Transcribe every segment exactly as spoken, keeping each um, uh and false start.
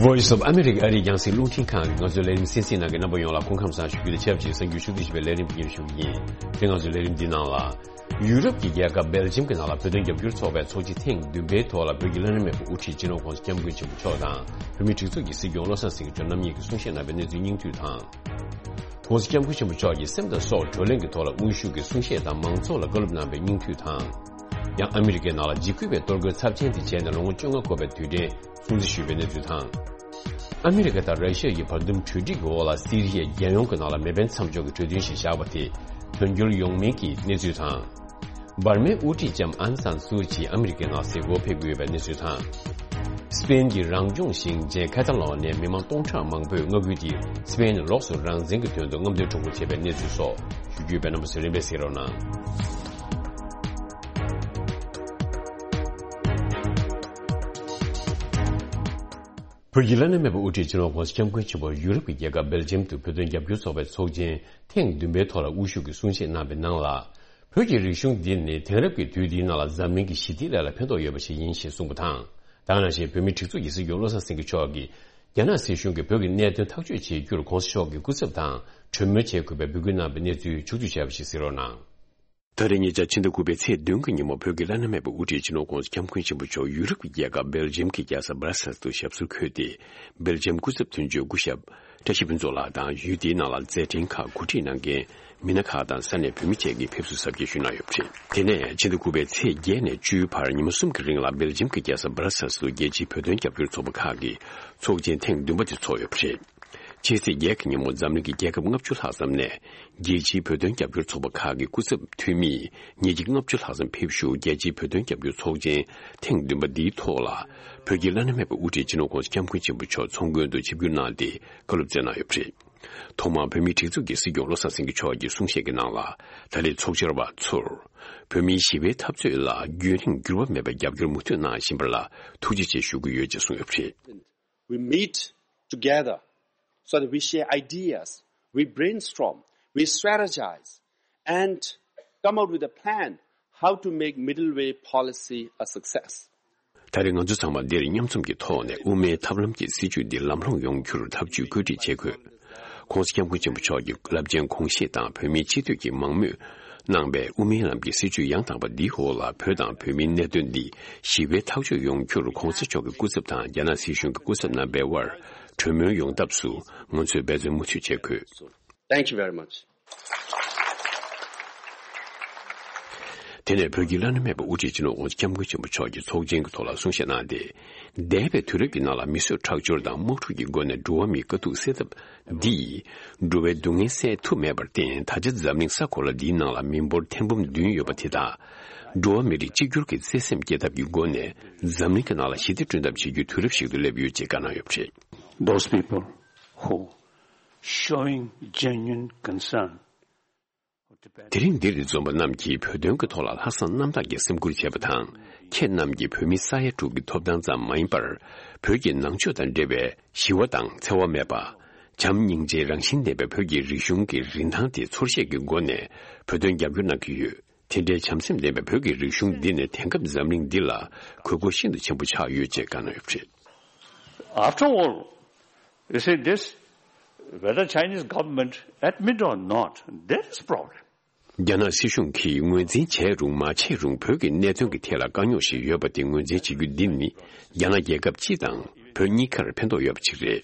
Voice of America ཨ་རིའི་རྒྱང་སྲིང་རླུང་འཕྲིན་ཁང་གི་ང་ཚོའི་ལས་རིམ་གསན་གཟིགས་གནང་མཁན་རྣམ་པ་ཡོངས་ལ་སྐུ་ཁམས་བཟང་ཞུ་རྒྱུ་དང་ཆབས་ཅིག་གསར་འགྱུར་ཕྱོགས་བསྡུས་ཞིབ་པའི་ལས་རིམ་འདི་སྙན་ཞུ་གི་ཡིན། དེ་ང་ཚོའི་ལས་རིམ་འདི་ནང་ལ། ཡུ་རོབ་ཀྱི་རྒྱལ་ཁབ་སྦེལ་ཇམ་གྱི་ནང་ལ་བོད་དོན་རྒྱབ་སྐྱོར་ཚོགས་པའི་ཚོགས་ཆེན་ཐེངས་བདུན་པའི་ཐོག་ལ་བོད་ཀྱི་བླ་ན་མེད་པའི་དབུ་ཁྲིད་སྤྱི་ནོར་༸གོང་ས་༸སྐྱབས་མགོན་ཆེན་པོ་མཆོག་དང་བོད་མིའི་སྒྲིག་འཛུགས་ཀྱི་སྲིད་སྐྱོང་བློ་བཟང་སེང་གེ་མཆོག་རྣམ་གཉིས་ཀྱིས་གསུང་བཤད་གནང་བའི་གནས་ཚུལ་སྙིང་བསྡུས་དང་། ༸གོང་ས་༸སྐྱབས་མགོན་ཆེན་པོ་མཆོག་གིས་སེམས་དང་སྲོག་བགྲོ་གླེང་གི་ཐོག་ལ་དབུ་བཞུགས་ཀྱིས་གསུང་བཤད་དང་མང་ཚོགས་ལ་བཀའ་སློབ་གནང་བའི་སྙིང་བསྡུས་དང་། ཡང་ཨ་མི་རི་ཀའི་ནང་ལ་འཇིགས་སྐུལ་བའི་གཏོར་རྒོལ་ཚབས་ཆེན་དེ་བྱས་ནས་ལོ་ངོ་བཅོ་ལྔ་འཁོར་བའི་དུས་དྲན་སྲུང་བརྩི་ཞུས་པའི་གནས་ཚུལ་དང་། ཨ་མི་རི་ཀ་དང་ར་ཤི་ཡ་ཡི་བར་འདུམ་གྲོས་འགྲིག་གི་འོག་ལ་སི་རི་ཡའི་རྒྱལ་ཡོངས་ཀྱི་ནང་ལ་མེ་འཕེན་མཚམས་འཇོག་གི་གྲོས་མཐུན་ཞིག་བཞག་པ་དེ་དོན་འཁྱོལ་ཡོང་མིན་གྱི་གནས་ཚུལ་དང་། འབར་མའི་དབུ་ཁྲིད་ལྕམ་ཨན་སན་སུའུ་ཅི་ཨ་མི་རི་ཀའི་ནང་གཟིགས་སྐོར་ཕེབས་ཀྱི་ཡོད་པའི་གནས་ཚུལ་དང་། སི་པེན་གྱི་རང་སྐྱོང་ཞིང་ཆེན་ཁ་ཏ་ལོ་ནི་ཡའི་མི་མང་སྟོང་ཕྲག་མང་པོས་མངའ་ཁུལ་དེར་སི་པེན་ནས་ལོགས་སུ་རང་བཙན་གྱི་དོན་དུ་རྔམ་སྟོན་ཁྲོམ་སྐོར་བྱས་པའི་གནས་ཚུལ་སོགས་ཞུ་རྒྱུ་ཡོད་པས་རྣམ་པ་ཚོས་རིམ་པས་གཟིགས་རོགས་གནང་། བོད་ཀྱི་བླ་ན་མེད་པའི་དབུ་ཁྲིད་སྤྱི་ནོར་༸གོང་ས་༸སྐྱབས་མགོན་ཆེན་པོ་ཡུ་རོབ་ཀྱི་རྒྱལ་ཁབ་སྦེལ་ཇམ་དུ་བོད་དོན་རྒྱབ་སྐྱོར་ཚོགས་པའི་ཚོགས་ཆེན་ཐེངས་བདུན་པའི་ཐོག་ལ་དབུ་བཞུགས་ཀྱིས་གསུང་བཤད་གནང་བའི་ནང་ལ། བོད་ཀྱི་རིག་གཞུང་འདི་ནི་དེང་རབས་ཀྱི་དུས་འདིའི་ནང་ལ་འཛམ་གླིང་གི་ཞི་བདེའི་ལས་ལ་ཕན་ཐོགས་ཡོད་པ་ཞིག་ཡིན་ཞེས་གསུངས་པ་དང་། ད་ག་ནང་བཞིན་བོད་མིའི་སྒྲིག་འཛུགས་ཀྱི་སྲིད་སྐྱོང་བློ་བཟང་སེང་གེ་མཆོག་གིས་རྒྱ་ནག་སྲིད་གཞུང་གིས་བོད་ཀྱི་གནད་དོན་ཐག་གཅོད་བྱེད་རྒྱུར་༸གོང་ས་མཆོག་གི་སྐུ་ཚབ་དང་གྲོས་མོལ་བྱེད་དགོས་པའི་འབོད་སྐུལ་གནང་བའི་གནས་ཚུལ་ཕྱོགས་བསྡུས་བྱས་པ་ཞིག་གཟིགས་རོགས་གནང་། ད་རེས་ཉེ་ཆར་ཕྱི་ཟླ་དགུ་པའི་ཚེས་བདུན་གྱི་ཉིན་མོ་བོད་ཀྱི་བླ་ན་མེད་པའི་དབུ་ཁྲིད་སྤྱི་ནོར་༸གོང་ས་༸སྐྱབས་མགོན་ཆེན་པོ་མཆོག་ཡུ་རོབ་ཀྱི་རྒྱལ་ཁབ་སྦེལ་ཇམ་གྱི་རྒྱལ་ས་སྦ་ར་སེལ་དུ་ཞབས་སོར་འཁོད་དེ། སྦེལ་ཇམ་སྐུ་ཚབ་དོན་གཅོད་སྐུ་ཞབས་བཀྲ་ཤིས་ཕུན་ཚོགས་ལགས་དང་ཡུལ་དེའི་ནང་ལ་མཛད་འཕྲིན་ཁག་གོ་སྒྲིག་གནང་མཁན་མི་སྣ་ཁག་དང་ས་གནས་བོད་མི་བཅས་ཀྱིས་ཕེབས་བསུ་གཟབ་རྒྱས་ཞུས་གནང་ཡོད་པ་རེད། དེ་ནས་ཕྱི་ཟླ་དགུ་པའི་ཚེས་བརྒྱད་ནས་བཅུའི་བར་ཉིན་མོ་གསུམ་གྱི་རིང་ལ་སྦེལ་ཇམ་གྱི་རྒྱལ་ས་སྦ་ར་སེལ་དུ་རྒྱལ་སྤྱིའི་བོད་དོན་རྒྱབ་སྐྱོར་ཚོགས་པ་ཁག་གི་ཚོགས་ཆེན་ཐེངས་བདུན་པ་དེ་ཚོགས་ཡོད་པ་རེད། ཕྱི་ཚེས་བརྒྱད་ཀྱི་ཉིན་མོ་འཛམ་གླིང་གི་རྒྱལ་ཁབ་ལྔ་བཅུ་ལྷག་ཙམ་ནས་རྒྱལ་སྤྱིའི་བོད་དོན་རྒྱབ་སྐྱོར་ཚོགས་པ་ཁག་གི་སྐུ་ཚབ་འཐུས་མི་ཉིས་བརྒྱ་ལྔ་བཅུ་ལྷག་ཙམ་ཕེབས་བཞུགས། རྒྱལ་སྤྱིའི་བོད་དོན་རྒྱབ་སྐྱོར་ཚོགས་ཆེན་ཐེངས་བདུན་པ་འདིའི་ཐོག་ལ་བོད་ཀྱི་བླ་ན་མེད་པའི་དབུ་ཁྲིད་སྤྱི་ནོར་༸གོང་ས་༸སྐྱབས་མགོན་ཆེན་པོ་མཆོག་ཚོགས་མགོན་དུ་ཆིབས་བསྒྱུར་གནང་སྟེ་བཀའ་སློབ་སྩལ་གནང་ཡོད་པ་རེད། ཐོག་མར་བོད་མིའི་སྒྲིག་འཛུགས་ཀྱི་སྲིད་སྐྱོང་བློ་བཟང་སེང་གེ་མཆོག་གིས་གསུང་བཤད་ཀྱི་ནང་ལ། ད་རེས་ཚོགས་བཅར་བ་ཚོར་བོད་མིའི་ཞི་བའི་འཐབ་རྩོད་ལ་རྒྱུན་རིང་འགྱུར་བ་མེད་པར་རྒྱབ་སྐྱོར་མུ་མཐུད་གནང་བཞིན་པ་ལ་ཐུགས་རྗེ་ཆེ་ཞུ་གི་ཡོད་ཅེས་གསུངས་ཡོད་པ་རེད། We meet together so that we share ideas, we brainstorm, we strategize, and come out with a plan how to make middle way policy a success. ད་རེས་ང་ཚོ་ཚང་མ་འདིར་མཉམ་འཛོམས་ཀྱི་ཐོག་ནས་དབུ་མའི་ཐབས་ལམ་གྱི་སྲིད་བྱུས་འདི་ལམ་ལྷོང་ཡོང་རྒྱུར་ཐབས་ཇུས་བཀོད་སྒྲིག་བྱེད་དགོས། ༸གོང་ས་༸སྐྱབས་མགོན་ཆེན་པོ་མཆོག་གི་རླབས་ཆེན་དགོངས་བཞེད་དང་བོད་མིའི་སྤྱི་འཐུས་ཀྱིས་མང་མོས་གནང་པའི་དབུ་མའི་ལམ་གྱི་སྲིད་བྱུས་ཡང་དག་པ་འདིའི་འོག་ལ་བོད་དང་བོད་མིའི་གནད་དོན་འདི་ཞི་བའི་ཐག་གཅོད་ཡོང་རྒྱུར་༸གོང་ས་མཆོག་གི་སྐུ་ཚབ་དང་རྒྱ་ནག་སྲིད་གཞུང་གི་སྐུ་ཚབ་རྣམ་པའི་དབར་གྲོས་མོལ་ཡོང་ཐབས་སུ་ང་ཚོས་འབད་བརྩོན་མུ་མཐུད་བྱེད་དགོས། Thank you very much. དེ་ནས་བོད་ཀྱི་བླ་ན་མེད་པའི་དབུ་ཁྲིད་སྤྱི་ནོར་༸གོང་ས་༸སྐྱབས་མགོན་ཆེན་པོ་མཆོག་གིས་ཚོགས་ཆེན་གྱི་ཐོག་ལ་གསུང་བཤད་གནང་སྟེ། འདས་པའི་དུས་རབས་ཀྱི་ནང་ལ་མི་གསོད་ཁྲག་སྦྱོར་དང་དམག་འཁྲུག་གི་སྒོ་ནས་འགྲོ་བ་མིའི་དཀའ་སྡུག་སེལ་ཐབས་འདིས། འགྲོ་བའི་སྡུག་བསྔལ་སེལ་ཐུབ་མེད་པར་བརྟེན། ད་ཆ་འཛམ་གླིང་ས་གོ་ལ་འདིའི་ནང་ལ་མི་འབོར་ཐེར་འབུམ་བདུན་ཡོད་པ་དེ་དག་འགྲོ་བ་མི་རིགས་གཅིག་གྱུར་གྱི་བརྩེ་སེམས་སྐྱེ་ཐབས་ཀྱི་སྒོ་ནས་འཛམ་གླིང་གི་ནང་ལ་ཞི་བདེ་བསྐྲུན་ཐབས་བྱེད་རྒྱུའི་དུས་རབས་ཤིག་ཏུ་སླེབས་ཡོད་ཅེས་བཀའ་གནང་ཡོད་པ་རེད། Those people who showing genuine concern for Tibet དེ་རིང་འདིར་འཛོམས་པ་རྣམས་ཀྱིས་བོད་དོན་གྱི་ཐོག་ལ་ལྷག་བསམ་རྣམ་དག་གིས་སེམས་ཁུར་བྱས་པ་དང་། ཁྱེད་རྣམས་ཀྱིས་བོད་མི་ས་ཡ་དྲུག་གི་ཐོབ་ཐང་ཙམ་མ་ཡིན་པར། བོད་ཀྱི་ནང་ཆོས་དང་འབྲེལ་བའི་ཞི་བ་དང་འཚེ་བ་མེད་པ། བྱམས་སྙིང་རྗེའི་རང་བཞིན་ལྡན་པའི་བོད་ཀྱི་རིག་གཞུང་གི་རིན་ཐང་དེ་ཚོར་ཤེས་ཀྱི་སྒོ་ནས་བོད་དོན་རྒྱབ་སྐྱོར་གནང་གི་ཡོད། དེ་འདྲའི་བྱམས་སེམས་ལྡན་པའི་བོད་ཀྱི་རིག་གཞུང་འདི་ནི་དེང་སྐབས་འཛམ་གླིང་འདི་ལ་དགོས་མཁོ་ཤིན་ཏུ་ཆེན་པོ་ཆགས་ཡོད་ཅེས་བཀའ་གནང་ཡོད་པ་རེད། After all, you see this, whether Chinese government admit or not, there is problem. རྒྱ་ནག་སྲིད་གཞུང་གིས་ངོས་འཛིན་བྱས་རུང་མ་བྱས་རུང་བོད་ཀྱི་གནད་དོན་གྱི་ཐད་ལ་དཀའ་རྙོག་ཞིག་ཡོད་པ་དེ་ངོས་འཛིན་བྱེད་རྒྱུ་འདི་ནི་རྒྱ་ནག་རྒྱལ་ཁབ་སྤྱི་དང་བོད་གཉིས་ཀར་ཕན་ཐོགས་ཡོད་པ་ཅིག་རེད།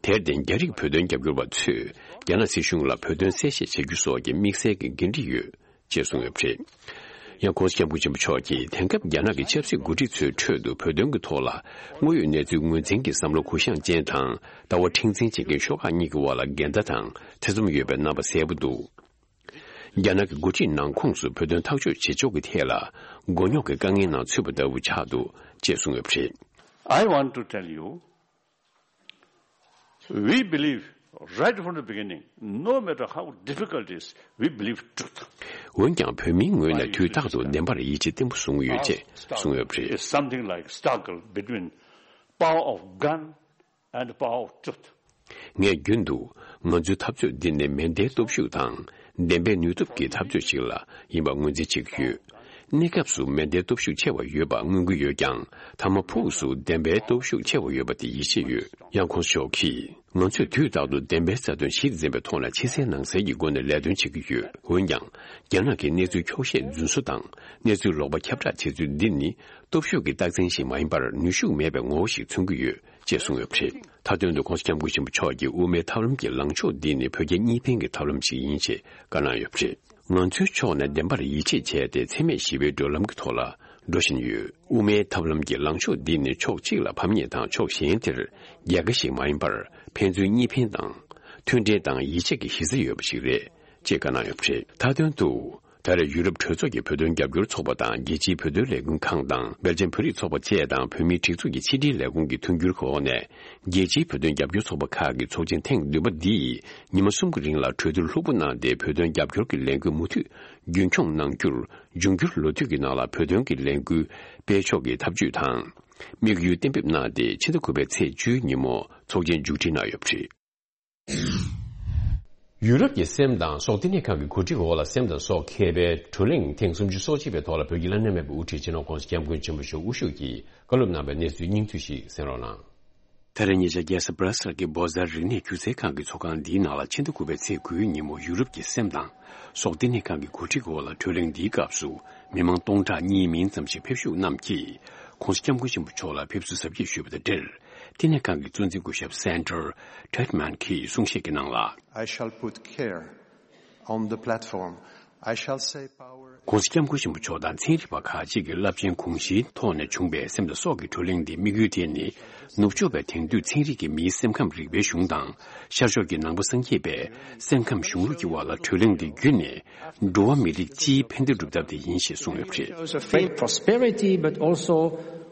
དེར་བརྟེན་རྒྱ་རིགས་བོད་དོན་རྒྱབ་སྐྱོར་བ་ཚོས་རྒྱ་ནག་སྲིད་གཞུང་ལ་བོད་དོན་གསལ་བཤད་བྱེད་རྒྱུ་སོགས་ཀྱི་དམིགས་བསལ་གྱི་འགན་འཁྲི་ཡོད། ཅེས་གསུངས་ཡོད་པ་རེད། ཡང་༸གོང་ས་༸སྐྱབས་མགོན་ཆེན་པོ་མཆོག་གིས་དེང་སྐབས་རྒྱ་ནག་གི་ཆབ་སྲིད་འགོ་ཁྲིད་ཚོའི་ཁྲོད་དུ་བོད་དོན་གྱི་ཐོག་ལ་དངོས་ཡོད་གནས་ཚུལ་ངོས་འཛིན་གྱི་བསམ་བློ་གུ་ཡངས་ཅན་དང་ལྟ་བ་མཁྲེགས་འཛིན་བྱེད་མཁན་ཤོག་ཁག་གཉིས་ཀྱི་དབར་ལ་འགལ་ཟླ་དང་ཐེ་ཚོམ་ཡོད་པའི་རྣམ་པ་གསལ་པོ་འདུག་རྒྱ་ནག་གི་འགོ་ཁྲིད་ནང་ཁོངས་སུ་བོད་དོན་ཐག་གཅོད་བྱེད་ཕྱོགས་ཀྱི་ཐད་ལ་མགོ་རྙོག་གི་དཀའ་ངལ་ནང་ཚུད་པ་ལྟ་བུ་ཆགས་འདུག་ཅེས་གསུངས་ཡོད་པ་རེད། I want to tell you, we believe right from the beginning, no matter how difficult it is, we believe truth. འོན་ཀྱང་བོད་མིའི་ངོས་ནས་དུས་རྟག་ཏུ་བདེན་པར་ཡིད་ཆེས་བརྟན་པོ་བཟུང་ཡོད་ཅེས་གསུངས་ཡོད་པ་རེད། It's something like struggle between power of gun and the power of truth. ངས་རྒྱུན་དུ་ང་ཚོའི་འཐབ་རྩོད་འདི་ནི་མེ་མདའི་སྟོབས་ཤུགས་དང་བདེན་པའི་ནུས་སྟོབས་ཀྱི་འཐབ་རྩོད་ཅིག་ལ་ཡིན་པ་ངོས་འཛིན་བྱེད་ཀྱི་ཡོད། གནས་སྐབས་སུ་མེ་མདའི་སྟོབས་ཤུགས་ཆེ་བ་ཡོད་པ་མངོན་གྱི་ཡོད་ཀྱང་། མཐའ་མ་ཕུགས་སུ་བདེན་པའི་སྟོབས་ཤུགས་ཆེ་བ་ཡོད་པ་དེ་ཡིད་ཆེས་ཡོད། ཡང་ཁོང་མཆོག་གིས། ང་ཚོས་དུས་རྟག་ཏུ་བདེན་པའི་རྩ་དོན་གཞི་འཛིན་པའི་ཐོག་ལ་ཕྱི་གསལ་ནང་གསལ་གྱི་སྒོ་ནས་ལས་དོན་བྱེད་ཀྱི་ཡོད། འོན་ཀྱང་། རྒྱ་ནག་གིས་གནས་ཚུལ་འཁྱོག་བཤད་རྫུན་བཟོ་དང་། གནས་ཚུལ་ལོག་པ་ཁྱབ་བསྒྲགས་བྱེད་ཚུལ་འདི་ནི། སྟོབས་ཤུགས་ཀྱི་རྟགས་མཚན་ཞིག་མ་ཡིན་པར། ནུས་ཤུགས་མེད་པའི་ངོ་བོ་ཞིག་མཚོན་གྱི་ཡོད། ཅེས་གསུངས་ཡོད་པ་རེད། མཐའ་དོན་དུ་༸གོང་ས་༸སྐྱབས་མགོན་ཆེན་པོ་མཆོག་གིས་དབུ་མའི་ཐབས་ལམ་གྱི་ལངས་ཕྱོགས་འདི་ནི་བོད་རྒྱ་གཉིས་ཕན་གྱི་ཐབས་ལམ་ཞིག་ཡིན་ཞེས་བཀའ་གནང་ཡོད་པ་རེད། ང་ཚོའི་ཕྱོགས་ནས་བདེན་པར་ཡིད་ཆེས་བྱས་ཏེ། འཚེ་མེད་ཞི་བའི་བགྲོད་ལམ་གྱི་ཐོག་ལ་འགྲོ་བཞིན་ཡོད། དབུ་མའི་ཐབས་ལམ་གྱི་ལངས་ཕྱོགས་འདི་ནི་ཕྱོགས་གཅིག་ལ་ཕམ་ཉེས་དང་ཕྱོགས་གཞན་དེར་རྒྱལ་ཁ་ཞིག་མ་ཡིན་པར། ཕན་ཚུན་གཉིས་ཕན་དང་། མཐུན་འབྲེལ་དང་ཡིད་ཆེས་ཀྱི་གཞི་རྩ་ཡོད་པ་ཞིག་རེད། ཅེས་བཀའ་གནང་ཡོད་པ་རེད། མཐའ་དོན་དུ། ད་རེས་ཡུ་རོབ་གྲོས་ཚོགས་ཀྱི་བོད་དོན་རྒྱབ་སྐྱོར་ཚོགས་པ་དང་། རྒྱལ་སྤྱིའི་བོད་དོན་ལས་འགུལ་ཁང་དང་། སྦེལ་ཇམ་བོད་རིགས་ཚོགས་པ་བཅས་དང་། བོད་མིའི་སྒྲིག་འཛུགས་ཀྱི་ཕྱི་དྲིལ་ལས་ཁུངས་ཀྱི་མཐུན་འགྱུར་གྱི་འོག་ནས། རྒྱལ་སྤྱིའི་བོད་དོན་རྒྱབ་སྐྱོར་ཚོགས་པ་ཁག་གི་ཚོགས་ཆེན་ཐེངས་བདུན་པ་འདིས། ཉི་མ་གསུམ་གྱི་རིང་ལ་གྲོས་བསྡུར་ལྷུག་པོ་གནང་སྟེ། བོད་དོན་རྒྱབ་སྐྱོར་གྱི་ལས་འགུལ་མུ་མཐུད་རྒྱུན་འཁྱོངས་གནང་རྒྱུར། འབྱུང་འགྱུར་ལོ་དུས་ཀྱི་ནང་ལ་བོད་དོན་གྱི་ལས་འགུལ་སྤེལ་ཕྱོགས་ཀྱི་ཐབས་ཇུས་དང་། དམིགས་ཡུལ་གཏན་འབེབས་གནང་སྟེ། ཕྱི་ཟླ་དགུ་པའི་ཚེས་བཅུའི་ཉིན་མོ་ཚོགས་ཆེན་མཇུག་སྒྲིལ་གནང་ཡོད་པ་རེད། ཡུ་རོབ་ཀྱི་སེམས་དང་སྲོག་བསྟི་གནས་ཁང་གི་གོ་སྒྲིག་འོག་ལ་སེམས་དང་སྲོག་མཁས་པའི་བགྲོ་གླེང་ཐེངས་སུམ་ཅུ་སོ་གཅིག་པའི་ཐོག་ལ། བོད་ཀྱི་བླ་ན་མེད་པའི་དབུ་ཁྲིད་སྤྱི་ནོར་༸གོང་ས་༸སྐྱབས་མགོན་ཆེན་པོ་མཆོག་དབུ་བཞུགས་ཀྱིས་བཀའ་སློབ་གནང་བའི་གནས་ཚུལ་སྙིང་བསྡུས་ཤིག་གསན་རོགས་གནང་། ད་རེས་ཉེ་ཆར་རྒྱལ་ས་སྦྲ་སེལ་གྱི་བྷོ་ཛར་རིག་གནས་སྒྱུ་རྩལ་ཁང་གི་ཚོགས་ཁང་འདིའི་ནང་ལ། ཕྱི་ཟླ་དགུ་པའི་ཚེས་དགུའི་ཉིན་མོ་ཡུ་རོབ་ཀྱི་སེམས་དང་སྲོག་བསྟི་གནས་ཁང་གི་གོ་སྒྲིག་འོག་ལ་བགྲོ་གླེང་འདིའི་སྐབས་སུ། མི་མང་སྟོང་ཕྲག་གཉིས་མིན་ཙམ་ཞིག་ཕེབས་ཞུགས་རྣམས་ཀྱིས། ༸གོང་ས་༸སྐྱབས་མགོན་ཆེན་པོ་མཆོག་ལ་ཕེབས་བསུ་གཟབ་རྒྱས་ཞུས་པ་དང་འབྲེལ། བསྟི་གནས་ཁང་གི་གཙོ་འཛིན་སྐུ་ཞབས་Sandra Tretman གྱིས་གསུང་བཤད་ཀྱི་ནང་ལ། I shall put care on the platform. I shall say power. ༸གོང་ས་༸སྐྱབས་མགོན་ཆེན་པོ་མཆོག་དང་ཚན་རིག་པ་ཁག་ཅིག་གི་རླབས་ཆེན་དགོངས་གཞིའི་ཐོག་ནས་བྱུང་བའི་སེམས་དང་སྲོག་གི་བགྲོ་གླེང་འདིའི་དམིགས་ཡུལ་དེ་ནི། ནུབ་ཕྱོགས་པའི་དེང་དུས་ཚན་རིག་གིས་མིའི་སེམས་ཁམས་རིག་པའི་གཞུང་དང་། ཤར་ཕྱོགས་ཀྱི་ནང་པ་སངས་རྒྱས་པའི་སེམས་ཁམས་གཞུང་ལུགས་ཀྱི་དབར་ལ་བགྲོ་གླེང་འདི་བརྒྱུད་ནས། འགྲོ་བ་མི་རིགས་སྤྱིའི་ཕན་བདེ་སྒྲུབ་ཐབས་དེ་ཡིན་ཞེས་གསུངས་ཡོད་པ་རེད། Shows a faith prosperity, but also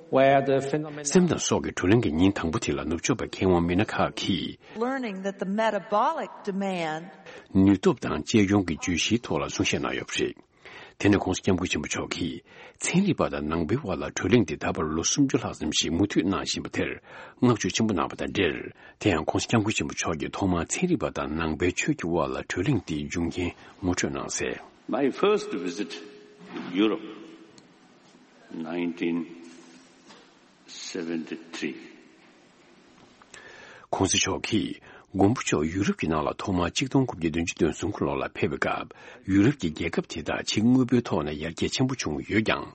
where the phenomenon སེམས་དང་སྲོག་གི་བགྲོ་གླེང་གི་ཉིན་དང་པོ་དེ་ལ་ནུབ་ཕྱོགས་པའི་མཁས་དབང་མི་སྣ་ཁག་གིས། Learning that the metabolic demand ནུས་སྟོབས་དང་གཅེས་སྐྱོང་གི་བརྗོད་གཞིའི་ཐོག་ལ་གསུང་བཤད་གནང་ཡོད་པ་རེད། དེ་ནས་༸གོང་ས་༸སྐྱབས་མགོན་ཆེན་པོ་མཆོག་གིས། ཚན་རིག་པ་དང་ནང་པའི་དབར་ལ་བགྲོ་གླེང་འདི་ད་བར་ལོ་སུམ་ཅུ་ལྷག་ཙམ་ཞིག་མུ་མཐུད་གནང་བཞིན་པ་དེར་བསྔགས་བརྗོད་ཆེན་པོ་གནང་བ་དང་འབྲེལ། དེ་ཡང་༸གོང་ས་༸སྐྱབས་མགོན་ཆེན་པོ་མཆོག་གིས་ཐོག་མར་ཚན་རིག་པ་དང་ནང་པའི་ཆོས་ཀྱི་དབར་ལ་བགྲོ་གླེང་འདིའི་འབྱུང་རྐྱེན་ངོ་སྤྲོད་གནང་གསལ། My first visit to Europe, nineteen seventy-three. ༸གོང་ས་མཆོག་གིས་མགོན་པོ་མཆོག་ཡུ་རོབ་ཀྱི་ནང་ལ་ཐོག་མར་ཆིག་སྟོང་དགུ་བརྒྱ་བདུན་ཅུ་དོན་གསུམ་གྱི་ལོ་ལ་ཕེབས་པའི་སྐབས། ཡུ་རོབ་ཀྱི་རྒྱལ་ཁབ་དེ་དག་ཕྱི་དངོས་པོའི་ཐོག་ནས་ཡར་རྒྱས་ཆེན་པོ་བྱུང་ཡོད་ཀྱང་།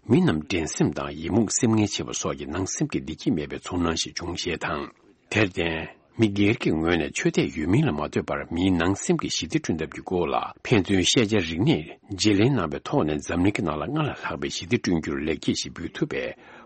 མི་རྣམས་འགྲན་སེམས་དང་ཡི་མུག་སེམས་ངལ་ཆེ་བ་སོགས་ཀྱི་ནང་སེམས་ཀྱི་བདེ་སྐྱིད་མེད་པའི་ཚོར་སྣང་ཞིག་བྱུང་ཞེས་དང་། དེར་བརྟེན། མི་སྒེར་གྱི་ངོས་ནས་ཆོས་དད་ཡོད་མིན་ལ་མ་ལྟོས་པར། མིའི་ནང་སེམས་ཀྱི་ཞི་བདེ་བསྐྲུན་ཐབས་ཀྱི་སྐོར་ལ་ཕན་ཚུན་ཤེས་བྱ་རིག་གནས་བརྗེ་ལེན་གནང་བའི་ཐོག་ནས། འཛམ་གླིང་གི་ནང་ལ་སྔར་ལས་ལྷག་པའི་ཞི་བདེ་བསྐྲུན་རྒྱུར་ལེགས་སྐྱེས་ཤིག་འབུལ་ཐུབ་པའི་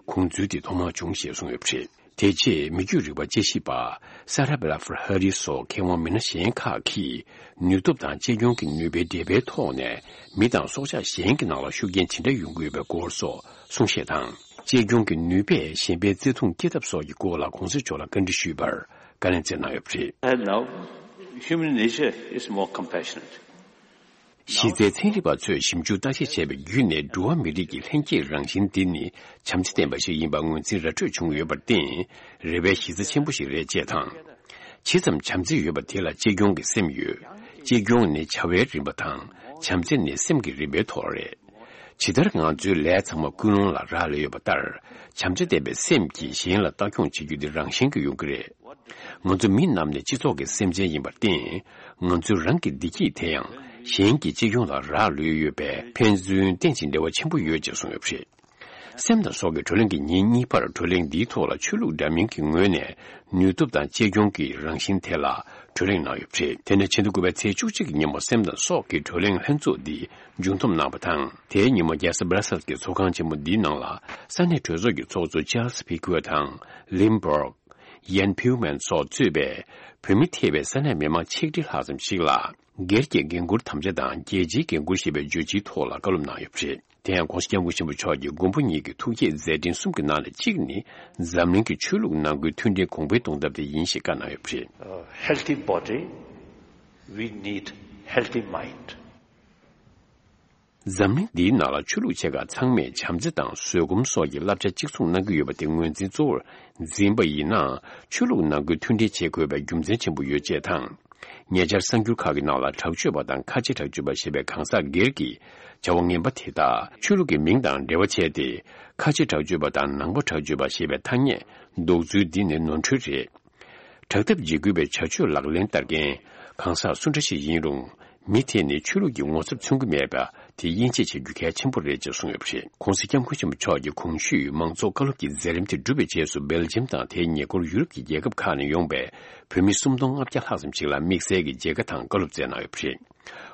དགོངས་ཚུལ་དེ་ཐོག་མར་བྱུང་ཞེས་གསུངས་ཡོད་པ་རེད། དེ་རྗེས་མི་རྒྱུད་རིག་པ་དཔྱད་ཞིབ་པ་Sarah Blaffer Harris སོགས་མཁས་དབང་མི་སྣ་གཞན་ཁག་གིས། ནུས་སྟོབས་དང་གཅེས་སྐྱོང་གི་ནུས་པའི་འབྲེལ་བའི་ཐོག་ནས། མི་དང་སྲོག་ཆགས་གཞན་གྱི་ནང་ལ་ཤུགས་རྐྱེན་ཇི་འདྲ་ཡོང་གི་ཡོད་པའི་སྐོར་སོགས་གསུང་བཤད་དང་། གཅེས་སྐྱོང་གི་ནུས་པས་གཞན་ཕན་བརྩེ་དུང་སྐྱེ་ཐབས་སོགས་ཀྱི་སྐོར་ལ་༸གོང་ས་མཆོག་ལ་བཀའ་འདྲི་ཞུས་པར་བཀའ་ལན་སྩལ་གནང་ཡོད་པ་རེད། And now, human nature is more compassionate. གཞི་རྩའི་ཚན་རིག་པ་ཚོས་ཞིབ་འཇུག་བརྟག་དཔྱད་བྱས་པ་བརྒྱུད་ནས། འགྲོ་བ་མི་རིགས་ཀྱི་ལྷན་སྐྱེས་རང་བཞིན་འདི་ནི་བྱམས་བརྩེ་ལྡན་པ་ཞིག་ཡིན་པ་ངོས་འཛིན་ར་སྤྲོད་བྱུང་ཡོད་པར་བརྟེན། རེ་བའི་གཞི་རྩ་ཆེན་པོ་ཞིག་རེད་ཅེས་དང་། ཇི་ཙམ་བྱམས་བརྩེ་ཡོད་པ་དེ་ལ་གཅེས་སྐྱོང་གི་སེམས་ཡོད། གཅེས་སྐྱོང་ནི་བྱ་བའི་རིམ་པ་དང་། བྱམས་བརྩེ་ནི་སེམས་ཀྱི་རིམ་པའི་ཐོག་རེད། ཇི་ལྟར་ང་ཚོའི་ལས་ཚང་མ་ཀུན་སློང་ལ་རག་ལས་ཡོད་པ་ལྟར། བྱམས་བརྩེ་ལྡན་པའི་སེམས་ཀྱིས་གཞན་ལ་ལྟ་སྐྱོང་བྱེད་རྒྱུ་འདི་རང་བཞིན་གྱིས་ཡོང་གི་རེད། ང་ཚོ་མི་རྣམས་ནི་སྤྱི་ཚོགས་ཀྱི་སེམས་ཅན་ཡིན་པར་བརྟེན། ང་ཚོའི་རང་གི་བདེ་སྐྱིད་དེ་ཡང་གཞན་གྱི་གཅེས་སྐྱོང་ལ་རག་ལུས་ཡོད་པས། ཕན་ཚུན་རྟེན་ཅིང་འབྲེལ་བ་ཆེན་པོ་ཡོད་ཅེས་གསུངས་ཡོད་པ་རེད། སེམས་དང་སྲོག་གི་བགྲོ་གླེང་གི་ཉིན་གཉིས་པར། བགྲོ་གླེང་འདིའི་ཐོག་ལ་ཆོས་ལུགས་འདྲ་མིན་གྱི་ངོས་ནས་ནུས་སྟོབས་དང་གཅེས་སྐྱོང་གི་རང་བཞིན་ཐད་ལ་བགྲོ་གླེང་གནང་ཡོད་པ་རེད། དེ་ནས་ཕྱི་ཟླ་དགུ་པའི་ཚེས་བཅུ་གཅིག་གི་ཉིན་མོ་སེམས་དང་སྲོག་གི་བགྲོ་གླེང་ལྷན་ཚོགས་འདི་མཇུག་བསྡོམས་གནང་བ་དང་། དེའི་ཉིན་མོ་རྒྱལ་ས་Brussels གྱི་ཚོགས་ཁང་ཆེན་མོ་འདིའི་ནང་ལ། ས་གནས་གྲོས་ཚོགས་ཀྱི་ཚོགས་གཙོ་Charles Piguet དང་Limburg, Jan Peumans སོགས་གཙོས་པའི་བོད་མི་ཐེ་བའི་ས་གནས་མི་མང་ཆིག་ཁྲི་ལྷག་ཙམ་ཞིག་ལ། སྒེར་གྱི་འགན་འཁུར་དམ་བཅའ་དང་རྒྱལ་སྤྱིའི་འགན་འཁུར་ཞེས་པའི་བརྗོད་གཞིའི་ཐོག་ལ་བཀའ་སློབ་གནང་ཡོད་པ་རེད། དེ་ཡང་༸གོང་ས་༸སྐྱབས་མགོན་ཆེན་པོ་མཆོག་གིས་མགོན་པོ་ཉིད་ཀྱི་ཐུགས་བསྐྱེད་མཛད་འཕྲིན་གསུམ་གྱི་ནང་ནས་གཅིག་ནི། འཛམ་གླིང་གི་ཆོས་ལུགས་ནང་ཁུལ་མཐུན་སྒྲིལ་གོང་འཕེལ་གཏོང་ཐབས་དེ་ཡིན་ཞེས་བཀའ་གནང་ཡོད་པ་རེད། A healthy body, we need healthy mind. འཛམ་གླིང་འདིའི་ནང་ལ་ཆོས་ལུགས་ཆེ་ཁག་ཚང་མས་བྱམས་བརྩེ་དང་བཟོད་སྒོམ་སོགས་ཀྱི་བསླབ་བྱ་གཅིག་མཚུངས་གནང་གི་ཡོད་པ་དེ་ངོས་འཛིན་གཙོ་བོར་འཛིན་པ་ཡིན་ན། ཆོས་ལུགས་ནང་ཁུལ་མཐུན་སྒྲིལ་བྱེད་དགོས་པའི་རྒྱུ་མཚན་ཆེན་པོ་ཡོད་ཅེས་དང་། ཉེ་ཆར་གསར་འགྱུར་ཁག་གི་ནང་ལ་དྲག་སྤྱོད་པ་དང་ཁ་ཆེ་དྲག་སྤྱོད་པ་ཞེས་པའི་གང་ཟག་སྒེར་གྱི་བྱ་བ་ངན་པ་དེ་དག་ཆོས་ལུགས་ཀྱི་མིང་དང་འབྲེལ་བ་བྱས་ཏེ། ཁ་ཆེ་དྲག་སྤྱོད་པ་དང་ནང་པ་དྲག་སྤྱོད་པ་ཞེས་པའི་ཐ་སྙད་འདོགས་ཚུལ་འདི་ནི་ནོར་འཁྲུལ་རེད། དྲག་འཐབ་འཇིགས་སྐུལ་བའི་བྱ་སྤྱོད་ལག་ལེན་བསྟར་མཁན་གང་ཟག་སུ་འདྲ་ཞིག་ཡིན་རུང་། མི་དེ་ནི་ཆོས་ལུགས་ཀྱི་ངོ་ཚབ་མཚོན་གྱི་མེད་པ་དེ་དབྱེ་འབྱེད་བྱེད་རྒྱུ་གལ་ཆེན་པོ་རེད་ཅེས་གསུངས་ཡོད་པ་རེད། ྋགོང་ས་ྋསྐྱབས་མགོན་ཆེན་པོ་མཆོག་གིས་གོང་ཞུས་མང་ཚོགས་བཀའ་སློབ་ཀྱི་མཛད་རིམ་དེ་གྲུབ་པའི་རྗེས་སུ། སྦེལ་ཇམ་དང་དེའི་ཉེ་འཁོར་ཡུ་རོབ་ཀྱི་རྒྱལ་ཁབ་ཁག་ནས་ཡོང་པའི་བོད་མི་སུམ་སྟོང་ལྔ་བརྒྱ་ལྷག་ཙམ་ཞིག་ལ་དམིགས་བསལ་གྱི་མཇལ་ཁ་དང་བཀའ་སློབ་སྩལ་གནང་ཡོད་པ་རེད།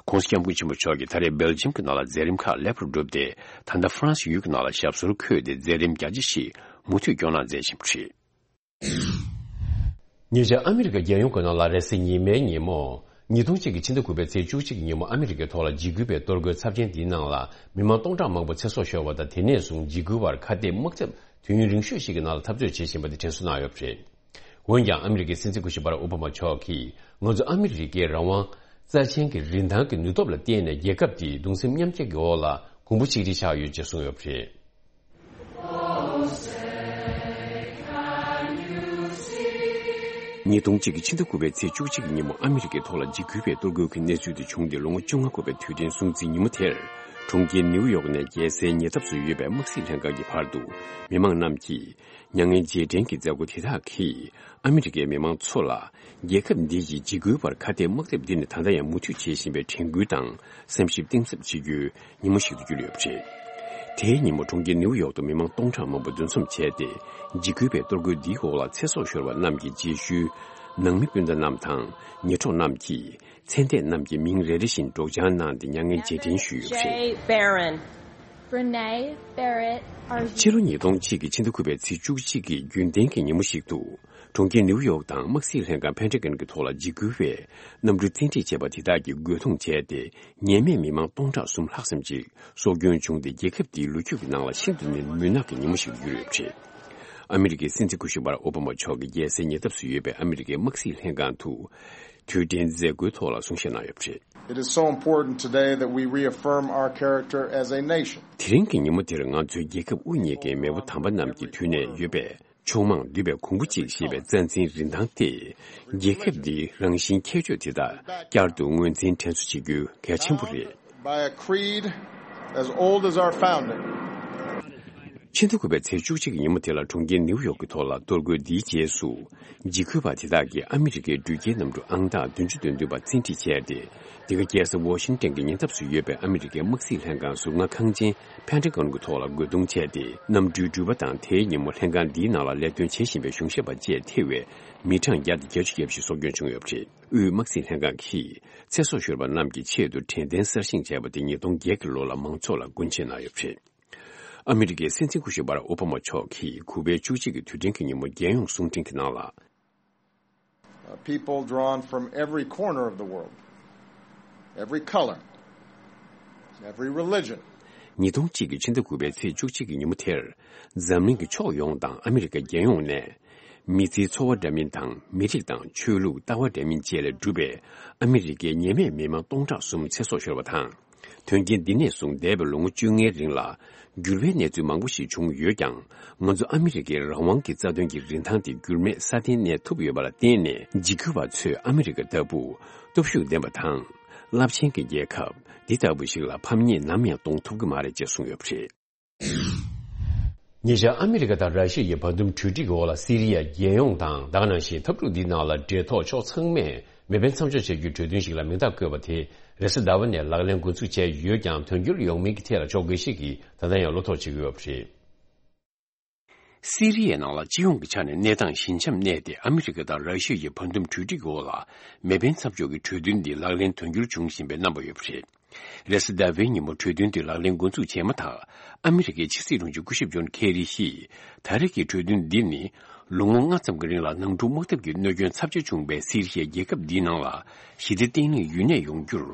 ྋགོང་ས་ྋསྐྱབས་མགོན་ཆེན་པོ་མཆོག་གིས་ད་རེས་སྦེལ་ཇམ་གྱི་ནང་ལ་མཛད་རིམ་ཁག་ལེགས་པར་གྲུབ་སྟེ། ད་ལྟ་ཧྥ་རན་སི་ཡུལ་གྱི་ནང་ལ་ཞབས་སོར་འཁོད་དེ་མཛད་རིམ་རྒྱ་ཆེ་ཞིག་མུ་མཐུད་སྐྱོང་གནང་མཛད་བཞིན་པ་རེད། ཉེ་ཆར་ཨ་མི་རི་ཀ་རྒྱལ་ཡོངས་ཀྱི་ནང་ལ་རེས་གཟའ་ཉི་མའི་ཉིན་མོ། ཉིས་སྟོང་གཅིག་གི་ཕྱི་ཟླ་དགུ་པའི་ཚེས་བཅུ་གཅིག་གི་ཉིན་མོ་ཨ་མི་རི་ཀའི་ཐོག་ལ་འཇིགས་སྐུལ་བའི་གཏོར་རྒོལ་ཚབས་ཆེན་འདིའི་ནང་ལ་མི་མང་སྟོང་ཕྲག་མང་པོ་ཚེ་སྲོག་ཤོར་བ་དང་། དེ་ནས་བཟུང་འཇིགས་སྐུལ་བར་ཁ་གཏད་དམག་འཐབ་དུས་ཡུན་རིང་ཤོས་ཤིག་གི་ནང་ལ་འཐབ་རྩོད་བྱེད་བཞིན་པ་དེ་དྲན་གསོ་གནང་ཡོད་པ་རེད། འོན་ཀྱང་ཨ་མི་རི་ཀའི་སྲིད་འཛིན་སྐུ་ཞབས་བྷ་རག་ཨོ་བྷ་མ་མཆོག་གིས། ང་ཚོ་ཨ་མི་རི་ཀའི་རང་དབང་། རྩ་ཆེན་གྱི་རིན་ཐང་གི་ནུས་སྟོབས་ལ་བརྟེན་ནས་རྒྱལ་ཁབ་འདི་གདུང་སེམས་མཉམ་སྐྱེད་ཀྱི་འོག་ལ་གོང་བུ་ཆིག་སྒྲིལ་ཆགས་ཡོད་ཅེས་གསུངས་ཡོད་པ་རེད། ཉིས་སྟོང་གཅིག་གི་ཕྱི་ཟླ་དགུ་པའི་ཚེས་བཅུ་གཅིག་གི་ཉིན་མོ་ཨ་མི་རི་ཀའི་ཐོག་ལ་འཇིགས་སྐུལ་བའི་གཏོར་རྒོལ་གྱི་གནས་ཚུལ་དེ་བྱུང་སྟེ་ལོ་ངོ་བཅོ་ལྔ་འཁོར་བའི་དུས་དྲན་སྲུང་བརྩིའི་ཉིན་མོ་དེར། གྲོང་ཁྱེར་ནིའུ་ཡོག་ནས་རྒྱལ་སའི་ཉེ་འདབས་སུ་ཡོད་པའི་དམག་སྲིད་ལྷན་ཁང་གི་བར་དུ་མི་མང་རྣམས་ཀྱིས། མྱ་ངན་རྗེས་དྲན་གྱི་མཛད་སྒོ་དེ་དག་གིས་ཨ་མི་རི་ཀའི་མི་མང་ཚོ་ལ་རྒྱལ་ཁབ་འདི་ཡི་འཇིགས་སྐུལ་བར་ཁ་གཏད་དམག་འཐབ་འདི་ནི་ད་ལྟ་ཡང་མུ་མཐུད་བྱེད་བཞིན་པའི་དྲན་སྐུལ་དང་སེམས་ཤུགས་གཏིང་ཟབ་བྱེད་རྒྱུའི་ཉིན་མོ་ཞིག་ཏུ་གྱུར་ཡོད་པ་རེད། དེའི་ཉིན་མོ་གྲོང་ཁྱེར་ནིའུ་ཡོག་ཏུ་མི་མང་སྟོང་ཕྲག་མང་པོ་འདུ་འཛོམས་བྱས་ཏེ། འཇིགས་སྐུལ་བའི་གཏོར་རྒོལ་འདིའི་འོག་ལ་ཚེ་སྲོག་ཤོར་བ་རྣམས་ཀྱི་རྗེས་ཤུལ། ནང་མི་སྤུན་ཟླ་རྣམས་དང་ཉེ་གྲོགས་རྣམས་ཀྱིས་མཚན་ལྟས་རྣམས་ཀྱི་མིང་རེ་རེ་བཞིན་སྒྲོག་སྦྱང་གནང་སྟེ་མྱ་ངན་རྗེས་དྲན་ཞུས་ཡོད་པ་རེད། J. Barron, Brene Barrett are ཕྱི་ལོ་ཉིས་སྟོང་གཅིག་གི་ཕྱི་ཟླ་དགུ་པའི་ཚེས་བཅུ་གཅིག་གི་རྒྱུན་ལྡན་གྱི་ཉིན་མོ་ཞིག་ཏུ། གྲོང་ཁྱེར་ནིའུ་ཡོག་དང་དམག་སྲིད་ལྷན་ཁང་ཕན་ཁྲེ་གན་གྱི་ཐོག་ལ་འཇིགས་སྐུལ་བས་གནམ་གྲུ་བཙན་ཁྲིད་བྱས་པ་དེ་དག་གིས་རྒོལ་རྡུང་བྱས་ཏེ། ཉེས་མེད་མི་མང་སྟོང་ཕྲག་གསུམ་ལྷག་ཙམ་ཅིག་སྲོག་སྐྱོན་བྱུང་སྟེ། རྒྱལ་ཁབ་དེའི་ལོ་རྒྱུས་ཀྱི་ནང་ལ་ཤིན་ཏུ་ནས་མུན་ནག་གི་ཉིན་མོ་ཞིག་ཏུ་གྱུར་ཡོད་པ་རེད། ཨ་མི་རི་ཀའི་སྲིད་འཛིན་སྐུ་ཞབས་བྷ་རག་ཨོ་བྷ་མ་མཆོག་གིས་རྒྱལ་སའི་ཉེ་འདབས་སུ་ཡོད་པའི་ཨ་མི་རི་ཀའི་དམག་སྲིད་ལྷན་ཁང་དུ་དུས་དྲན་མཛད་སྒོའི་ཐོག་ལ་གསུང་བཤད་གནང་ཡོད་པ་རེད། It is so important today that we reaffirm our character as a nation. དེ་རིང་གི་ཉིན་མོ་འདིར་ང་ཚོའི་རྒྱལ་ཁབ་དབུ་བརྙེས་མཁན་མེས་པོ་དམ་པ་རྣམས་ཀྱི་དུས་ནས་ཡོད་པའི་ཕྱོགས་མང་འདུས་པའི་གོང་བུ་གཅིག་ཞེས་པའི་རྩ་འཛིན་རིན་ཐང་སྟེ། རྒྱལ་ཁབ་འདིའི་རང་བཞིན་ཁྱད་ཆོས་དེ་དག་བསྐྱར་དུ་ངོས་འཛིན་དྲན་གསོ་བྱེད་རྒྱུ་གལ་ཆེན་པོ་རེད། By a creed as old as our founding. ཕྱི་ཟླ་དགུ་པའི་ཚེས་བཅུ་གཅིག་གི་ཉིན་མོ་དེ་ལ་གྲོང་ཁྱེར་ནིའུ་ཡོག་གི་ཐོག་ལ་གཏོར་རྒོལ་འདིའི་རྗེས་སུ། འཇིགས་སྐུལ་བ་དེ་དག་གིས་ཨ་མི་རི་ཀའི་འགྲུལ་སྐྱེལ་གནམ་གྲུ་ཨང་རྟགས་བདུན་ཅུ་དོན་བདུན་པ་བཙན་ཁྲིད་བྱས་ཏེ། འདི་ག་རྒྱལ་ས་ཝ་ཤིང་ཏན་གྱི་ཉེ་འདབས་སུ་ཡོད་པའི་ཨ་མི་རི་ཀའི་དམག་སྲིད་ལྷན་ཁང་ཟུར་མངའ་ཁང་ཆེན་ཕན་ཁྲེ་གན་གྱི་ཐོག་ལ་རྒོལ་རྡུང་བྱས་ཏེ། གནམ་གྲུའི་འགྲུལ་པ་དང་དེའི་ཉིན་མོ་ལྷན་ཁང་འདིའི་ནང་ལ་ལས་དོན་བྱེད་བཞིན་པའི་གཞུང་ཞབས་པ་བཅས་ཐེ་བའི་མི་གྲངས་བརྒྱ་དང་བརྒྱད་ཅུ་གྱ་བཞི་སྲོག་སྐྱོན་བྱུང་ཡོད་པ་རེད། དབུས་དམག་སྲིད་ལྷན་ཁང་གིས་ཚེ་སྲོག་ཤོར་བ་རྣམས་ཀྱི་ཆེད་དུ་དྲན་རྟེན་གསར་བཞེངས་བྱས་པ་དེ་ཉིས་སྟོང་བརྒྱད་ཀྱི་ལོ་ལ་མང་ཚོགས་ལ་སྒོ་འབྱེད་གནང་ཡོད་པ་རེད། ཨ་མི་རི་ཀའི་སྲིད་འཛིན་སྐུ་ཞབས་བྷ་རག་ཨོ་བྷ་མ་མཆོག་གིས་དགུ་པའི་བཅུ་གཅིག་གི་དུས་དྲན་གྱི་ཉིན་མོ་རྒྱལ་ཡོངས་གསུང་འཕྲིན་གྱི་ནང་ལ། Uh, people drawn from every corner of the world, every color, every religion. ཉིས་སྟོང་གཅིག་གི་ཕྱི་ཟླ་དགུ་པའི་ཚེས་བཅུ་གཅིག་གི་ཉིན་མོ་དེར། འཛམ་གླིང་གི་ཕྱོགས་ཡོངས་དང་ཨ་མི་རི་ཀ་རྒྱལ་ཡོངས་ནས། མི་ཚེའི་འཚོ་བ་འདྲ་མིན་དང་མི་རིགས་དང་ཆོས་ལུགས་ལྟ་བ་འདྲ་མིན་བཅས་ལས་གྲུབ་པའི་ཨ་མི་རི་ཀའི་ཉེས་མེད་མི་མང་སྟོང་ཕྲག་གསུམ་ཚེ་སྲོག་ཤོར་བ་དང་། དོན་རྐྱེན་འདི་ནས་བཟུང་འདས་པའི་ལོ་ངོ་བཅོ་ལྔའི་རིང་ལ་འགྱུར་བའི་གནས་ཚུལ་མང་པོ་ཞིག་བྱུང་ཡོད་ཀྱང་། ང་ཚོ་ཨ་མི་རི་ཀའི་རང་དབང་གི་རྩ་དོན་གྱི་རིན་ཐང་དེ་འགྱུར་མེད་སྲ་བརྟན་གནས་ཐུབ་ཡོད་པ་ལ་བརྟེན་ནས། འཇིགས་སྐུལ་བ་ཚོས་ཨ་མི་རི་ཀ་ལྟ་བུ་སྟོབས་ཤུགས་ལྡན་པ་དང་རླབས་ཆེན་གྱི་རྒྱལ་ཁབ་འདི་ལྟ་བུ་ཞིག་ལ་ཕམ་ཉེས་ནམ་ཡང་གཏོང་ཐུབ་ཀྱི་མ་རེད་ཅེས་གསུངས་ཡོད་པ་རེད། ཉེ་ཆར་ཨ་མི་རི་ཀ་དང་ར་ཤི་ཡའི་བར་འདུམ་གྲོས་འགྲིག་གི་འོག་ལ་སི་རི་ཡ་རྒྱལ་ཡོངས་དང་ད་ག་ནང་བཞིན་འཐབ་འཁྲུག་འདིའི་ནང་ལ་འབྲེལ་ཐོགས་ཕྱོགས་ཚང་མས་མེ་འཕེན་མཚམས་འཇོག་བྱ་རྒྱུའི་གྲོས་མཐུན་ཞིག་ལ་མིང་རྟགས་བཀོད་པ་དེ་རེས་གཟའ་ཟླ་བ་ནས་ལག་ལེན་འགོ་འཛུགས་བྱས་ཡོད་ཀྱང་དོན་འཁྱོལ་ཡོང་མིན་གྱི་ཐད་ལ་ཕྱོགས་འགལ་ཞིག་གིས་ད་ལྟ་ཡང་བློ་དོགས་བྱེད་ཀྱི་ཡོད་པ་རེད། སི་རི་ཡའི་ནང་ལ་སྤྱི་ཡོངས་ཀྱི་ཆ་ནས་གནས་སྟངས་ཞི་འཇམ་གནས་ཏེ། ཨ་མི་རི་ཀ་དང་ར་ཤི་ཡའི་བར་འདུམ་གྲོས་འགྲིག་གི་འོག་ལ་མེ་འཕེན་མཚམས་འཇོག་གི་གྲོས་མཐུན་འདི་ལག་ལེན་དོན་འཁྱོལ་བྱུང་བཞིན་པའི་རྣམ་པ་ཡོད་པ་རེད། རེས་གཟའ་ཟླ་བའི་ཉིན་མོ་གྲོས་མཐུན་འདི་ལག་ལེན་འགོ་འཛུགས་བྱས་མ་ཐག་ཨ་མི་རི་ཀའི་ཕྱི་སྲིད་དྲུང་ཆེ་སྐུ་ཞབས་ཇོན་ཁེ་རི་ཡིས། ད་རེས་ཀྱི་གྲོས་མཐུན་འདི་ནི་ལོ་ངོ་ལྔ་ཙམ་གྱི་རིང་ལ་ནང་འཁྲུག་དམག་འཐབ་ཀྱི་གནོད་སྐྱོན་ཚབས་ཆེ་བྱུང་བའི་སི་རི་ཡའི་རྒྱལ་ཁབ་འདིའི་ནང་ལ་ཞི་བདེ་བརྟན་ལྷིང་ཡུན་གནས་ཡོང་རྒྱུར་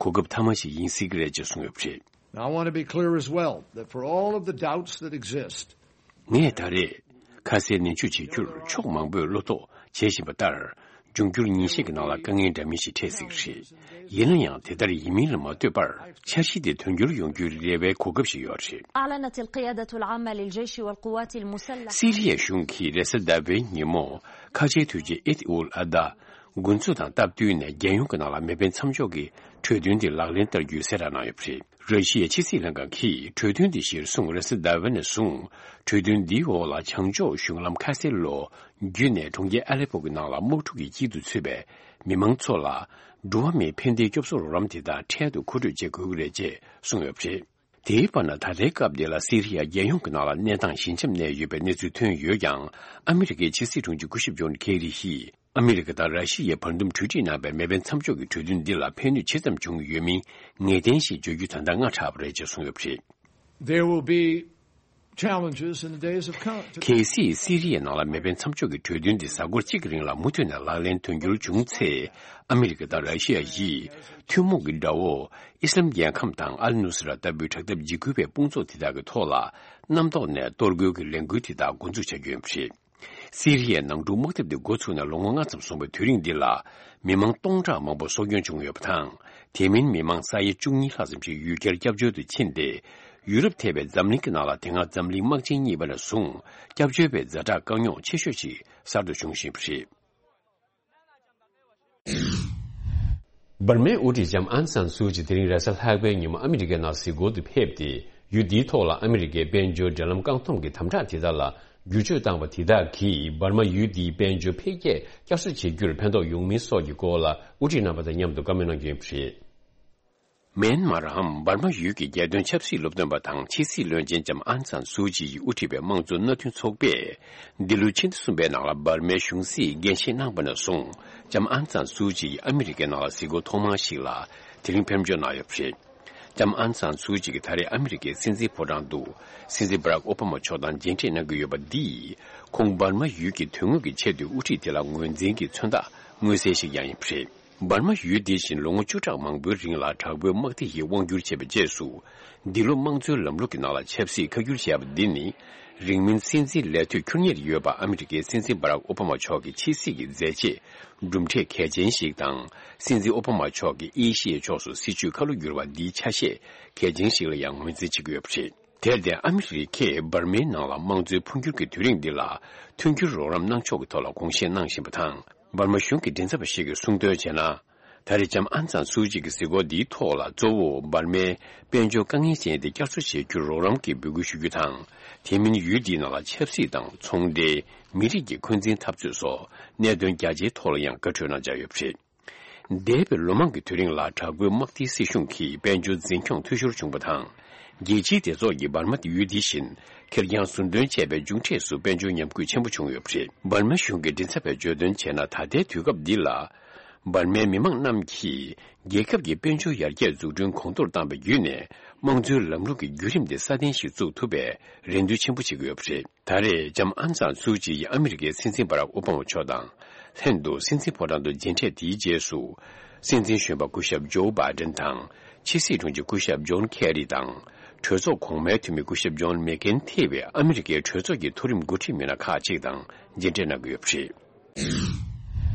གོ་སྐབས་ཐ་མ་ཞིག་ཡིན་སྲིད་ཀྱི་རེད་ཅེས་གསུངས་ཡོད་པ་རེད། Now, I want to be clear as well that for all of the doubts that exist, ངས་ད་རེས་ཁ་གསལ་ནན་བརྗོད་བྱེད་རྒྱུར་ཕྱོགས་མང་པོས་བློ་དོགས་བྱེད་བཞིན་པ་ལྟར། འབྱུང་འགྱུར་ཉིན་ཤས་ཀྱི་ནང་ལ་དཀའ་ངལ་འདྲ་མིན་ཞིག་འཕྲད་སྲིད་ཀྱི་རེད། ཡིན་ན་ཡང་དེ་ལྟར་ཡིན་མིན་ལ་མ་ལྟོས་པར། འཆར་གཞི་དེ་དོན་འཁྱོལ་ཡོང་རྒྱུའི་རེ་བའི་གོ་སྐབས་ཤིག་ཡོད་རེད། أعلنت القيادة العامة للجيش والقوات المسلحة. སི་རི་ཡའི་གཞུང་གིས་རེས་གཟའ་ཟླ་བའི་ཉིན་མོ་ཁ་ཆེའི་དོན་གཅོད་ཨེད་ཨུལ་ཨ་ད། འགོ་འཛུགས་དང་སྟབས་བསྟུན་ནས་རྒྱལ་ཡོངས་ཀྱི་ནང་ལ་མེ་འཕེན་མཚམས་འཇོག་གི་གྲོས་མཐུན་དེ་ལག་ལེན་བསྟར་རྒྱུའི་གསལ་བསྒྲགས་གནང་ཡོད་པ་རེད། ར་ཤི་ཡའི་ཕྱི་སྲིད་ལྷན་ཁང་གིས་གྲོས་མཐུན་དེ་གཞིར་བཟུང་རེས་གཟའ་ཟླ་བའི་ནས་བཟུང་གྲོས་མཐུན་འདིའི་འོག་ལ་བྱང་ཕྱོགས་གཞུང་ལམ་ཁ་སེལ་ལོ་བརྒྱུད་ནས་གྲོང་ཁྱེར་ཨ་ལེ་པོ་གི་ནང་ལ་དམག་འཁྲུག་གི་དཀྱིལ་དུ་ཚུད་པའི་མི་མང་ཚོ་ལ་འགྲོ་བ་མིའི་ཕན་བདེའི་སྐྱོབ་གསོ་རོགས་རམ་དེ་དག་འཕྲལ་དུ་མཁོ་སྤྲོད་བྱེད་དགོས་ཀྱི་རེད་ཅེས་གསུངས་ཡོད་པ་རེད། དེའི་བར་ན་ད་ལྟའི་སྐབས་འདི་ལ་སི་རི་ཡ་རྒྱལ་ཡོངས་ཀྱི་ནང་ལ་གནས་སྟངས་ཞི་འཇམ་གནས་ཡོད་པའི་གནས་ཚུལ་ཐོན་ཡོད་ཀྱང་། ཨ་མི་རི་ཀའི་ཕྱི་སྲིད་དྲུང་ཆེ་སྐུ་ཞབས་ཇོན་ཁེ་རི་ཡིས་ཨ་མི་རི་ཀ་དང་ར་ཤི་ཡའི་བར་འདུམ་གྲོས་འགྲིག་གནང་པའི་མེ་འཕེན་མཚམས་འཇོག་གི་གྲོས་མཐུན་འདི་ལ་ཕན་ནུས་ཇི་ཙམ་བྱུང་ཡོད་མིན་ངེས་གཏན་ཞིག་བརྗོད་རྒྱུ་ད་ལྟ་སྔ་དྲགས་པ་རེད་ཅེས་གསུངས་ཡོད་པ་རེད། There will be challenges in the days of come. གལ་སྲིད་སི་རི་ཡའི་ནང་ལ་མེ་འཕེན་མཚམས་འཇོག་གི་གྲོས་མཐུན་འདི་གཟའ་འཁོར་གཅིག་གི་རིང་ལ་མུ་མཐུད་ནས་ལག་ལེན་དོན་འཁྱོལ་བྱུང་ཚེ། ཨ་མི་རི་ཀ་དང་ར་ཤི་ཡ་ཡིས་ཐུན་མོང་གི་དགྲ་བོ་ཨི་སི་ལམ་རྒྱལ་ཁམས་དང་ཨལ་ནུ་སི་ར་ལྟ་བུའི་དྲག་འཐབ་འཇིགས་སྐུལ་བའི་དཔུང་ཚོགས་དེ་དག་གི་ཐོག་ལ་གནམ་ཐོག་ནས་གཏོར་རྒོལ་གྱི་ལས་འགུལ་དེ་དག་འགོ་འཛུགས་བྱ་རྒྱུ་ཡིན་པ་རེད། སི་རི་ཡའི་ནང་འཁྲུག་དམག་འཐབ་དེ་འགོ་ཚུགས་ནས་ལོ་ངོ་ལྔ་ཙམ་སོང་བའི་དུས་རིང་འདི་ལ་མི་མང་སྟོང་ཕྲག་མང་པོ་སྲོག་སྐྱོན་བྱུང་ཡོད་པ་དང་། དེ་མིན་མི་མང་ས་ཡ་བཅུ་གཉིས་ལྷག་ཙམ་ཞིག་ཡུལ་གྱར་སྐྱབས་བཅོལ་དུ་ཕྱིན་ཏེ། ཡུ་རོབ་ཐེ་བའི་འཛམ་གླིང་གི་ནང་ལ་དེ་སྔ་འཛམ་གླིང་དམག་ཆེན་གཉིས་པ་ནས་བཟུང་སྐྱབས་བཅོལ་བའི་ཛ་དྲག་དཀའ་རྙོག་ཆེ་ཤོས་ཤིག་གསར་དུ་བྱུང་བཞིན་པ་རེད། འབར་མའི་དབུ་ཁྲིད་ལྕམ་ཨང་སན་སུའུ་ཅི་དེ་རིང་རེས་གཟའ་ལྷག་པའི་ཉིན་མོ་ཨ་མི་རི་ཀའི་ནང་གཟིགས་སྐོར་དུ་ཕེབས་ཏེ། ཡུལ་འདིའི་ཐོག་ལ་ཨ་མི་རི་ཀའི་དཔལ་འབྱོར་འབྲེལ་ལམ་བཀག་སྡོམ་གྱི་དམ་དྲག་དེ་དག་ལ་བསྒྱུར་བཅོས་བཏང་བ་དེ་དག་གིས་འབར་མ་ཡུལ་འདིའི་དཔལ་འབྱོར་འཕེལ་རྒྱས་བསྐྱར་གསོ་བྱེད་རྒྱུར་ཕན་ཐོགས་ཡོང་མིན་སོགས་ཀྱི་སྐོར་ལ་དབུ་ཁྲིད་རྣམ་པ་དང་མཉམ་དུ་བཀའ་མོལ་གནང་རྒྱུ་ཡིན་པ་རེད། མེན་མར་འམ་འབར་མ་ཡུལ་གྱི་རྒྱལ་དོན་ཆབ་སྲིད་སློབ་སྟོན་པ་དང་ཕྱི་སྲིད་བློན་ཆེན་ལྕམ་ཨང་སན་སུའུ་ཅི་ཡིས་དབུ་ཁྲིད་པའི་དམངས་གཙོ་མནའ་མཐུན་ཚོགས་པས་འདི་ལོའི་ཕྱི་ཟླ་གསུམ་པའི་ནང་ལ་འབར་མའི་གཞུང་སྲིད་འགན་བཞེས་གནང་བ་ནས་བཟུང་ལྕམ་ཨང་སན་སུའུ་ཅི་ཡིས་ཨ་མི་རི་ཀའི་ནང་ལ་གཟིགས་སྐོར་ཐོག་མ་ཞིག་ལ་དེ་རིང་ཕེབས་འབྱོར་གནང་ཡོད་པ་རེད། ལྕམ་ཨང་སན་སུའུ་ཅི་གིས་ད་རེས་ཨ་མི་རི་ཀའི་སྲིད་འཛིན་ཕོ་བྲང་དུ་སྲིད་འཛིན་བྷ་རག་ཨོ་བྷ་མ་མཆོག་དང་མཇལ་འཕྲད་གནང་གི་ཡོད་པ་འདིས་ཁོང་འབར་མ་ཡུལ་གྱི་དོན་དངོས་ཀྱི་ཆེད་དུ་དབུ་ཁྲིད་དེ་ལ་ངོས་འཛིན་གྱི་མཚོན་རྟགས་མངོན་གསལ་ཞིག་ཀྱང་ཡིན་པ་རེད། འབར་མ་ཡུལ་འདི་བཞིན་ལོ་ངོ་བཅུ་ཕྲག་མང་པོའི་རིང་ལ་དྲག་པོའི་དམག་སྡེ་ཡིས་དབང་བསྒྱུར་བྱས་པའི་རྗེས་སུ། འདི་ལོ་དམངས་གཙོའི་ལམ་ལུགས་ཀྱི་ནང་ལ་ཆབ་སྲིད་ཁ་བསྒྱུར་བྱས་པ་འདི་ནི། རིང་མིན་སྲིད་འཛིན་ལས་དུས་འཁྱོལ་ངེས་ཡོད་པ་ཨ་མི་རི་ཀའི་སྲིད་འཛིན་བྷ་རག་ཨོ་བྷ་མ་མཆོག་གི་ཕྱི་སྲིད་ཀྱི་མཛད་རྗེས་གྲུབ་འབྲས་གལ་ཆེན་ཞིག་དང་། སྲིད་འཛིན་ཨོ་བྷ་མ་མཆོག་གིས་ཨེ་ཤི་ཡའི་ཕྱོགས་སུ་སྲིད་བྱུས་ཁ་ལོ་བསྒྱུར་བ་འདིའི་ཆ་ཤས་གལ་ཆེན་ཞིག་ལ་ཡང་ངོས་འཛིན་བྱེད་ཀྱི་ཡོད་པ་རེད། དེར་བརྟེན་ཨ་མི་རི་ཀས་འབར་མའི་ནང་ལ་དམངས་གཙོའི་འཕོ་འགྱུར་གྱི་དུས་རིང་འདི་ལ་མཐུན་འགྱུར་རོགས་རམ་གནང་ཕྱོགས་ཀྱི་ཐོག་ལ་དགོངས་བཞེས་གནང་བཞིན་པ་དང་། འབར་མ་གཞུང་གི་མགྲིན་ཚབ་པ་ཞིག་གིས་གསུངས་དོན་བྱས་ན། ད་རེས་ལྕམ་ཨང་སན་སུའུ་ཅི་གི་གཟིགས་སྐོར་འདིའི་ཐོག་ལ་གཙོ་བོ་འབར་མའི་དཔལ་འབྱོར་དཀའ་ངལ་ཅན་དེ་བསྐྱར་གསོ་བྱེད་རྒྱུར་རོགས་རམ་གྱི་འབོད་སྐུལ་ཞུ་རྒྱུ་དང་། དེ་མིན་ཡུལ་འདིའི་ནང་ལ་ཆབ་སྲིད་དང་ཚོང་འབྲེལ། མི་རིགས་ཀྱི་འཁོན་འཛིན་འཐབ་རྩོད་སོགས་གནད་དོན་རྒྱ་ཆེའི་ཐོག་ལ་ཡང་བཀའ་འཁྲོལ་གནང་འཆར་ཡོད་པ་རེད། འདས་པའི་ལོ་མང་གི་དུས་རིང་ལ་དྲག་པོའི་དམག་སྡེའི་སྲིད་གཞུང་གིས་དཔལ་འབྱོར་འཛིན་སྐྱོང་འཐུས་ཤོར་བྱུང་བ་དང་། རྒྱལ་སྤྱིའི་སྡེ་ཚོགས་ཀྱིས་འབར་མ་ཡུལ་འདི་བཞིན་ཁེར་རྐྱང་ཟུར་འདོན་བྱས་པའི་མཇུག་འབྲས་སུ་དཔལ་འབྱོར་ཉམས་རྒུད་ཆེན་པོ་བྱུང་ཡོད་པ་རེད། འབར་མ་གཞུང་གི་མགྲིན་ཚབ་པས་བརྗོད་དོན་བྱས་ན། ད་ལྟའི་དུས་སྐབས་འདི་ལ། འབར་མའི་མི་མང་རྣམས་ཀྱིས་རྒྱལ་ཁབ་ཀྱི་དཔལ་འབྱོར་ཡར་རྒྱས་འཛུགས་སྐྲུན་གོང་མཐོར་བཏང་བའི་བརྒྱུད་ནས། དམངས་གཙོའི་ལམ་ལུགས་ཀྱི་བརྒྱུད་རིམ་དེ་སྲ་བརྟན་ཞིག་བཙུགས་ཐུབ་པའི་རེ་འདུན་ཆེན་པོ་བྱེད་ཀྱི་ཡོད་པ་རེད། ད་རེས་ལྕམ་ཨང་སན་སུའུ་ཅི་ཡིས་ཨ་མི་རི་ཀའི་སྲིད་འཛིན་བྷ་རག་ཨོ་བྷ་མ་མཆོག་དང་ལྷན་དུ་སྲིད་འཛིན་ཕོ་བྲང་དུ་མཇལ་འཕྲད་དེའི་རྗེས་སུ། སྲིད་འཛིན་གཞོན་པ་སྐུ་ཞབས་ཇོ་བྷའི་ཌེན་དང་། ཕྱི་སྲིད་དྲུང་ཆེ་སྐུ་ཞབས་ཇོན་ཁེ་རི་དང་། གྲོས་ཚོགས་གོང་མའི་འཐུས་མི་སྐུ་ཞབས་ཇོན་མེག་ཀེན་ཐེ་བའི་ཨ་མི་རི་ཀའི་གྲོས་ཚོགས་ཀྱི་མཐོ་རིམ་འགོ་ཁྲིད་མི་སྣ་ཁག་ཅིག་དང་མཇལ་འཕྲད་གནང་གི་ཡོད་པ་རེད།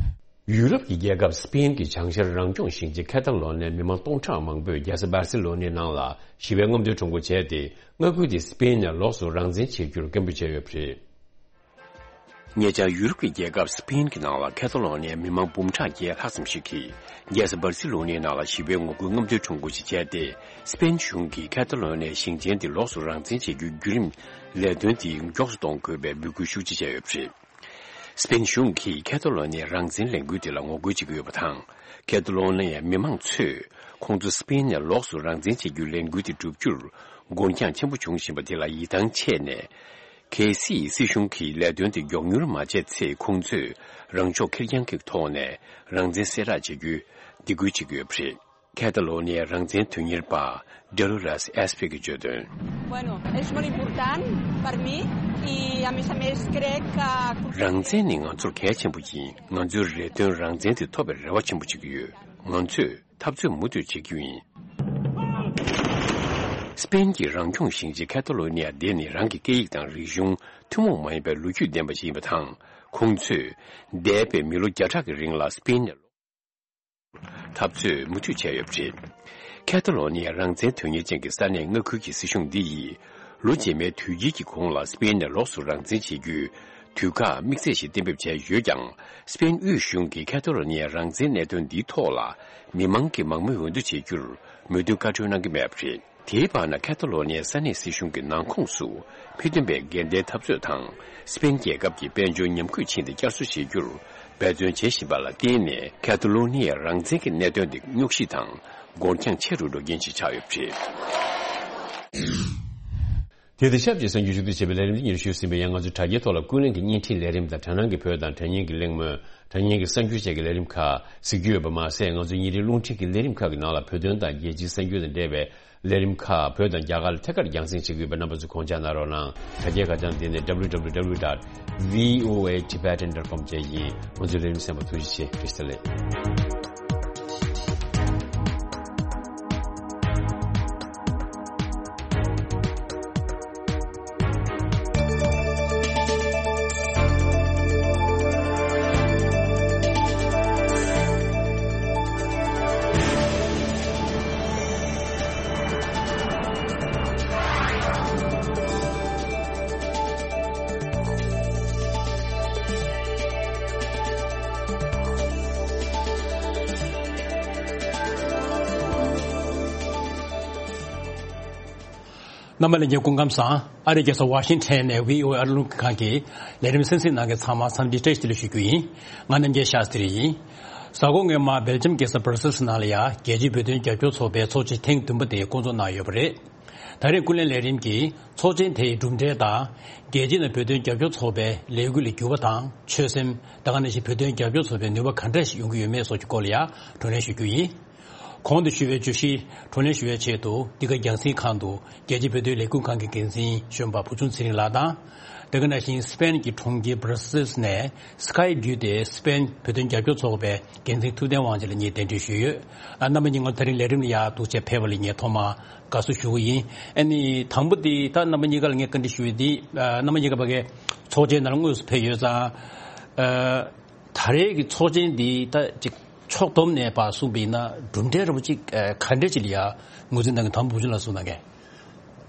ཡུ་རོབ་ཀྱི་རྒྱལ་ཁབ་སི་པེན་གྱི་བྱང་ཤར་རང་སྐྱོང་ཞིང་ཆེན་ཁེ་ཏ་ལོ་ནིའི་མི་མང་སྟོང་ཕྲག་མང་པོས་རྒྱལ་ས་སྦར་སི་ལོ་ནིའི་ནང་ལ་ཞི་བའི་རྔམ་སྟོན་ཁྲོམ་སྐོར་བྱས་ཏེ། མངའ་ཁུལ་དེ་སི་པེན་ནས་ལོགས་སུ་རང་བཙན་བྱེད་རྒྱུར་སྐད་འབོད་བྱས་ཡོད་པ་རེད། ཉེ་ཆར་ཡུ་རོབ་ཀྱི་རྒྱལ་ཁབ་སི་པེན་གྱི་ནང་ལ་ཁེ་ཏ་ལོ་ནིའི་མི་མང་འབུམ་ཕྲག་བརྒྱད་ལྷག་ཙམ་ཞིག་གིས་རྒྱལ་ས་སྦར་སི་ལོ་ནིའི་ནང་ལ་ཞི་བའི་ངོ་རྒོལ་རྔམ་སྟོན་ཁྲོམ་སྐོར་ཞིག་བྱས་ཏེ། སི་པེན་གཞུང་གིས་ཁེ་ཏ་ལོ་ནིའི་ཞིང་ཆེན་དེ་ལོགས་སུ་རང་བཙན་བྱེད་རྒྱུའི་བརྒྱུད་རིམ་ལས་དོན་དེ་མགྱོགས་སུ་གཏོང་དགོས་པའི་འབོད་སྐུལ་ཤུགས་ཆེ་བྱས་ཡོད་པ་རེད། སི་པེན་གཞུང་གིས་ཁེ་ཏ་ལོ་ནིའི་རང་བཙན་ལས་འགུལ་དེ་ལ་ངོ་རྒོལ་བྱེད་ཀྱི་ཡོད་པ་དང་། ཁེ་ཏ་ལོ་ནི་ཡའི་མི་མང་ཚོས་ཁོང་ཚོ་སི་པེན་ནས་ལོགས་སུ་རང་བཙན་བྱེད་རྒྱུའི་ལས་འགུལ་དེ་བསྒྲུབ་རྒྱུར་འགོར་འགྱངས་ཆེན་པོ་བྱུང་བཞིན་པ་དེ་ལ་ཡིད་ཐང་ཆད་ནས། གལ་སྲིད་སྲིད་གཞུང་གིས་ལས་དོན་དེ་མགྱོགས་མྱུར་མ་བྱས་ཚེ། ཁོང་ཚོས་རང་ཕྱོགས་ཁེར་རྐྱང་གི་ཐོག་ནས་རང་བཙན་གསལ་བསྒྲགས་བྱེད་རྒྱུའི་སྡིགས་སྐུལ་བྱེད་ཀྱི་ཡོད་པ་རེད། ཁེ་ཏ་ལོ་ནི་ཡའི་རང་བཙན་དོན་གཉེར་པ་ཌོ་ལོ་རེས་ཨེས་པི་གིས་བརྗོད་དོན། Bueno, es molt important per mi y a més a més crec que རང་བཙན་ནི་ང་ཚོར་གལ་ཆེན་པོ་ཡིན། ང་ཚོའི་རེ་འདུན་རང་བཙན་དེ་ཐོབ་པའི་རེ་བ་ཆེན་པོ་བྱེད་ཀྱི་ཡོད། ང་ཚོས་འཐབ་རྩོད་མུ་མཐུད་བྱེད་རྒྱུ་ཡིན། སི་པེན་གྱི་རང་སྐྱོང་ཞིང་ཆེན་ཁེ་ཏ་ལོ་ནི་ཡ་དེ་ནི་རང་གི་སྐད་ཡིག་དང་རིག་གཞུང་ཐུན་མོང་མ་ཡིན་པའི་ལོ་རྒྱུས་ལྡན་པ་ཞིག་ཡིན་པ་དང་། ཁོང་ཚོས་འདས་པའི་མི་ལོ་བརྒྱ་ཕྲག་གི་རིང་ལ་སི་པེན་ནས་འཐབ་རྩོད་མུ་མཐུད་བྱས་ཡོད་པ་རེད། ཁེ་ཏ་ལོ་ནི་ཡའི་རང་བཙན་དོན་གཉེར་ཅན་གྱི་ས་གནས་མངའ་ཁུལ་གྱི་སྲིད་གཞུང་འདི་ཡིས་ལོ་རྗེས་མའི་དུས་དཀྱིལ་གྱི་གོང་ལ་སི་པེན་ནས་ལོགས་སུ་རང་བཙན་བྱེད་རྒྱུའི་ དུས་བཀག་དམིགས་བསལ་ཞིག་གཏན་འབེབས་བྱས་ཡོད་ཀྱང་། སི་པེན་དབུས་གཞུང་གིས་ཁ་ཐ་ལོ་ནི་ཡའི་རང་བཙན་གནད་དོན་འདིའི་ཐོག་ལ་མི་མང་གི་མང་མོས་འོས་བསྡུ་བྱེད་རྒྱུར་མོས་མཐུན་བཀའ་འཁྲོལ་གནང་གི་མེད་པ་རེད། དེའི་བར་ན་ཁ་ཐ་ལོ་ནི་ཡའི་ས་གནས་སྲིད་གཞུང་གི་ནང་ཁོངས་སུ་མི་སྟོན་པའི་འགལ་ཟླའི་འཐབ་རྩོད་དང་སི་པེན་རྒྱལ་ཁབ་ཀྱི་དཔལ་འབྱོར་ཉམས་རྒུད་ཕྱིན་ཏེ་བསྐྱར་གསོ་བྱེད་རྒྱུར་འབད་བརྩོན་བྱེད་བཞིན་པ་ལ་བརྟེན་ནས། ཁ་ཐ་ལོ་ནི་ཡའི་རང་བཙན་གྱི་གནད་དོན་དེ་རྙོག་གཞི་དང་འགོར་འགྱངས་ཆེ་རུ་འགྲོ་རྐྱེན་ཞིག་ཆགས་ཡོད་པ་རེད། དེ་དང་ཆབས་ཅིག་གསར་འགྱུར་ཞུ་གཏུག་བྱེད་པའི་ལས་རིམ་འདི་ཉེར་ཞུ་ཟིན་པའི་ཡང་། ང་ཚོའི་དྲ་རྒྱའི་ཐོག་ལ་ཀུན་གླེང་གི་བརྙན་འཕྲིན་ལས་རིམ་དང་དྲ་སྣང་གི་བོད་དང་དྲ་བརྙན་གྱི་གླེང་མོལ། དྲ་བརྙན་གྱི་གསར་འགྱུར་བཅས་ཀྱི་ལས་རིམ་ཁག་གཟིགས་རྒྱུ་ཡོད་པ་མ་ཟད། ང་ཚོའི་ཉིན་རེའི་རླུང་འཕྲིན་གྱི་ལས་རིམ་ཁག་གི་ནང་ལ་བོད་དོན་དང་རྒྱལ་སྤྱིའི་གསར་འགྱུར་དང་འབྲེལ་བའི་ལས་རིམ་ཁག་བོད་དང་རྒྱ་གར་ལ་ཐད་ཀར་རྒྱང་སྲིང་བྱེད་ཀྱི་ཡོད་པས། རྣམ་པ་ཚོས་ཁོང་ཆ་གནང་རོགས་གནང་། དྲ་རྒྱའི་ཁ་བྱང་འདི་ནི་W W W dot V O A Tibetan dot com བཅས་ཡིན། ང་ཚོའི་ལས་རིམ་གསན་པར་ཐུགས་རྗེ་ཆེ། བཀྲ་ཤིས་བདེ་ལེགས། རྣམ་པ་ལྷན་རྒྱས་སྐུ་ཁམས་བཟང་། ཨ་རིའི་རྒྱལ་ས་ཝ་ཤིང་ཊོན་ནས་བྷི་ཨོ་ཨེ་ཨ་རི་རླུང་འཕྲིན་ཁང་གི་ལས་རིམ་གསན་གཟིགས་གནང་མཁན་ཚང་མ་འཚམས་འདྲི་བཀྲ་ཤིས་བདེ་ལེགས་ཞུ་རྒྱུ་ཡིན། ང་རྣམ་རྒྱལ་ཤཱསྟྲི་ཡིན། གཟའ་འཁོར་སྔོན་མ་སྦེལ་ཇམ་རྒྱལ་ས་བྷར་སེལ་སི་ནང་ལ་ཡ་རྒྱལ་སྤྱིའི་བོད་དོན་རྒྱབ་སྐྱོར་ཚོགས་པའི་ཚོགས་ཆེན་ཐེངས་བདུན་པ་དེ་བསྐོང་ཚོགས་གནང་ཡོད་པ་རེད། ད་རེས་ཀུན་གླེང་ལས་རིམ་གྱིས་ཚོགས་ཆེན་དེའི་གྲུབ་འབྲས་དང་། རྒྱལ་སྤྱི་ནང་བོད་དོན་རྒྱབ་སྐྱོར་ཚོགས་པའི་ལས་འགུལ་ལ་འགྱུར་བ་དང་ཆོད་སེམས། ད་ག་ནང་བཞིན་བོད་དོན་རྒྱབ་སྐྱོར་ཚོགས་པའི་ནུས་པ་ག་འདྲ་ཞིག་ཡོང་གི་ཡོད་མེད་སོགས་ཀྱི་སྐོར་ལ་ཡང་བགྲོ་གླེང་ཞུ་རྒྱུ་ཡིན། གོང་དུ་ཞུས་པའི་བརྗོད་གཞི་བགྲོ་གླེང་ཞུ་བའི་ཆེད་དུ། འདི་ག་རྒྱང་སྲིང་ཁང་དུ་རྒྱལ་སྤྱིའི་བོད་དོན་ལས་འགུལ་ཁང་གི་འགན་འཛིན་གཞོན་པ་བུ་ཆུང་ཚེ་རིང་ལགས་དང་། དེ་ག་ནང་བཞིན་སི་པེན་གྱི་གྲོང་ཁྱེར་བྷར་སེལ་སི་ནས་སི་ཀའེ་བརྒྱུད་དེ་སི་པེན་བོད་དོན་རྒྱབ་སྐྱོར་ཚོགས་པའི་འགན་འཛིན་ཐུབ་བསྟན་དབང་ཆེན་ལགས་གཉིས་གདན་འདྲེན་ཞུས་ཡོད། ཨ། རྣམ་པ་གཉིས་ང་ཚོ་དེ་རིང་ལས་རིམ་ལ་ཡར་འདུག་སེ་ཕེབས་པ་ལ་ངས་ཐོག་མར་དགའ་བསུ་ཞུ་གི་ཡིན། ཨ་ནི་དང་པོ་དེ་ད་རྣམ་པ་གཉིས་ཀ་ལ་ངས་བཀའ་འདྲི་ཞུ་ཡས་དེ། ཨ། རྣམ་པ་གཉིས་ཀ་ཕ་གིའི་ཚོགས་ཆེན་ནང་ལ་དངོས་སུ་ཕེབས་ཡོད་ཙང་། ཨ། ད་རེས་ཀྱི་ཚོགས་ཆེན་འདི་ད་ཅིག་ཕྱོགས་བསྡོམས་ནས་ཕར་གསུངས་པ་ཡིན་ན་གྲུབ་འབྲས་འདྲ་པོ་ཅིག་ཨ། ག་འདྲས་ཅིག་ལ་ཡ་ངོས་འཛིན་གནང་གི། དང་པོ་བུ་ཆུང་ལགས་གསུངས་གནང་གས།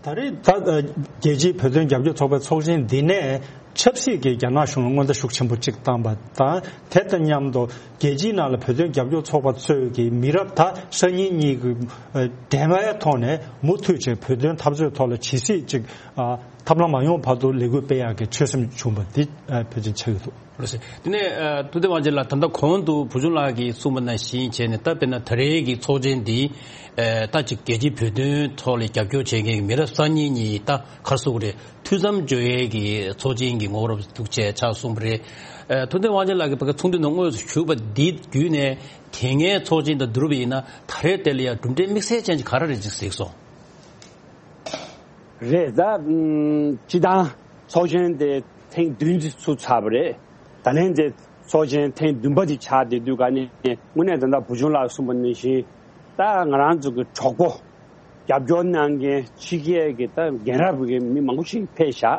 ད་རེས་ད་རྒྱལ་སྤྱིའི་བོད་དོན་རྒྱབ་སྐྱོར་ཚོགས་པའི་ཚོགས་ཆེན་འདི་ནས་ཆབ་སྲིད་ཀྱི་རྒྱ་ནག་གཞུང་ལ་སྔོན་བརྡ་ཤུགས་ཆེན་པོ་གཅིག་བཏང་པ་དང་། དེ་དང་མཉམ་དུ་རྒྱལ་སྤྱིའི་ནང་ལ་བོད་དོན་རྒྱབ་སྐྱོར་ཚོགས་པ་ཚོས་ཀྱི་མི་རབས་ད་སང་ཉིན་གཉིས་ཀྱི་འགྲན་ཁའི་ཐོག་ནས་མུ་མཐུད་བྱས་བོད་དོན་འཐབ་རྩོད་ཐོག་ལ་ཇི་སྲིད་ཅིག་ཐབས་ལམ་མ་ཡོང་བར་དུ་ལས་འགུལ་སྤེལ་ཡག་གི་ཆོད་སེམས་བྱུང་བ་འདི་ཕལ་ཆེར་ཆགས་ཀྱི་འདུག། ལགས་སོ། དེ་ནས་ཨ། ཐུབ་བསྟན་དབང་ཆེན་ལགས། ད་ལྟ་གོང་དུ་བུ་ཆུང་ལགས་ཀྱིས་གསུངས་པ་ནང་བཞིན་བྱས་ནས། ད་དཔེར་ན་ད་རེས་ཀྱི་ཚོགས་ཆེན་འདི་ཨ། ད་ཅིག་རྒྱལ་སྤྱིའི་བོད་དོན་ཐོག་ལ་རྒྱབ་སྐྱོར་བྱེད་མཁན་གྱི་མི་རབས་གསར་རྙིང་གཉིས། ད་ག་རེ་ཟེར་དགོས་རེད། མཐུད་མཚམས་སྦྱོར་ཡས་ཀྱི་ཚོགས་ཆེན་གྱི་ངོ་བོར་འདུག་བྱས་ཕྱག་གསུངས་པ་རེད། ཨ། ཐུབ་བསྟན་དབང་ཆེན་ལགས་ཀྱིས་ཕ་གི་ཚོགས་འདུའི་ནང་དངོས་སུ་ཞུགས་པ་འདི་བརྒྱུད་ནས། དེ་སྔའི་ཚོགས་ཆེན་དང་བསྡུར་བ་ཡིན་ན་ད་རེས་དེ་ལ་ཡང་གྲུབ་འབྲས་དམིགས་བསལ་ཅན་གྱི་ག་རེ་རེད་ཅེས་གཟིགས་སོང་། རེད། ད་ཨམ། སྤྱི་བཏང་ཚོགས་ཆེན་དེ་ཐེངས་བདུན་ཙམ་ཚུགས་ཚར་བ་རེད། ད་ལན་དེ་ཚོགས་ཆེན་ཐེངས་བདུན་པ་དེ་ཆགས་བསྡད་དུས་ཀ་ནས། དངོས་གནས་ད་ལྟ་བུ་ཆུང་ལགས་གསུངས་པ་ནང་བཞིན། ད་ང་རང་ཚོ་གི་གྲོགས་པོ། རྒྱབ་སྐྱོར་གནང་མཁན་ཕྱི་རྒྱལ་གྱི་ད་རྒན་རབས་ཀྱི་མི་མང་པོ་ཞིག་ཕེབས་ཤག།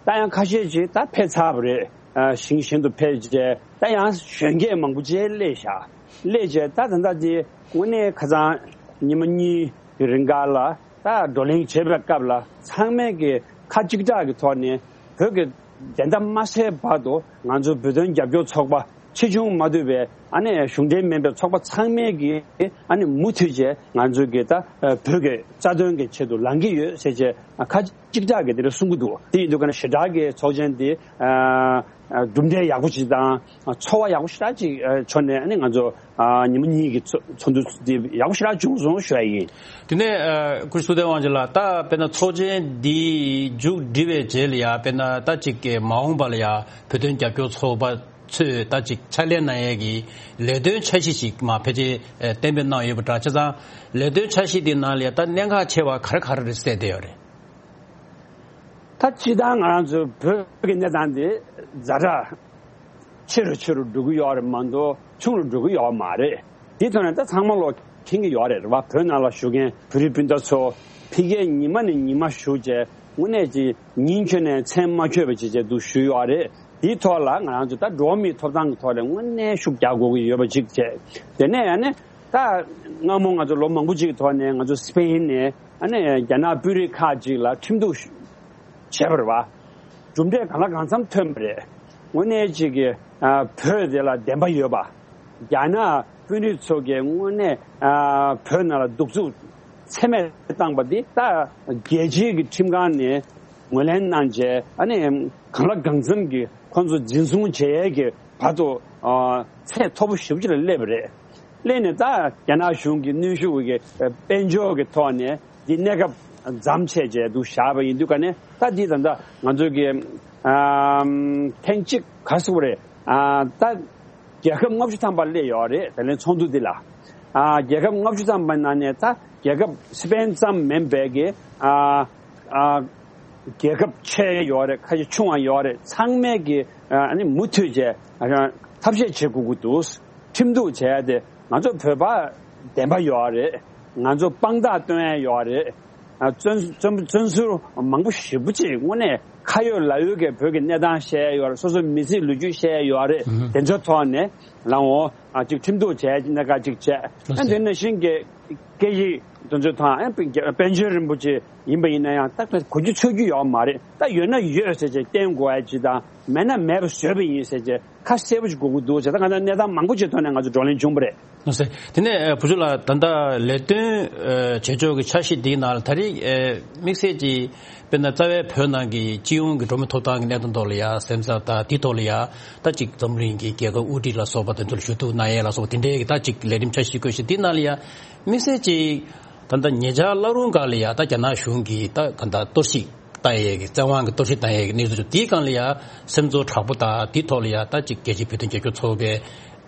ད་ཡང་ཁ་ཤས་ཅིག་ད་ཕེབས་ཚར་བ་རེད། ཨ། ཞིང་གཞན་དུ་ཕེབས་བྱས། ད་ཡང་གཞོན་སྐྱེས་མང་པོ་ཅིག་སླེབས་ཤག། སླེབས་བྱས་ད་ད་ལྟ་དེ་དངོས་གནས་ཁ་སང་ཉི་མ་གཉིས་ཀྱི་རིང་ག་ལ་ད་བགྲོ་གླེང་བྱེད་པའི་སྐབས་ལ། ཚང་མས་ཀྱི་ཁ་གཅིག་གྲགས་ཀྱི་ཐོག་ནས། བོད་ཀྱི་བདེན་མཐའ་མ་གསལ་བར་དུ་ང་ཚོ་བོད་དོན་རྒྱབ་སྐྱོར་ཚོགས་པ་ཆེ་ཆུང་མ་ལྟོས་པའི། ཨ་ནི་གཞུང་འབྲེལ་མིན་པའི་ཚོགས་པ་ཚང་མས་ཀྱི། ཨ་ནི་མུ་མཐུད་བྱས་ང་ཚོ་གི་ད་བོད་ཀྱི་རྩ་དོན་གྱི་ཆེད་དུ་ལངས་ཀྱི་ཡོད་ཟེར་བྱས་ཁ་གཅིག་གྲགས་ཀྱིས་དེ་འདྲ་གསུང་གི་འདུག། དེ་ཡིན་དུས་ཀ་ནས་ཞེ་དྲག་གི་ཚོགས་ཆེན་འདི་ཨ། གྲུབ་འབྲས་ཡག་པོ་ཞིག་དང་ཚོར་བ་ཡག་པོ་ཞེ་དྲག་ཅིག་བྱུང་ནས། ཨ་ནི་ང་ཚོ་ཉི་མ་གཉིས་ཀྱི་ཚོགས་འདུ་འདི་ཡག་པོ་ཞེ་དྲག་བྱུང་སོང་ཞུ་ཡ་ཡིན། དེ་ནས་སྐུ་ཞབས་ཐུབ་བསྟན་དབང་ཆེན་ལགས། ད་དཔེར་ན་ཚོགས་ཆེན་འདི་མཇུག་སྒྲིལ་བའི་རྗེས་ལ་ཡ། དཔེར་ན་ད་ཅིག་གི་མ་འོངས་པ་ལ་ཡ་བོད་དོན་རྒྱབ་སྐྱོར་ཚོགས་པ་ཚོས་ད་ཅིག་ཕྱག་ལས་གནང་ཡས་ཀྱི་ལས་དོན་འཆར་གཞི་ཞིག་མར་ཕལ་ཆེར་གཏན་འབེབས་གནང་ཡོད་པ་འདྲ། བྱས་ཙང་ལས་དོན་འཆར་གཞི་དེའི་ནང་ལ་ཡ་ད་གནད་འགག་ཆེ་བ་ག་རེ་ག་རེ་རེད་གསལ་བསྡད་ཡོད་རེད། ད་སྤྱིར་བཏང་ང་རང་ཚོའི་བོད་ཀྱི་གནས་སྟངས་དེ་ཛ་དྲག་ཆེ་རུ་ཆེ་རུ་འགྲོ་གི་ཡོད་རེད་མ་གཏོགས་ཆུང་རུ་འགྲོ་གི་ཡོད་མ་རེད། དེའི་ཐོག་ནས་ད་ཚང་མ་ལོ་མཁྱེན་གྱི་ཡོད་རེད། རེད་བ། བོད་ནང་ལ་བཞུགས་མཁན་བོད་རིགས་སྤུན་ཟླ་ཚོ་ཕ་གིར་ཉི་མ་ནས་ཉི་མ་བཞུགས་བྱས། དངོས་གནས་ཀྱི་ཉིན་འཁྱོལ་ནས་མཚན་མ་འཁྱོལ་བ་ཅིག་བྱས་འདུག་ཞུས་ཡོད་རེད། དེའི་ཐོག་ལ་ང་རང་ཚོ་ད་འགྲོ་བ་མིའི་ཐོབ་ཐང་གི་ཐོག་ལ་དངོས་གནས་ཤུགས་རྒྱག་དགོས་ཀྱི་ཡོད་པ་ཅིག་བྱས། དེ་ནས་ཨ་ནི་ད་སྔ་མོ་ང་ཚོ་ལོ་མང་པོ་ཅིག་གི་ཐོག་ནས་ང་ཚོ་སི་པེན་ནས། ཨ་ནི་རྒྱ་ནག་དཔོན་རིགས་ཁག་ཅིག་ལ་ཁྲིམས་གཏུག་བྱས་པ་རེད་བ། གྲུབ་འབྲས་གང་ལ་གང་འཚམ་ཐོན་པ་རེད། དངོས་གནས་ཅིག་གི་ཨ་བོད་དེ་ལ་བདེན་པ་ཡོད་པ། རྒྱ་ནག་དཔོན་རིགས་ཚོ་གིས་དངོས་གནས་ཨ་བོད་ནང་ལ་གདུག་རྩུབ་ཚད་མེད་བཏང་པ་འདི་ད་རྒྱལ་སྤྱིའི་གི་ཁྲིམས་ཁང་ནས་ངོས་ལེན་གནང་བྱས། ཨ་ནི་གང་ལ་གང་འཚམ་གྱི་ཁོང་ཚོ་འཛིན་བཟུང་བྱེད་ཡས་ཀྱི་བར་དུ་ཨ་ཚད་མཐོ་པོ་ཞེ་པོ་ཅིག་ལ་སླེབས་པ་རེད། སླེབས་ནས་ད་རྒྱ་ནག་གཞུང་གི་གནོན་ཤུགས་ཀྱི་དཔལ་འབྱོར་གྱི་ཐོག་ནས་འདི་གནས་སྐབས་མཚམས་ཆད་བྱས་འདུག་བཞག་པ་ཡིན་དུས་ཀ་ནས། ད་འདི་ད་ལྟ་ང་ཚོ་གི་ཨམ་ཐེངས་གཅིག་ག་རེ་ཟེར་དགོས་རེད། ཨ་ད་རྒྱལ་ཁབ་ལྔ་བཅུ་ཐམ་པ་སླེབས་ཡོད་རེད། ད་ལན་ཚོགས་འདུ་འདི་ལ་ཨ་རྒྱལ་ཁབ་ལྔ་བཅུ་ཐམ་པ་ནང་ནས་ད་རྒྱལ་ཁབ་སི་པེན་ཙམ་མིན་པའི་གི་ཨ་ཨ་རྒྱལ་ཁབ་ཆེ་ཡོད་རེད། ཁ་ཤས་ཆུང་བ་ཡོད་རེད། ཚང་མས་ཀྱི་ཨ་ནི་མུ་མཐུད་བྱས་ཨ་ཐབས་ཤེས་བྱེད་དགོས་ཀྱི་འདུག་ཁྲིམས་གཏུག་བྱས་ཏེ་ང་ཚོ་བོད་པ་བདེན་པ་ཡོད་རེད། ང་ཚོ་དཔང་རྟགས་སྟོན་ཡ་ཡོད་རེད། ཨ་བཙོན་བཙོན་བཙོན་ཟུར་མང་པོ་ཞེ་པོ་ཅིག་དངོས་གནས་ཁ་ཡོད་ལག་ཡོད་ཀྱི་བོད་ཀྱི་གནས་སྟངས་བཤད་ཡ་ཡོད་རེད། སོ་སོའི་མི་ཚེའི་ལོ་རྒྱུས་བཤད་ཡ་ཡོད་རེད། ཨུ་ཧུ། དེ་ཚོའི་ཐོག་ནས་ལའང་ཨ་ཅིག་ཁྲིམས་གཏུག་བྱས་ཅིག་གནད་འགག་ཅིག་བྱས། ཨ་དེ་ནང་བཞིན་གྱི་སྐད་ཡིག་དེ་ཚོའི་ཐོག་ཨ་པཎ་ཆེན་རིན་པོ་ཆེ་ཡིན་པ་ཡིན་ན་ཡང་ད་གོ་རྒྱུ་ཚོར་རྒྱུ་ཡོད་མ་རེད། ད་ཡོད་ན་ཡོད་ཟེར་བྱས་བསྟན་དགོས་ཡ་ཅིག་དང་། མེད་ན་མེད་པ་བཟོས་པ་ཡིན་ཟེར་བྱས་ཁ་གསལ་པོ་ཞིག་དགོས་ཀྱི་འདུག་ཟེར། ད་ང་ཚོ་གནས་སྟངས་མང་པོ་ཅིག་ཐོག་ནས་ང་ཚོ་བགྲོ་གླེང་བྱུང་བ་རེད། ལགས་སེ། དེ་ནས་བུ་ཆུང་ལགས། ད་ལྟ་ལས་དོན་བྱེད་ཕྱོགས་ཀྱི་འཆར་གཞི་འདིའི་ནང་ལ་ད་རེས་དམིགས་བསལ་གྱིས་དཔེར་ན་རྩ་བའི་བོད་ནང་གི་སྤྱི་ཡོངས་ཀྱི་འགྲོ་མི་ཐོབ་ཐང་གི་གནད་དོན་ཐོག་ལ་ཡ་སེམས་འཚབ་དང་། དེའི་ཐོག་ལ་ཡ་ད་ཅིག་འཛམ་གླིང་གི་རྒྱལ་ཁབ་དབུ་ཁྲིད་ལ་སོགས་པ་དེ་ཚོ་ལ་ཞུ་གཏུག་གནང་ཡས་ལ་སོགས་པ་དེ་འདྲའི་གི་ད་ཅིག་ལས་རིམ་འཆར་གཞི་བཀོད་བཞིན། འདིའི་ནང་ལ་ཡ་དམིགས་བསལ་གྱིས་ད་ལྟ་ཉེ་ཆར་བླ་རུང་སྒར་ལ་ཡ་ད་རྒྱ་ནག་གཞུང་གིས་ད་ག་འདྲ་གཏོར་བཤིག་བཏང་ཡས་ཀྱི་བཙན་དབང་གི་གཏོར་བཤིག་བཏང་ཡས་ཀྱི་གནས་ཚུལ་བྱུང་། དེའི་སྒང་ལ་ཡ་སེམས་ཚོར་དྲག་པོ་དང་། དེའི་ཐོག་ལ་ཡ་ད་ཅིག་རྒྱལ་སྤྱིའི་བོད་དོན་རྒྱབ་སྐྱོར་ཚོགས་པའི་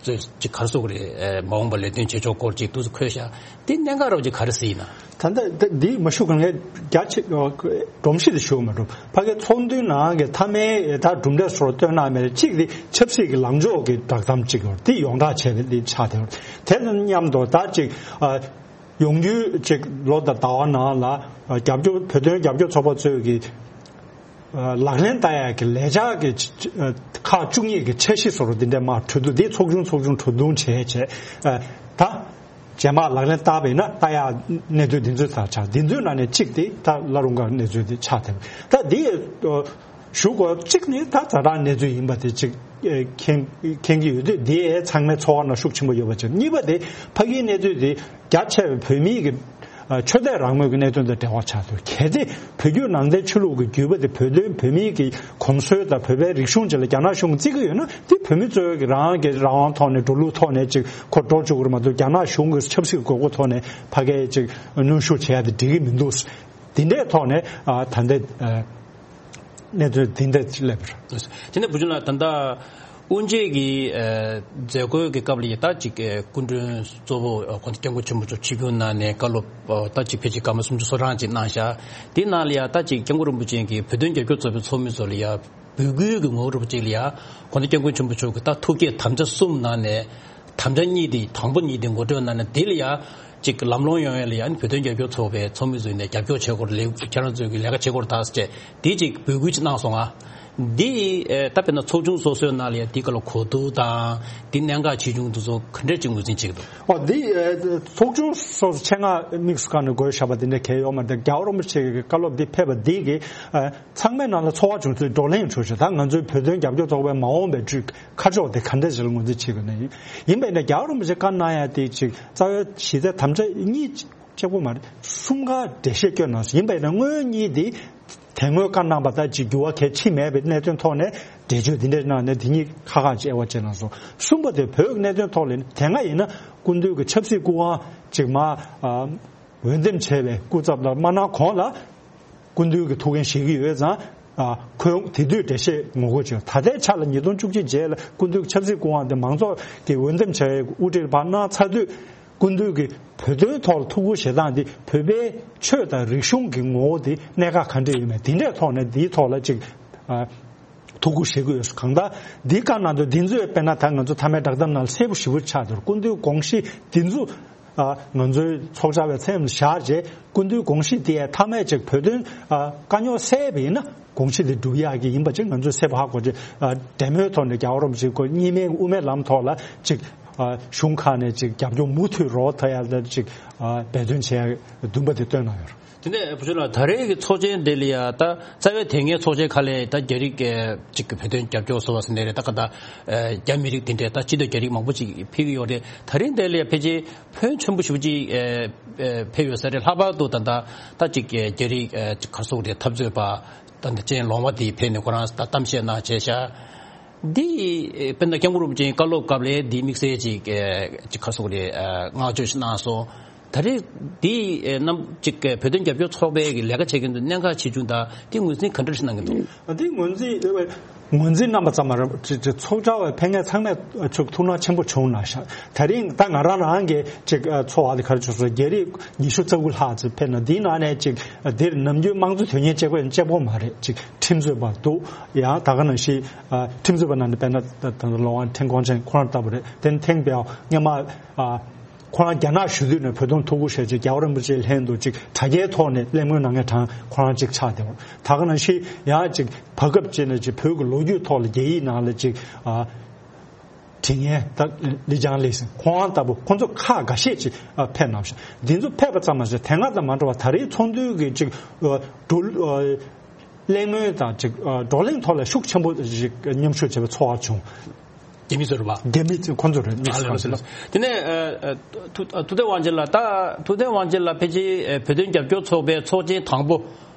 ཅིག་ག་རེ་ཟེར་དགོས་རེད། མ་འོངས་པ་ལས་དོན་བྱེད་ཕྱོགས་སྐོར་ཅིག་ཏུ་འཁོད་ཤག་དེ་གནད་འགག་རོབ་ཅིག་ག་རེ་ཟེར་ཡིན་ན། ད་ལྟ་འདི་མ་ཞུ་གང་གའི་རྒྱ་ཆེ་སྒྲོམ་གཞི་དེ་ཞུ་མ་འགྲོ། ཕ་གི་ཚོགས་འདུའི་ནང་གི་མཐའ་མའི་ད་གྲུབ་འབྲས་སོགས་སྟོན་གནང་མེད་རེད། གཅིག་དེ་ཆབ་སྲིད་ཀྱི་ལངས་ཕྱོགས་ཀྱི་བསྒྲགས་གཏམ་གཅིག་ཡོད་རེད། དེ་ཡོངས་གྲགས་བྱས་པ་དེ་ཆགས་བསྡད་ཡོད་རེད། དེ་དང་མཉམ་དུ་ད་ཅིག་ཨ། ཡོང་རྒྱུའི་ཅིག་ལོ་དང་ཟླ་བ་ནང་ལ་རྒྱབ་སྐྱོར་བོད་དོན་རྒྱབ་སྐྱོར་ཚོགས་པ་ཚོས་ཀྱི་ལག་ལེན་བསྟར་ཡག་གི་ལས་འཆར་གྱི་ཁག་བཅུ་གཉིས་ཀྱི་འཆར་གཞི་བཟོ་འདྲ་འདི་འདྲ་མར་གྲོས་བསྡུར་འདི་ཚོགས་ཆུང་ཚོགས་ཆུང་གྲོས་བསྡུར་བྱས་བྱས་ད་རྗེས་མ་ལག་ལེན་བསྟར་བ་ཡིན་ན་བསྟར་ཡག་གནས་ཚུལ་འདི་ཚོ་ད་ཆགས། འདི་ཚོའི་ནང་ནས་གཅིག་དེ་ད་བླ་རུང་སྒར་གནས་ཚུལ་འདི་ཆགས་བསྡད། ད་འདི་ཞུ་དགོས་གཅིག་ནི་ད་ཛ་དྲག་གནས་ཚུལ་ཡིན་པ་དེ་གཅིག་མཁྱེན་མཁྱེན་གྱི་ཡོད་དུས། འདི་ཚང་མའི་ཚོར་བ་ནང་ཤུགས་ཆེན་པོ་ཡོད་པ་གཅིག། གཉིས་པ་དེ་ཕ་གིའི་གནས་ཚུལ་དེ་རྒྱ་ཆེ་བའི་བོད་མིའི་གི་ཨ་ཆོས་དད་རང་མོས་ཀྱི་གནད་དོན་དང་འབྲེལ་བ་ཆགས་འདུག། གལ་ཏེ་བོད་བརྒྱུད་ནང་བསྟན་ཆོས་ལུགས་ཀྱི་བརྒྱུད་པ་དེ་བོད་དོན་བོད་མིའི་གི་གོམས་སྲོལ་དང་བོད་པའི་རིག་གཞུང་བཅས་ལ་རྒྱ་ནག་གཞུང་གིས་བརྩི་གི་ཡོད་ན། དེ་བོད་མི་ཚོས་ཀྱི་རང་གི་རང་དབང་ཐོག་ནས་འགྲོ་ལུགས་ཐོག་ནས་ཅིག་ཁོ་འགྲོ་བཅུག་གི་རེད་མ་གཏོགས། རྒྱ་ནག་གཞུང་གི་ཆབ་སྲིད་དགོས་མཁོ་ཐོག་ནས་ཕ་གིའི་ཅིག་གནོན་ཤུགས་བྱེད་ཡ་དེ་འགྲིག་གི་མི་འདུག། དེ་འདྲའི་ཐོག་ནས་ཨ་ད་ལྟའི་ཨ་གནས་ཚུལ་འདི་འདྲ་སླེབས་པ་རེད། དེ་ནས་བུ་ཆུང་ལགས། ད་ལྟ་དབུ་འབྱེད་ཀྱི་ཨ་མཛད་སྒོའི་གི་སྐབས་ལ་ཡ་ད་ཅིག་ཨ་སྐུ་མགྲོན་གཙོ་བོ་ཨ་དགོངས་དག་སྐྱབས་མགོན་ཆེན་པོ་མཆོག་ཆིབས་བསྒྱུར་གནང་ནས་བཀའ་སློབ་ཨ་ད་ཅིག་ཕལ་ཆེར་སྐར་མ་སུམ་ཅུ་སོ་གྲངས་ཅིག་གནང་ཤག། དེའི་ནང་ལ་ཡ་ད་ཅིག་སྐྱབས་མགོན་རིན་པོ་ཆེ་གིས་བོད་དོན་རྒྱབ་སྐྱོར་ཚོགས་པའི་ཚོགས་མི་ཚོ་ལ་ཡ་འབོད་སྐུལ་གྱི་ངོ་བོ་རིན་པོ་ཆེ་ལ་ཡ་དགོངས་དག་སྐྱབས་མགོན་ཆེན་པོ་མཆོག་གིས་ད་ཐུགས་བསྐྱེད་དམ་བཅའ་གསུམ་གནང་ནས། དམ་བཅའ་གཉིས་དེ། དང་པོ་གཉིས་དེ་ངོ་སྤྲོད་གནང་ནས། དེ་ལ་ཡ་ཅིག་ལམ་ལྷོང་ཡོང་ཡ་ལ་ཡ་ནི་བོད་དོན་རྒྱབ་སྐྱོར་ཚོགས་པའི་ཚོགས་མི་ཚོས་ནས་རྒྱབ་སྐྱོར་བྱེད་དགོས་རེད། ལས་ཁྱེད་རང་ཚོས་ཀྱི་ལས་ཀ་བྱེད་དགོས་རེད་ད་ཟེར་བྱས་དེ་ཅིག་འབོད་སྐུལ་ཅིག་གནང་སོང་ང་། འདི་ཨེ་ད་དཔེར་ན་ཚོགས་ཆུང་སོ་སོའི་ནང་ལ་ཡ་འདི་ག་ལ་གོ་བསྡུར་དང་འདི་གནད་འགག་ཆེ་ཆུང་དེ་ཚོ་ག་འདྲས་ཅིག་ངོས་འཛིན་བྱེད་ཀྱི་འདུག། ཨོ། འདི་ཨེ་ཚོགས་ཆུང་སོ་སོ་ཆེད་མངགས་དམིགས་སུ་བཀར་ནས་དགོས་བཞག་པ་དེ་འདྲ་གང་ཡང་ཡོད་མ་རེད། རྒྱལ་བ་རིན་པོ་ཆེ་གི་བཀའ་སློབ་འདི་ཕེབས་པ་འདི་གིས་ཨ་ཚང་མའི་ནང་ལ་ཚོར་བ་བྱུང་ཚུལ་བགྲོ་གླེང་བྱུང་ཞིང་། ད་ང་ཚོའི་བོད་དོན་རྒྱབ་སྐྱོར་ཚོགས་པའི་མ་འོངས་པའི་ཁྲིད་ཁ་ཕྱོགས་དེ་ག་འདྲ་ཞིག་ལ་ངོས་འཛིན་བྱེད་དགོས་ན། ཡིན་ཡིན་པ་ཡིན་ན་རྒྱལ་བ་རིན་པོ་ཆེ་བཀའ་གནང་ཡ་དེ་ཅིག་རྩ་བའི་གཞི་རྩའི་དམ་བཅའ་གཉིས་གཅིག་པོ་མ་རེད། གསུམ་ཀ་འགྲེལ་བཤད་བསྐྱོན་གནང་སོང་། ཡིན་པ་ཡིན་ན་སྔོན་གཉིས་དེ་དེ་སྔོན་བཀའ་གནང་པ་ལྟར་ཅིག་འགྱུར་བ་གལ་ཕྱིན་མེད་པའི་གནད་དོན་ཐོག་ནས་འགྲེལ་བརྗོད་འདི་འདྲ་གནང་ནས་དེ་གཉིས་ཁ་ཁ་ཅིག་དབྱེ་བ་ཕྱེ་གནང་སོང་། གསུམ་པ་དེ་བོད་ཀྱི་གནད་དོན་ཐོག་ལ་དེ་སྔ་ཡིན་ན་སྐུ་མདུན་གྱི་ཆབ་སྲིད་སྐུ་དབང་ཅིག་མ་ཨ་འོས་འདེམས་བྱས་པའི་སྐུ་ཚབ་ལ་མ་གནང་གོང་ལ། སྐུ་མདུན་གྱི་ཐུགས་འགན་བཞེས་ཀྱི་ཡོད་ཙང་། ཨ་ཁོས་དེ་དུས་འགྲེལ་བཤད་ངོ་རྒོལ་བྱས། ད་ལྟའི་ཆ་ལ་ཉིས་སྟོང་བཅུ་གཅིག་རྗེས་ལ་སྐུ་མདུན་གྱི་ཆབ་སྲིད་སྐུ་དབང་དེ་མང་ཚོགས་ཀྱིས་འོས་འདེམས་བྱས་པའི་དབུ་ཁྲིད་ལ་ཕར་གནང་ཚར་དུས། སྐུ་མདུན་གྱིས་བོད་དོན་ཐོག་ལ་ཐུགས་ཁུར་བཞེས་སྟངས་འདི་བོད་པའི་ཆོས་དང་རིག་གཞུང་གི་ངོ་བོ་དེ་གནད་འགག་ག་འདྲ་ཡོད་མེད་དེ་འདྲའི་ཐོག་ནས་འདིའི་ཐོག་ལ་ཅིག་ཨ་ཐུགས་ཁུར་བཞེས་ཀྱི་ཡོད། གང་ལྟར་འདི་བཀའ་གནང་དུས་འདི་ཚོས་དཔེར་ན་ད་ང་ཚོ་མཐའ་མའི་བསྒྲགས་གཏམ་ནང་གསལ་པོ་ཞེ་པོ་ཆགས་འདུག། སྐུ་མདུན་དགོངས་གཞི་འདི་ཚོ་ཨ་ང་ཚོའི་ཚོགས་བཅར་བའི་མཚན་ལ་བཞག་རྗེས། སྐུ་མདུན་དགོངས་གཞི་དེ་ཡང་མཐའ་མའི་ཅིག་བོད་དོན་ཨ་དཀའ་རྙོག་སེལ་བ་ཡིན་ན་དགོངས་གཞི་དེ་འགྲུབ་ཡག་གི་ཡིན་པ་ཅིག་ང་ཚོས་གསལ་པོ་ཧ་གོ་རྗེས། ཨ་འབྲེལ་མོལ་ཐོག་ནས་རྒྱལ་བ་རིན་པོ་ཆེའི་སྐུ་གཉིས་སྨན་དབུ་མའི་ལམ་ཐོག་ལ་ཅིག་ ཨ་གཞུང་ཁག་ནས་ཅིག་རྒྱབ་སྐྱོར་མུ་མཐུད་རོགས་ཐུབ་ཡ་ལ་ཅིག་ཨ་འབད་བརྩོན་བྱེད་ཡ་འདུན་པ་དེ་བཏོན་གནང་ཡོད་རེད། དེ་ནས་བུ་ཆུང་ལགས་ད་རེས་ཀྱི་ཚོགས་ཆེན་དེ་ལ་ཡ་ད་རྩ་བའི་དེ་སྔའི་ཚོགས་ཆེན་ཁག་ལས་ད་རྒྱ་རིགས་ཨེ་ཅིག་གི་བོད་དོན་རྒྱབ་སྐྱོར་བཟོ་བ་ཟེར་ནའི་རེད། ད་ག་ད་ཨེ་རྒྱ་མི་རིགས་དེ་འདྲས་ད་སྤྱི་མཐུན་རྒྱ་རིགས་མང་པོ་ཅིག་ཕེབས་ཀྱི་ཡོད་རེད། ད་རིང་དེ་ལ་ཡ་ཕལ་ཆེར་ཕོན་ཆེན་པོ་ཞེ་པོ་ཅིག་ཨེ་ཨེ་ཕེབས་ཡོད་ས་རེད། ལྷག་པར་དུ་ད་ད་ད་ཅིག་ཨེ་རྒྱ་རིགས་ཨེ་ཅིག་ག་རེ་ཟེར་དགོས་རེད། འཐབ་རྩོད་པ་ད་ད་ཅན་ལོང་བ་དེ་ཕེབས་ནས་ཁོ་རང་ད་གཏམ་བཤད་གནང་བྱས་ཤག་འདི་དཔེར་ན་སྐྱབས་མགོན་རིན་པོ་ཆེའི་བཀའ་སློབ་སྐབས་ལ་འདི་དམིགས་བསལ་ཅིག་ཨེ་ཅིག་ག་རེ་ཟེར་དགོས་རེད། ཨེ་བསྔགས་བརྗོད་ཞིག་གནང་སོང་། ད་རེས་འདི་ཨེ་རྣམ་ཅིག་ཨེ་བོད་དོན་རྒྱབ་སྐྱོར་ཚོགས་པའི་གི་ལས་ཀ་བྱེད་མཁན་ཚོ་གནད་འགག་ཆེ་ཆུང་དང་འདི་ངོས་འཛིན་ག་འདྲ་ཞིག་གནང་གི་འདུག་འདི་ངོས་འཛིན་ངོས་འཛིན་གནང་པ་ཙམ་མ་རེད། ཅིག་ཅིག་ཚོགས་བཅར་བའི་ཕེབས་མཁན་ཚང་མས་ཅིག་ཐུགས་སྣང་ཆེན་པོ་བྱུང་གནང་ཤག་དེ་རིང་ད་ང་རང་རང་གི་ཅིག་ཨེ་ཚོར་བ་དེ་ག་རེ་བྱུང་སོང་། རྒྱ་རིགས་ཉི་ཤུ་རྩ་དགུ་ལྷག་ཙམ་ཕེབས་ན། འདིའི་ནང་ནས་ཅིག་ཨེ་འདིར་ནམ་རྒྱུན་དམངས་གཙོ་དོན་གཉེར་གཅིག་པོ་གཅིག་པོ་མ་རེད། ཅིག་ཁྲིམས་རྩོད་པ་འདུག་ཡང་ད་ག་ནང་བཞིན་ཨ་ཁྲིམས་རྩོད་པ་ནང་ནས་དཔེར་ན་ད་ད་ལོ་ཝང་ཁྲེན་ཀོང་ཆན་ཁོ་རང་ལྟ་བུ་རེད། དེ་ནས་ཐེངས་པའི་སྔོན་མ་ཨ་ཁོ་རང་རྒྱ་ནག་བཞུགས་དུས་ནས་བོད་དོན་ཐུགས་ཁུར་བཞེས་བྱས་རྒྱལ་བ་རིན་པོ་ཆེའི་ལྷན་དུ་ཅིག་དྲ་རྒྱའི་ཐོག་ནས་གླེང་མོལ་གནང་མཁན་གྲས་ཁོ་རང་ཅིག་ཆགས་བསྡད་པ། ད་ག་ནང་བཞིན་ཡང་ཅིག་བར་སྐབས་ཅིག་ནས་ཅིག་བོད་ཀྱི་ལོ་རྒྱུས་ཐོག་ལ་རྒྱ་ཡིག་ནང་ལ་ཅིག་ཨ་དྲི་བརྙན་ད་ལི་ཅང་ལི་ཟེར་ཁོང་ལྟ་བུ་ཁོང་ཚོ་ཁག་འགའ་ཤས་ཅིག་ཨ་ཕེབས་གནང་ཞིང་། འདི་ཚོ་ཕེབས་པ་ཙམ་མ་ཟད་དེ་སྔ་ཙམ་མ་འགྲོ་བ་ད་རེས་ཚོགས་འདུའི་གི་ཅིག་ཨ་འགྲོ་ཨ་གླེང་མོལ་དང་ཅིག་ཨ་བགྲོ་གླེང་ཐོག་ལ་ཤུགས་ཆེན་པོ་ཞིག་མཉམ་ཞུགས་བྱས་པའི་ཚོར་བ་བྱུང་། རྒྱ་མི་ཚོ་རེད་པ། རྒྱ་མི་ཚོ་ཁོང་ཚོ་རེད། དམིགས་བསལ་ཁོང་ཚོ་རེད། དེ་ནས་ཨ་ཨ་ཐུ་ཨ་ཐུབ་བསྟན་དབང་ཆེན་ལགས་ད་ཐུབ་བསྟན་དབང་ཆེན་ལགས་ཕལ་ཆེར་ཨ་བོད་དོན་རྒྱབ་སྐྱོར་ཚོགས་པའི་ཚོགས་ཆེན་དང་པོ་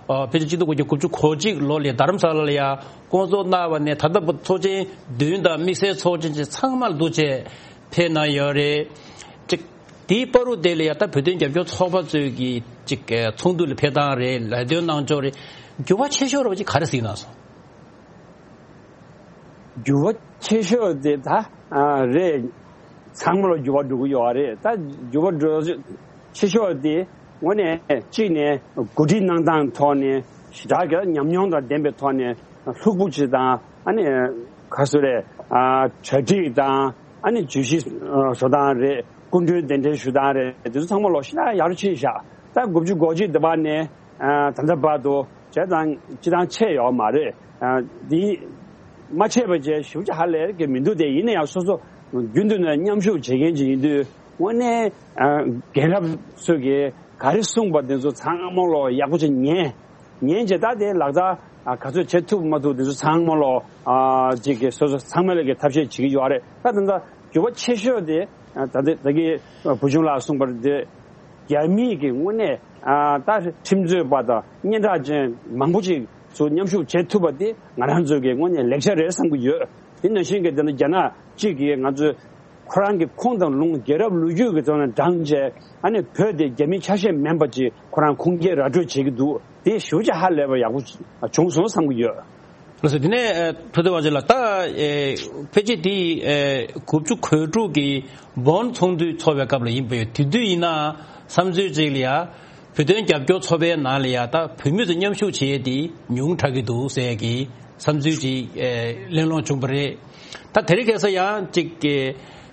ཨ་ཕལ་ཆེར་གཅིག་སྟོང་དགུ་བརྒྱ་དགུ་བཅུ་གོ་གཅིག་ལོ་ལ་རྡ་རམ་ས་ལ་ལ་ཡ་བསྐོང་ཚོགས་གནང་བ་ནས་ད་ལྟ་བར་ཚོགས་ཆེན་བདུན་དང་དམིགས་བསལ་ཚོགས་ཆེན་ཚང་མར་བསྡུ་བྱས་ཕེབས་གནང་ཡོད་རེད། ཅིག་དེའི་བར་དུ་དེ་ལ་ཡ་ད་བོད་དོན་རྒྱབ་སྐྱོར་ཚོགས་པ་ཚོས་ཀྱི་ཅིག་ཚོགས་འདུ་ལ་ཕེབས་སྟངས་རེད། ལས་དོན་གནང་ཕྱོགས་རེད། འགྱུར་བ་ཆེ་ཤོས་ར་བ་ཅིག་ག་རེ་གཟིགས་གནང་སོང་། འགྱུར་བ་ཆེ་ཤོས་དེ་ད་ཨ་རེད། ཚང་མ་ལ་འགྱུར་བ་འགྲོ་གི་ཡོད་རེད། ད་འགྱུར་བ་འགྲོ་ཆེ་ཤོས་དེ་དངོས་གནས་གཅིག་ནས་འགོ་ཁྲིད་གནང་སྟངས་ཐོག་ནས་ཞེ་དྲག་གི་ཉམས་མྱོང་དང་ལྡན་པའི་ཐོག་ནས་ལྷུག་པོ་ཅིག་དང་ཨ་ནི་ག་སུ་རེད། ཨ་གྲ་སྒྲིག་དང་ཨ་ནི་བརྗོད་གཞི་བཟོ་སྟངས་རེད། སྐུ་མགྲོན་གདན་འདྲེན་ཞུ་སྟངས་རེད། དེ་ཚོ་ཚང་མ་ལོག་ཤིན་ཏུ་ཡག་རུ་ཕྱིན་ཤག་ད་དགུ་བཅུ་གོ་གཅིག་དེ་བར་ནས་ཨ་ད་ལྟ་བར་དུ་བྱས་ཙང་སྤྱི་བཏང་ཆད་ཡོད་མ་རེད། ཨ་འདི་མ་ཆད་པ་བྱས་ཞིབ་ཆ་ཧ་ལས་ཀྱི་མི་འདུག་དེ་ཡིན་ན་ཡང་སོ་སོ་རྒྱུན་དུ་ནས་མཉམ་ཞུགས་བྱེད་མཁན་ཅིག་ཡིན་དུས་དངོས་གནས་ཨ་རྒན་རབས་ཚོས་ཀྱིས་ག་རེ་གསུངས་པ་དེ་ཚོ་ཚང་མ་ལོག་ཡག་པོ་ཅིག་ཉན། ཉན་བྱས་ད་དེ་ལག་བསྟར་ཨ་ག་ཚོད་བྱེད་ཐུབ་མ་ཐུབ་དེ་ཚོ་ཚང་མ་ལོག་ཨ་ཅིག་གི་སོ་སོ་ཚང་མ་ལ་གི་ཐབས་ཤེས་བྱེད་ཀྱི་ཡོད་རེད། ད་ད་ལྟ་འགྱུར་བ་ཆེ་ཤོས་དེ་ཨ་ད་ལྟ་ད་གི་བུ་ཆུང་ལགས་གསུངས་པར་དེ་རྒྱ་མིས་ཀྱི་དངོས་གནས་ཨ་ད་ཁྲིམས་རྩོད་པ་དང་སྙན་གྲགས་ཅན་མང་པོ་ཅིག་ཚུར་མཉམ་ཞུགས་བྱེད་ཐུབ་པ་དེ་ང་རང་ཚོའི་གི་དངོས་གནས་ལེགས་ཆ་རེད་བསམ་གྱི་ཡོད། དེ་ནང་བཞིན་གྱི་དེ་ནི་རྒྱ་ནག་གཅིག་གིས་ང་ཚོའི་ཁོ་རང་གི་ཁོངས་དང་ལུང་རྒྱལ་རབས་ལོ་རྒྱུས་ཀྱི་ཐོག་ནས་བགྲངས་བྱས་ཨ་ནི་བོད་དེ་རྒྱ་མི་ཆ་ཤས་མིན་པ་ཅིག་ཁོ་རང་ཁུངས་སྐྱེལ་ར་སྤྲོད་བྱེད་ཀྱི་འདུག་དེ་ཞེ་པོ་ཅིག་ཧ་ལས་པ་ཡག་པོ་བྱུང་སོང་བསམ་གྱི་ཡོད། ལགས་སོ། དེ་ནས་ཨ་ཐུབ་བསྟན་དབང་ཆེན་ལགས་ད་ཨེ་ཕལ་ཆེར་དེ་ཨེ་དགུ་བཅུ་གོ་དྲུག་གི་བོན་ཚོགས་འདུ་ཚོགས་པའི་སྐབས་ལ་ཡིན་པ་ཡོད། དེ་དུས་ཡིན་ན་བསམ་ཚུལ་ཅིག་ལ་ཡ་བོད་དོན་རྒྱབ་སྐྱོར་ཚོགས་པའི་ནང་ལ་ཡ་ད་བོད་མི་ཚོ་མཉམ་ཞུགས་བྱེད་ཡས་དེ་ཉུང་དྲགས་ཀྱི་འདུག་ཟེར་ཡས་ཀྱི་བསམ་ཚུལ་ཅིག་ཨེ་གླེང་སློང་བྱུང་བ་རེད། ད་དེ་རིང་ཁ་སང་ཡང་ཅིག་གི་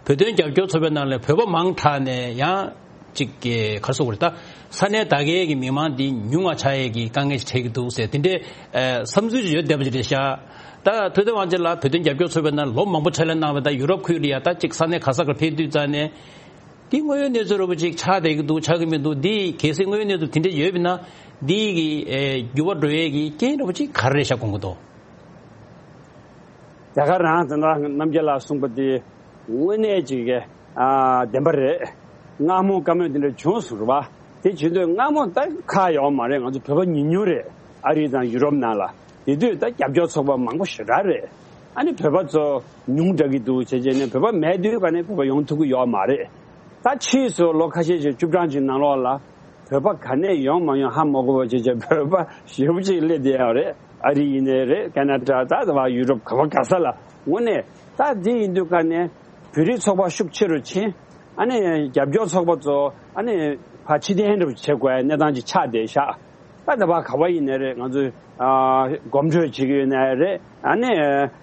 བོད་དོན་རྒྱབ་སྐྱོར་ཚོགས་པའི་ནང་ལ་བོད་པ་མང་དྲགས་ནས་ཡང་ཅིག་གི་ག་རེ་ཟེར་དགོས་རེད། ད་ས་གནས་དེ་གའི་གི་མི་མང་འདི་ཉུང་བ་ཆགས་ཡས་ཀྱི་དཀའ་ངལ་ཞིག་འཕྲད་ཀྱི་འདུག་ཟེར་དེ་འདྲའི་ཨེ་བསམ་ཚུལ་ཅིག་ཡོད་བསྡད་པ་ཅིག་རེད་ཤག་ད་ཐུབ་བསྟན་དབང་ཆེན་ལགས་བོད་དོན་རྒྱབ་སྐྱོར་ཚོགས་པའི་ནང་ལོ་མང་པོ་ཕྱག་ལས་གནང་བ་དང་ཡུ་རོབ་ཁུལ་ལ་ཡ་ད་ཅིག་ས་གནས་ག་ས་གར་ཕེབས་དུས་ཙང་ནས་འདི་དངོས་ཡོད་གནས་ཚུལ་རོབ་ཅིག་ཆགས་བསྡད་ཀྱི་འདུག་ཆགས་ཀྱི་མི་འདུག་འདི་གལ་སྲིད་དངོས་ཡོད་གནས་ཚུལ་དེ་འདྲ་ཡོད་པ་ན་འདི་གི་ཨེ་འགྱུར་བ་འགྲོ་ཡས་ཀྱི་རྐྱེན་རོབ་ཅིག་ག་རེ་རེད་ཤག་དགོངས་ཀྱི་འདུག་དེ་ག་རང་དེ་འདྲ་རྣམ་རྒྱལ་ལགས་གསུངས་པ་དེ་དངོས་གནས་ཅིག་གི་ཨ་བདེན་པ་རེད། སྔ་མོ་བཀའ་མོལ་དེ་འདྲ་བྱུང་སོང་རེད་པ། དེ་བྱེད་དུས་སྔ་མོ་ད་ཁག་ཡོད་མ་རེད། ང་ཚོ་བོད་པ་ཉུང་ཉུང་རེད། ཨ་རི་དང་ཡུ་རོབ་ནང་ལ། དེ་དུས་ད་རྒྱབ་སྐྱོར་ཚོགས་པ་མང་པོ་ཞེ་དྲག་རེད། ཨ་ནི་བོད་པ་ཚོ་ཉུང་དྲགས་ཀྱི་འདུག་བྱས་བྱས་ནས་བོད་པ་མེད་དུས་ག་ནས་བོད་པ་ཡོང་ཐུབ་ཀྱི་ཡོད་མ་རེད། ད་ཕྱིས་སུ་ལོ་ཁ་ཤས་ཤིག་བཅུ་གྲངས་ཅིག་ནང་ལོགས་ལ་བོད་པ་ག་ནས་ཡོང་མ་ཡོང་ཧ་མ་གོ་བ་བྱས་བྱས་བོད་པ་ཞེ་པོ་ཅིག་སླེབས་བསྡད་ཡོད་རེད། ཨ་རི་ཡིན་ནའི་རེད། ཁ་ན་ཌ། ད་ད་བ་ཡུ་རོབ་ག་བ་ག་ས་ལ། དངོས་གནས་ད་འདི་ཡིན་དུས་ག་ནས་བོད་རིགས་ཚོགས་པ་ཤུགས་ཆེ་རུ་ཕྱིན། ཨ་ནི་རྒྱབ་སྐྱོར་ཚོགས་པ་ཚོ་ཨ་ནི་ཕར་ཕྱིར་འཐེན་རུ་བྱེད་དགོས་གནས་སྟངས་ཅིག་ཆགས་བསྡད་ཤག་ད་ད་བ་ག་བ་ཡིན་ནའི་རེད། ང་ཚོས་ཨ་གོམ་བགྲོད་བྱེད་ཀྱི་ཡོད་ནའི་རེད། ཨ་ནི་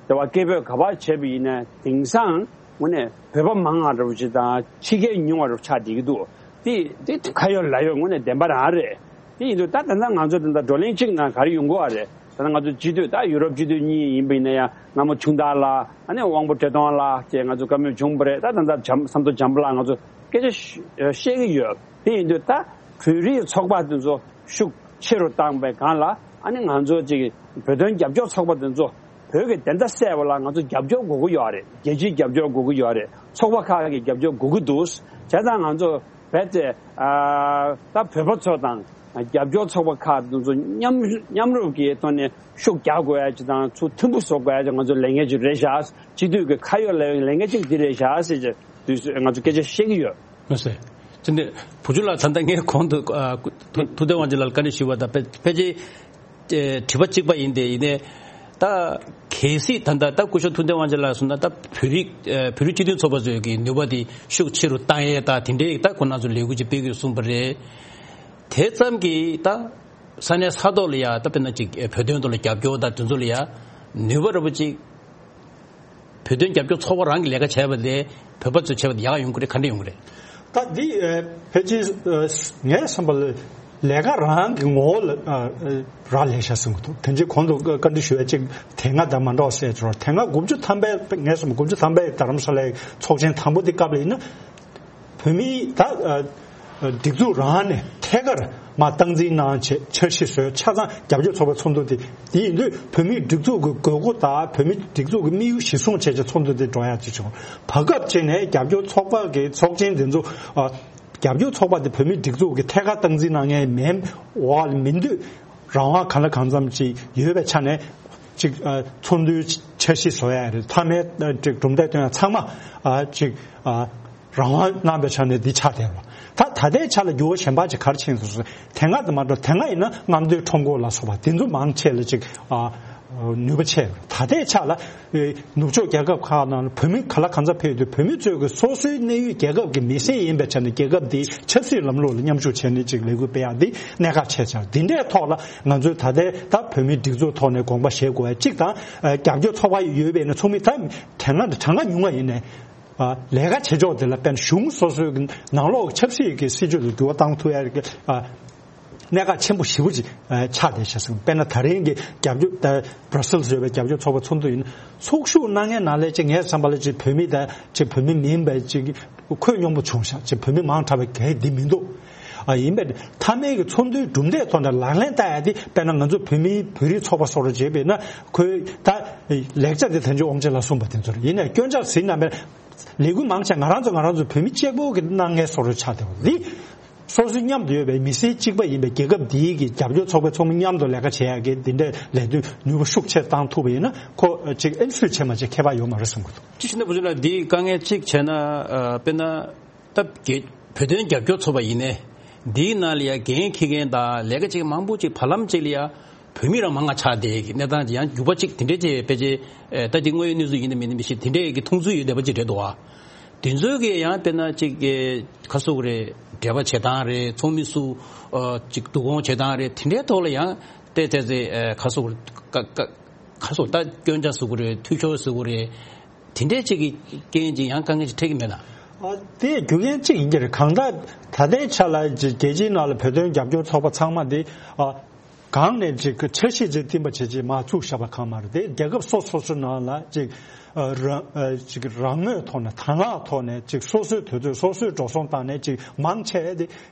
ད་བ་སྐད་འབོད་ག་བ་བྱས་པ་ཡིན་ནའི་དེང་སང་དངོས་གནས་བོད་པ་མང་བ་འདྲ་པོ་ཅིག་དང་ཕྱི་རྒྱལ་ཉུང་བ་འདྲ་པོ་ཆགས་བསྡད་ཀྱི་འདུག་དེ་དེ་ཁ་ཡོད་ལག་ཡོད་དངོས་གནས་བདེན་པ་རང་རེད། དེ་ཡིན་དུས་ད་ད་ལྟ་ང་ཚོ་ད་ལྟ་བགྲོ་གླེང་གཅིག་ནང་ག་རེ་ཡོང་གི་ཡོད་རེད། ད་ང་ཚོ་སྤྱི་འཐུས་ད་ཡུ་རོབ་སྤྱི་འཐུས་གཉིས་ཡིན་པ་ཡིན་ན་ཡང་། སྔ་མོ་ཆུང་བདག་ལགས། ཨ་ནི་དབང་པོ་བཀྲས་མཐོང་ལགས་བཅས་ང་ཚོ་བཀའ་མོལ་བྱུང་བ་རེད། ད་ད་ལྟ་བྱམས་ཟམ་གདོང་བྱམས་པ་ལགས་ང་ཚོ་སྐད་ཆ་བཤད་ཀྱི་ཡོད། དེ་ཡིན་དུས་ད་བོད་རིགས་ཚོགས་པ་དེ་ཚོ་ཤུགས་ཆེ་རུ་བཏང་པའི་སྒང་ལ། ཨ་ནི་ང་ཚོ་ཅིག་བོད་དོན་རྒྱབ་སྐྱོར་ཚོགས་པ་དེ་ཚོ་བོད་ཀྱི་བདེན་མཐའ་གསལ་བ་ལ་ང་ཚོ་རྒྱབ་སྐྱོར་དགོས་ཀྱི་ཡོད་རེད། རྒྱལ་སྤྱིའི་རྒྱབ་སྐྱོར་དགོས་ཀྱི་ཡོད་རེད། ཚོགས་པ་ཁག་གི་རྒྱབ་སྐྱོར་དགོས་ཀྱི་འདུག་བྱས་ཙང་ང་ཚོ་རྦད་དེ་ཨ་ད་བོད་པ་ཚོ་དང་རྒྱབ་སྐྱོར་ཚོགས་པ་ཁག་དེ་ཚོ་མཉམ་མཉམ་རུབ་ཀྱི་ཐོག་ནས་ཤུགས་རྒྱག་དགོས་ཡ་ཅིག་དང་། ཚུར་མཐུན་པོ་བཟོ་དགོས་ཡ་ཅིག་ང་ཚོ་ལས་འགན་ཅིག་རེད་ཤག་སྤྱི་འཐུས་ཀྱི་ཁ་ཡོད་ལས་ལས་འགན་ཅིག་འདི་རེད་ཤག་ཟེར་ཅིག་དུས་སུ་ང་ཚོ་སྐད་ཆ་བཤད་ཀྱི་ཡོད། མ་ཟད། དེ་ནས་བུ་ཆུང་ལགས། ད་ལྟ་ངས་གོང་དུ་ཨ་ཐུ་ཐུབ་བསྟན་དབང་ཕྱུག་ལགས་ལ་བཀའ་འདྲི་ཞུས་པ་དང་ཕལ་ཕལ་ཆེར་ཨེ་དྲི་བ་གཅིག་པ་ཡིན་ཏེ། ཡིན་ནའི་ད་གལ་སྲིད་ད་ལྟ་ད་སྐུ་ཞབས་ཐུབ་བསྟན་དབང་ཕྱུག་ལགས་གསུངས་ན། ད་བོད་རིགས་ཨེ་བོད་རིགས་སྤྱི་མཐུན་ཚོགས་པ་ཚོས་ཀྱི་ནུས་པ་དེ་ཤུགས་ཆེ་རུ་བཏང་ཡས་ད་དེ་འདྲའི་ད་ཁོ་རང་ཚོ་ལས་འགུལ་ཅིག་སྤེལ་དགོས་གསུངས་པ་རེད། དེ་ཙམ་གྱིས་ད་ས་གནས་ས་ཐོག་ལ་ཡ་ད་དཔེར་ན་ཅིག་ཨེ་བོད་དོན་ཐོག་ལ་རྒྱབ་སྐྱོར་དང་དེ་ཚོ་ལ་ཡ་ནུས་པ་རེ་བ་ཅིག་བོད་དོན་རྒྱབ་སྐྱོར་ཚོགས་པ་རང་གི་ལས་ཀ་བྱས་པ་ལས་བོད་པ་ཚོས་བྱས་པ་དེ་ཡག་ཡོང་གི་རེད། ག་འདྲ་ཡོང་གི་རེད། ད་འདི་ཨ་ཕལ་ཆེར་ཨ་ངས་བསམ་པ་ལ་ལས་ཀ་རང་གི་ངོ་བོ་ལ་ཨ་ཨ་རག་ལས་ཤག་བསམ་གྱི་འདུག་དེ་རྗེས་གོང་དུ་བཀའ་འདྲི་ཞུ་བ་ཅིག་དེ་སྔ་དང་མ་འདྲ་བ་ཟེར་ཅོག་དེ་སྔ་དགུ་བཅུ་ཐམ་པའི་ངས་བསམ་དགུ་བཅུ་ཐམ་པའི་རྡ་རམ་ས་ལའི་ཚོགས་ཆེན་དང་པོ་དེ་སྐབས་ལ་ཡིན་ན། བོད་མིའི་ད་ཨ་ཨ་སྒྲིག་འཛུགས་རང་ནས་ཐད་ཀར་མར་སྟངས་འཛིན་གནང་བྱས་འཆར་གཞི་བཟོས། ཆ་ཚང་རྒྱབ་སྐྱོར་ཚོགས་པའི་ཚོགས་འདུ་དེ། དེ་ཡིན་དུས་བོད་མིའི་སྒྲིག་འཛུགས་ཀྱི་དགོས་མཁོ་དང་བོད་མིའི་སྒྲིག་འཛུགས་ཀྱི་དམིགས་ཡུལ་གཞིར་བཟུང་བྱས་བྱས་ཚོགས་འདུ་དེ་འགྲོ་ཡག་ཅིག་བྱུང་། བར་སྐབས་ཅིག་ནས་རྒྱབ་སྐྱོར་ཚོགས་པ་གི་ཚོགས་ཆེན་དེ་ཚོ་ཨ་རྒྱབ་སྐྱོར་ཚོགས་པ་དེ་བོད་མིའི་སྒྲིག་འཛུགས་ཀྱི་ཐད་ཀར་སྟངས་འཛིན་གནང་མཁན་མིན་འོག་ལ་མིན་དུས། རང་དབང་གང་ལ་གང་འཚམ་ཅིག་ཡོད་པའི་ཆ་ནས་ཅིག་ཨ་ཚོགས་འདུའི་འཆར་གཞི་བཟོ་ཡ་རེད། མཐའ་མའི་ཨ་ཅིག་གྲུབ་འབྲས་ཐོན་ཡ་ཚང་མ་ཨ་ཅིག་ཨ་རང་དབང་གནང་པའི་ཆ་ནས་འདི་ཆགས་བསྡད་པ། ད་ད་ལྟའི་ཆ་ལ་འགྱུར་བ་གཞན་པ་ཅིག་ག་རེ་ཕྱིན་སོང་ཟེར། དེ་སྔ་དང་མ་འདྲ། དེ་སྔ་ཡིན་ན་རྔམ་སྟོན་ཁྲོམ་སྐོར་ལ་སོགས་པ་དེ་ཚོ་མང་ཆེ་ལ་ཅིག་ཨ་ནུས་པ་ཆེ། ད་ལྟའི་ཆ་ལ་ཨེ་ནུབ་ཕྱོགས་རྒྱལ་ཁབ་ཁག་ནང་ལ་བོད་མི་ག་ལ་གང་འཚམ་ཕེབས་དུས། བོད་མི་ཚོས་ཀྱི་སོ་སོའི་གནས་ཡུལ་རྒྱལ་ཁབ་ཀྱི་མི་སེར་ཡིན་པའི་ཆ་ནས་རྒྱལ་ཁབ་འདིའི་ཆབ་སྲིད་ལམ་ལུགས་ལ་མཉམ་ཞུགས་བྱས་ནས་ཅིག་ལས་འགུལ་སྤེལ་ཡག་འདི་གནད་འགག་ཆེ་ཆགས། འདི་འདྲའི་ཐོག་ལ་ང་ཚོས་ད་ལྟའི་ད་བོད་མིའི་སྒྲིག་འཛུགས་ཐོག་ནས་དགོངས་པ་བཞེས་དགོས་པ་གཅིག་དང་། ཨ་རྒྱབ་སྐྱོར་ཚོགས་པ་ཡོད་པ་ཡིན་ན་ཚོགས་མི་ད་གྲངས་ཀ་གྲངས་ཀ་ཉུང་བ་ཡིན་ནའི། ཨ་ལས་ཀ་བྱེད་ཕྱོགས་དེ་ལ་དཔེར་ན་གཞུང་སོ་སོའི་གི་ནང་ལོགས་ཀྱི་ཆབ་སྲིད་ཀྱི་སྲིད་བྱུས་ལ་འགྱུར་བ་བཏང་ཐུབ་ཡ་གི་ཨ་གནད་འགག་ཆེན་པོ་ཞེ་པོ་ཅིག་ཨ་ཆགས་བསྡད་ཤག་ཟེར། དཔེར་ན་ད་རིང་གི་རྒྱབ་སྐྱོར་ད་Brussels་ཡོད་པའི་རྒྱབ་སྐྱོར་ཚོགས་པ་ཚོགས་འདུ་ཡིན་ན། ཚོགས་ཞུགས་གནང་མཁན་ནང་ལས་ཅིག་ངའི་བསམ་པ་ལ་ཅིག་བོད་མི་དང་ཅིག་བོད་མི་མིན་པའི་ཅིག་ཁོད་སྙོམས་པོ་བྱུང་ཤག་ཅིག་བོད་མི་མང་དྲགས་པའི་གལ་འདི་མི་འདུག་ཨ་ཡིན་པས་མཐའ་མའི་གི་ཚོགས་འདུའི་གྲུབ་འབྲས་ཐོག་ནས་ལག་ལེན་བསྟར་ཡ་དེ། དཔེར་ན་ང་ཚོ་བོད་མིའི་བོད་རིགས་ཚོགས་པ་སོགས་ལ་བྱས་པས་ན། ཁོས་ད་ལེགས་ཆ་དེ་ད་ཅི་དབང་ཆེན་ལ་གསུངས་པ་དེ་ཚོ་རེད། ཡིན་ནའི་སྐྱོན་ཆ་ཟིན་ན་མེད། ལས་འགུལ་མང་ཆེ་ང་རང་ཚོ་ང་རང་ཚོ་བོད་མི་གཅིག་པོ་གི་གནང་མཁན་བཟོ་འདྲ་ཆགས་བསྡད་པ་འདི། སོ་སོའི་མཉམ་དུ་ཡོད་པའི་མི་སེར་གཅིག་པ་ཡིན་པའི་རྒྱལ་ཁབ་འདིའི་གི་རྒྱབ་སྐྱོར་ཚོགས་པའི་ཚོགས་མི་མཉམ་དུ་ལས་ཀ་བྱེད་ཡག་གི་འདི་འདྲའི་ལས་དོན་ནུས་པ་ཤུགས་ཆེ་བཏང་ཐུབ་པ་ཡིན་ན། ཁོ་ཅིག་ཨེམ་སུས་བྱས་མ་བྱས་ཁྱད་པར་ཡོད་མ་རེད་བསམ་གི་འདུག་ཅི་ཞིག་ན་བུ་ཆུང་ལགས། འདིའི་དཀའ་ངལ་གཅིག་བྱས་ན། ཨ་དཔེར་ན་ད་རྒྱ་བོད་དོན་རྒྱབ་སྐྱོར་ཚོགས་པ་ཡིན་ནའི་འདིའི་ནང་ལ་ཡ་འགན་འཁྱེར་མཁན་དང་ལས་ཀ་བྱེད་མཁན་མང་པོ་ཅིག་བར་ལམ་ཅིག་ལ་ཡ་བོད་མི་རང་མང་ང་ཆགས་བསྡད་ཀྱི་གནས་སྟངས་ཅིག་ཡང་འགྱུར་བ་ཅིག་དེ་འདྲའི་ཅིག་ཕལ་ཆེར་ཨེ་ད་འདི་དངོས་ཡོད་གནས་ཚུལ་ཡིན་ནམ་མིན་ནམ་མི་ཤེས། དེ་འདྲའི་གི་མཐོང་ཚུལ་ཡོད་བསྡད་པ་ཅིག་རེད་འདུག་ཨ། དེ་ཚོའི་གི་ཡང་དཔེར་ན་ཅིག་གི་ཁ་སོག་རེད། འབྲེལ་བ་བྱེད་སྟངས་རེད། ཚོགས་མི་སུ་ཨ་ཅིག་བསྡུ་སྐོང་བྱེད་སྟངས་རེད། དེ་འདྲའི་ཐོག་ལ་ཡང་ཏེ་ཏེ་ཏེ་ཨེ་ཁ་སོག་ཀ་ཀ་ཁ་སོག་ད་སྐྱོན་ཆ་ཟེར་དགོས་རེད། འཐུས་ཤོར་ཟེར་དགོས་རེད། དེ་འདྲའི་ཅིག་གི་རྐྱེན་ཅིག་ཡང་དཀའ་ངལ་ཅིག་འཕྲད་ཀྱི་མེད་ན། ཨ་དེ་རྒྱུ་རྐྱེན་གཅིག་ཡིན་གྱི་རེད། གང་ལྟར་ད་ལྟའི་ཆ་ལ་ཅིག་རྒྱལ་སྤྱིའི་ནང་ལ་བོད་དོན་རྒྱབ་སྐྱོར་ཚོགས་པ་ཚང་མ་དེ་ཨ་གང་ནས་ཅིག་འཆར་གཞི་ཅིག་བཏིང་པ་བྱས་ཅིག་མར་བཙུགས་བཞག་པ་གང་མ་རེད། དེ་རྒྱལ་ཁབ་སོ་སོ་སོའི་ནང་ལ་ཅིག་ཨ་རང་ཨ་ཅིག་རང་མོས་ཐོག་ནས་དང་བླངས་ཐོག་ནས་ཅིག་སོ་སོའི་དུས་ཚོད་སོ་སོས་འགྲོ་སོང་བཏང་ནས་ཅིག་མང་ཆེ་དེ་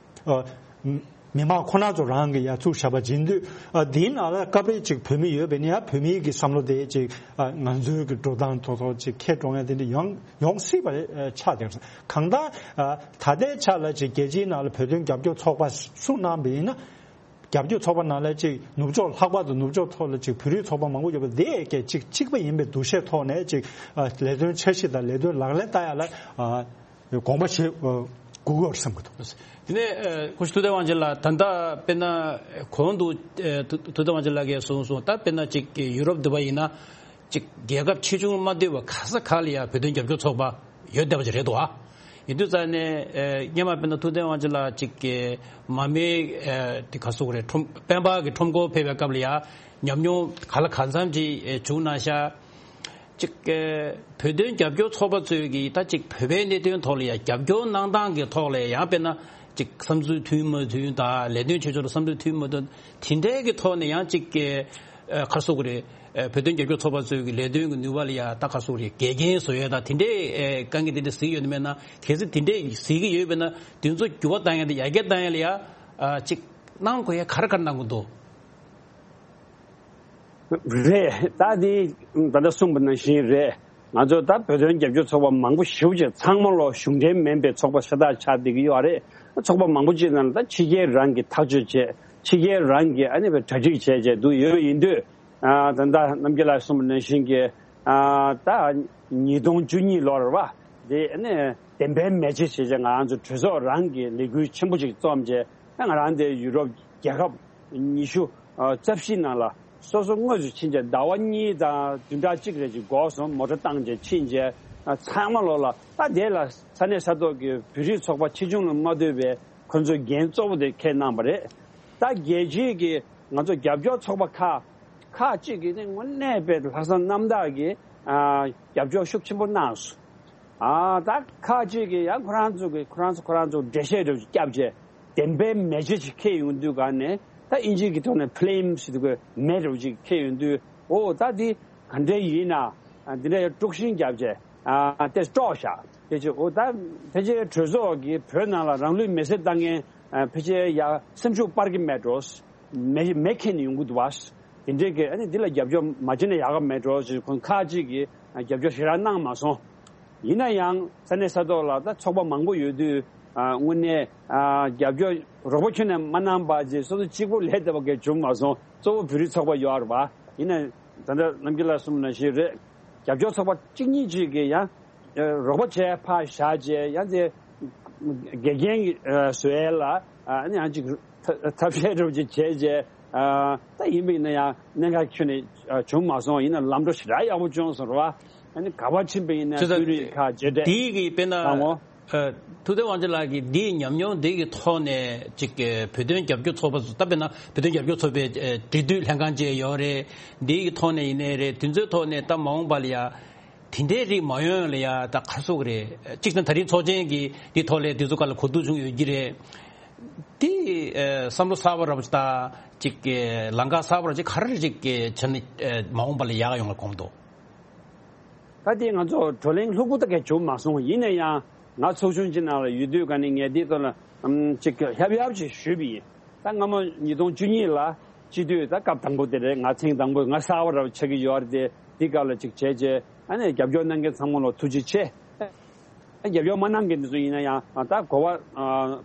ཨ་མི་མང་ཁོ་ན་ཚོ་རང་གི་ཡར་བཙུགས་བཞག་པ་ཡིན་དུས། ཨ་དེའི་ནང་ལ་སྐབས་རེ་ཅིག་བོད་མི་ཡོད་པས་ན་ཡང་བོད་མིའི་གི་བསམ་བློ་དེ་ཅིག་ཨ་ང་ཚོའི་གི་འགྲོ་སྟངས་ཐོག་ཐོག་ཅིག་ཁྱེར་འགྲོ་མཁན་དེ་འདྲ་ཡོང་ཡོང་སྲིད་པ་རེད། ཨ་ཆགས་བསྡད་སོང་། གང་ལྟར་ཨ་ད་ལྟའི་ཆ་ལ་ཅིག་རྒྱལ་སྤྱིའི་ནང་ལ་བོད་དོན་རྒྱབ་སྐྱོར་ཚོགས་པ་གསུངས་གནང་བ་ཡིན་ན། རྒྱབ་སྐྱོར་ཚོགས་པ་ནང་ལ་ཅིག་ནུབ་ཕྱོགས། ལྷག་པར་དུ་ནུབ་ཕྱོགས་ཐོག་ལ་ཅིག་བོད་རིགས་ཚོགས་པ་མང་པོ་ཡོད་པ་དེ་གས་ཅིག་གཅིག་པ་ཡིན་པའི་འདུ་ཤེས་ཐོག་ནས་ཅིག་ཨ་ལས་དོན་འཆར་གཞི་དང་ལས་དོན་ལག་ལེན་བསྟར་ཡ་ལ་ཨ་དགོངས་པ་བཞེས་ཨ་དགོས་ཀྱི་ཡོད་བསམ་གྱི་འདུག་དེ་ནས་ཨ་སྐུ་ཞབས་ཐུབ་བསྟན་དབང་ཆེན་ལགས། ད་ལྟ་དཔེར་ན་གོང་དུ་ཨ་ཐུབ་ཐུབ་བསྟན་དབང་ཆེན་ལགས་ཀྱིས་གསུངས་སོང་། ད་དཔེར་ན་ཅིག་ཡུ་རོབ་འདི་པ་ཡིན་ན། ཅིག་རྒྱལ་ཁབ་ཆེ་ཆུང་མ་ལྟོས་པར་ག་ས་ག་ལ་ཡང་བོད་དོན་རྒྱབ་སྐྱོར་ཚོགས་པ་ཡོད་བསྡད་པ་ཅིག་རེད་འདུག་ཨ། ཡིན་དུས་ཙང་ནས་ཨེ་སྔོན་མ་དཔེར་ན་ཐུབ་བསྟན་དབང་ཆེན་ལགས་ཅིག་གི་མར་མེ་ཨེ་དེ་ག་སོགས་རེད། ཁྲོམ་སྤེན་པ་གི་ཁྲོམ་སྐོར་ཕེབས་པའི་སྐབས་ལ་ཡང་ཉམས་མྱོང་ག་ལ་གང་འཚམ་ཅིག་ཨེ་བྱུང་གནང་ཤག་ཅིག་ཨེ་བོད་དོན་རྒྱབ་སྐྱོར་ཚོགས་པ་ཚོས་ཀྱིས་ད་ཅིག་བོད་པའི་གནད་དོན་ཐོག་ལ་ཡང་རྒྱབ་སྐྱོར་གནང་སྟངས་ཀྱི་ཐོག་ལ་ཡང་དཔེར་ན་ཅིག་བསམ་ཚུལ་མཐུན་མ་མཐུན་དང་། ལས་དོན་བྱེད་ཕྱོགས་ལ་བསམ་ཚུལ་མཐུན་མ་མཐུན། དེ་འདྲའི་གི་ཐོག་ནས་ཡང་ཅིག་གི་ ཨ་ག་རེ་ཟེར་དགོས་རེད། ཨ་བོད་དོན་རྒྱབ་སྐྱོར་ཚོགས་པ་ཚོའི་གི་ལས་དོན་གྱི་ནུས་པ་ལ་ཡ་ད་ག་རེ་ཟེར་དགོས་རེད། འགལ་རྐྱེན་བཟོ་ཡས་དང་དེ་འདྲའི་ཨ་དཀའ་ངལ་དེ་འདྲ་གཟིགས་ཡོད་ནི་མེད་ན། གལ་སྲིད་དེ་འདྲའི་གཟིགས་ཀྱི་ཡོད་པ་ན་དེ་ཚོ་འགྱུར་བ་གཏང་ཡས་དང་ཡར་རྒྱས་གཏང་ཡས་ལ་ཡ་ཨ་ཅིག་གནང་དགོས་ཡས་ག་རེ་ག་རེ་གནང་དགོས་འདུག་རེད། ད་དེ་ད་ལྟ་གསུངས་པ་ནང་བཞིན་རེད། ང་ཚོ་ད་བོད་དོན་རྒྱབ་སྐྱོར་ཚོགས་པ་མང་པོ་ཞེ་པོ་ཅིག་ཚང་མ་ལོ་གཞུང་འབྲེལ་མིན་པའི་ཚོགས་པ་ཤ་སྟག་ཆགས་བསྡད་ཀྱི་ཡོད་རེད། ཚོགས་པ་མང་པོ་ཅིག་ནང་ལ་ད་ཕྱི་རྒྱལ་རང་གིས་ཐག་གཅོད་བྱས། ཕྱི་རྒྱལ་རང་གིས་ཨ་ནི་བའི་གྲ་སྒྲིག་བྱས་བྱས་འདུག་ཡོད་ཡིན་དུས། ཨ་ད་ལྟ་རྣམ་རྒྱལ་ལགས་གསུངས་པ་ནང་བཞིན་གྱི་ཨ་ད་ཉིས་སྟོང་བཅུ་གཉིས་ལོར་བ་དེ་ཨ་ནི་བདེན་པའི་མེ་ལྕེ་ཞེས་བྱས་ང་རང་ཚོ་གྲོས་ཚོགས་རང་གིས་ལས་འགུལ་ཆེན་པོ་ཅིག་རྩོམ་བྱས། ཨ་ང་རང་དེ་ཡུ་རོབ་རྒྱལ་ཁབ་ཉི་ཤུ་ཨ་རྩ་བཞི་ནང་ལ་སོ་སོ་དངོས་སུ་ཕྱིན་བྱས་ཟླ་བ་གཉིས་དང་བདུན་ཕྲག་གཅིག་རེ་ཅིག་འགོར་སོང་། མོ་ཊ་བཏང་བྱས་ཕྱིན་བྱས། ཨ་ཚང་མ་ལོ་ལ་ད་དེ་ལ་ས་གནས་ས་ཐོག་གི་བོད་རིགས་ཚོགས་པ་ཆེ་ཆུང་ལ་མ་ལྟོས་པའི་ཁོ་ཚོས་འགན་གཙོ་བོ་དེ་འཁྱེར་གནང་བ་རེད། ད་རྒྱལ་སྤྱིའི་གི་ང་ཚོ་རྒྱབ་སྐྱོར་ཚོགས་པ་ཁག་ཁག་ཅིག་གིས་ནི་དངོས་གནས་དཔེ་ལྷག་བསམ་རྣམ་དག་གིས་ཨ་རྒྱབ་སྐྱོར་ཤུགས་ཆེན་པོ་གནང་སོང་། ཨ་ད་ཁག་ཅིག་གིས་ཡང་ཁོ་རང་ཚོ་གི་ཁོ་རང་ཚོ་ཁོ་རང་ཚོ་འགྲེལ་བཤད་འདྲ་བོ་ཅིག་བརྒྱབ་བྱས། བདེན་པའི་མེ་ལྕེ་ཅིག་འཁྱེར་ཡོང་དུས་ག་ནས་ད་ཨིན་ཇི་གི་ཐོག་ནས་ཕི་ལེམ་ཟེར་དུས་མེ་འདྲ་བོ་ཅིག་འཁྱེར་ཡོང་དུས། ཨོ་ད་འདི་ག་འདྲ་ཡིན་ན། ཨ་འདི་འདྲ་ཡང་དཀྲུག་ཤིང་བརྒྱབ་བྱས། ཨ་དེ་དཀྲོགས་བཞག་དེ་ཅི་ཨོ་ད་ཕལ་ཆེར་གྲོས་ཚོགས་ཀྱིས་བོད་ནང་ལ་རང་ལུས་མེར་སྲེག་བཏང་མཁན་ཨ་ཕལ་ཆེར་ཡ་སེམས་ཤུགས་སྤར་གྱི་མེད་འགྲོ། མེ་མེ་ཁྱེར་ནས་ཡོང་གི་འདུག་བ། དེ་འདྲའི་གི་ཨ་ནི་འདི་ལ་རྒྱབ་སྐྱོར་མ་བྱས་ན་ཡག་ག་མེད་འགྲོ་ཞེས་ཁོང་ཁག་ཅིག་གིས་ཨ་རྒྱབ་སྐྱོར་ཞེ་དྲག་གནང་མ་སོང་། ཡིན་ན་ཡང་ས་གནས་ས་ཐོག་ལ་ད་ཚོགས་པ་མང་པོ་ཡོད་དུས། ཨ་དངོས་གནས་ཨ་རྒྱབ་སྐྱོར་རོགས་པ་ཁྱོན་ནས་མ་གནང་པ་ཅིག་སོ་སོ་གཅིག་པུ་ལས་བསྡད་པ་གས་བྱུང་མ་སོང་། གཙོ་བོ་བོད་རིགས་ཚོགས་པ་ཡོད་རེད་པ། ཡིན་ན་ད་ལྟ་རྣམ་རྒྱལ་ལགས་གསུངས་པ་ནང་བཞིན་རེད། རྒྱབ་སྐྱོར་ཚོགས་པ་གཅིག་གཉིས་ཅིག་གིས་ཡང་རོགས་པ་བྱས་ཕར་བཞག་བྱས་ཡང་དེ་དགེ་རྒན་བཟོ་ཡས་ལ་ཨ་ནི་ཡང་ཅིག་ཐབས་ཤེས་འདྲ་བོ་ཅིག་བྱས་བྱས། ཨ་ད་ཡིན་པ་ཡིན་ན་ཡང་གནད་འགག་ཁྱོན་ནས་བྱུང་མ་སོང་། ཡིན་ན་ལམ་འགྲོ་ཞེ་དྲག་ཡག་པོ་བྱུང་སོང་རེད་བ། ཨ་ནི་ག་པར་ཕྱིན་པ་ཡིན་ན་བྱས་ཙང་དཔོན་རིགས་ཁག་མཇལ་འཕྲད་དེའི་གི་དཔེར་ན་བཏང་ངོ་། ཨ་ཐུབ་བསྟན་དབང་ཕྱུག་ལགས་ཀྱིས་འདིའི་ཉམས་མྱོང་འདི་གི་ཐོག་ནས་ཅིག་བོད་དོན་རྒྱབ་སྐྱོར་ཚོགས་པ་ཚོ་ད་དཔེར་ན་བོད་དོན་རྒྱབ་སྐྱོར་ཚོགས་པའི་འབྲེལ་མཐུད་ལྷན་ཁང་བཅས་ཡོད་རེད། འདིའི་གི་ཐོག་ནས་ཡིན་ནའི་རེད། དེ་ཚོའི་ཐོག་ནས་ད་མ་འོངས་པ་ལ་ཡ་དེ་འདྲའི་རིགས་མ་ཡོང་ལ་ཡ་ད་ག་རེ་ཟེར་དགོས་རེད། གཅིག་ནི་ད་རེས་ཚོགས་ཆེན་གྱི་འདི་ཐོག་ལ་དེ་ཚོ་ག་ལ་གོ་བསྡུར་བྱུང་ཡོད་ཀྱི་རེད། དེ་ཨ་བསམ་བློ་གསར་པ་རབ་ཅིག་དང་ཅིག་ལམ་ཁ་གསར་པ་རབ་ཅིག་ག་རེ་ཅིག་བྱས་ནས་ཨ་མ་འོངས་པ་ལ་ཡག་ཡོང་ལ་དགོངས་འདུག་ད་དེ་ང་ཚོ་བགྲོ་གླེང་ལྷུག་པོ་ད་གས་བྱུང་མ་སོང་། ཡིན་ན་ཡང་ང་ཚོགས་ཆུང་ཅིག་ནང་ལ་ཡོད་དུས་ག་ནས་ངས་འདིའི་ཐོག་ལ་ཨམ་ཅིག་ཧབ་ཡབ་ཅིག་ཞུས་པ་ཡིན། ད་སྔ་མོ་ཉིས་སྟོང་བཅུ་གཉིས་ལ་སྤྱི་འཐུས་ད་སྐབས་དང་པོ་དེ་རེད། ང་ཐེངས་དང་པོ་ང་གསར་པ་རབ་ཆགས་ཀྱི་ཡོད་རེད་དེ། འདི་སྐབས་ལ་ཅིག་བྱས་རྗེས་ཨ་ནི་རྒྱབ་སྐྱོར་གནང་མཁན་ཚང་མ་ལ་ཐུགས་རྗེ་ཆེ། རྒྱབ་སྐྱོར་མ་གནང་མཁན་འདི་ཚོ་ཡིན་ན་ཡང་ད་གོ་བ་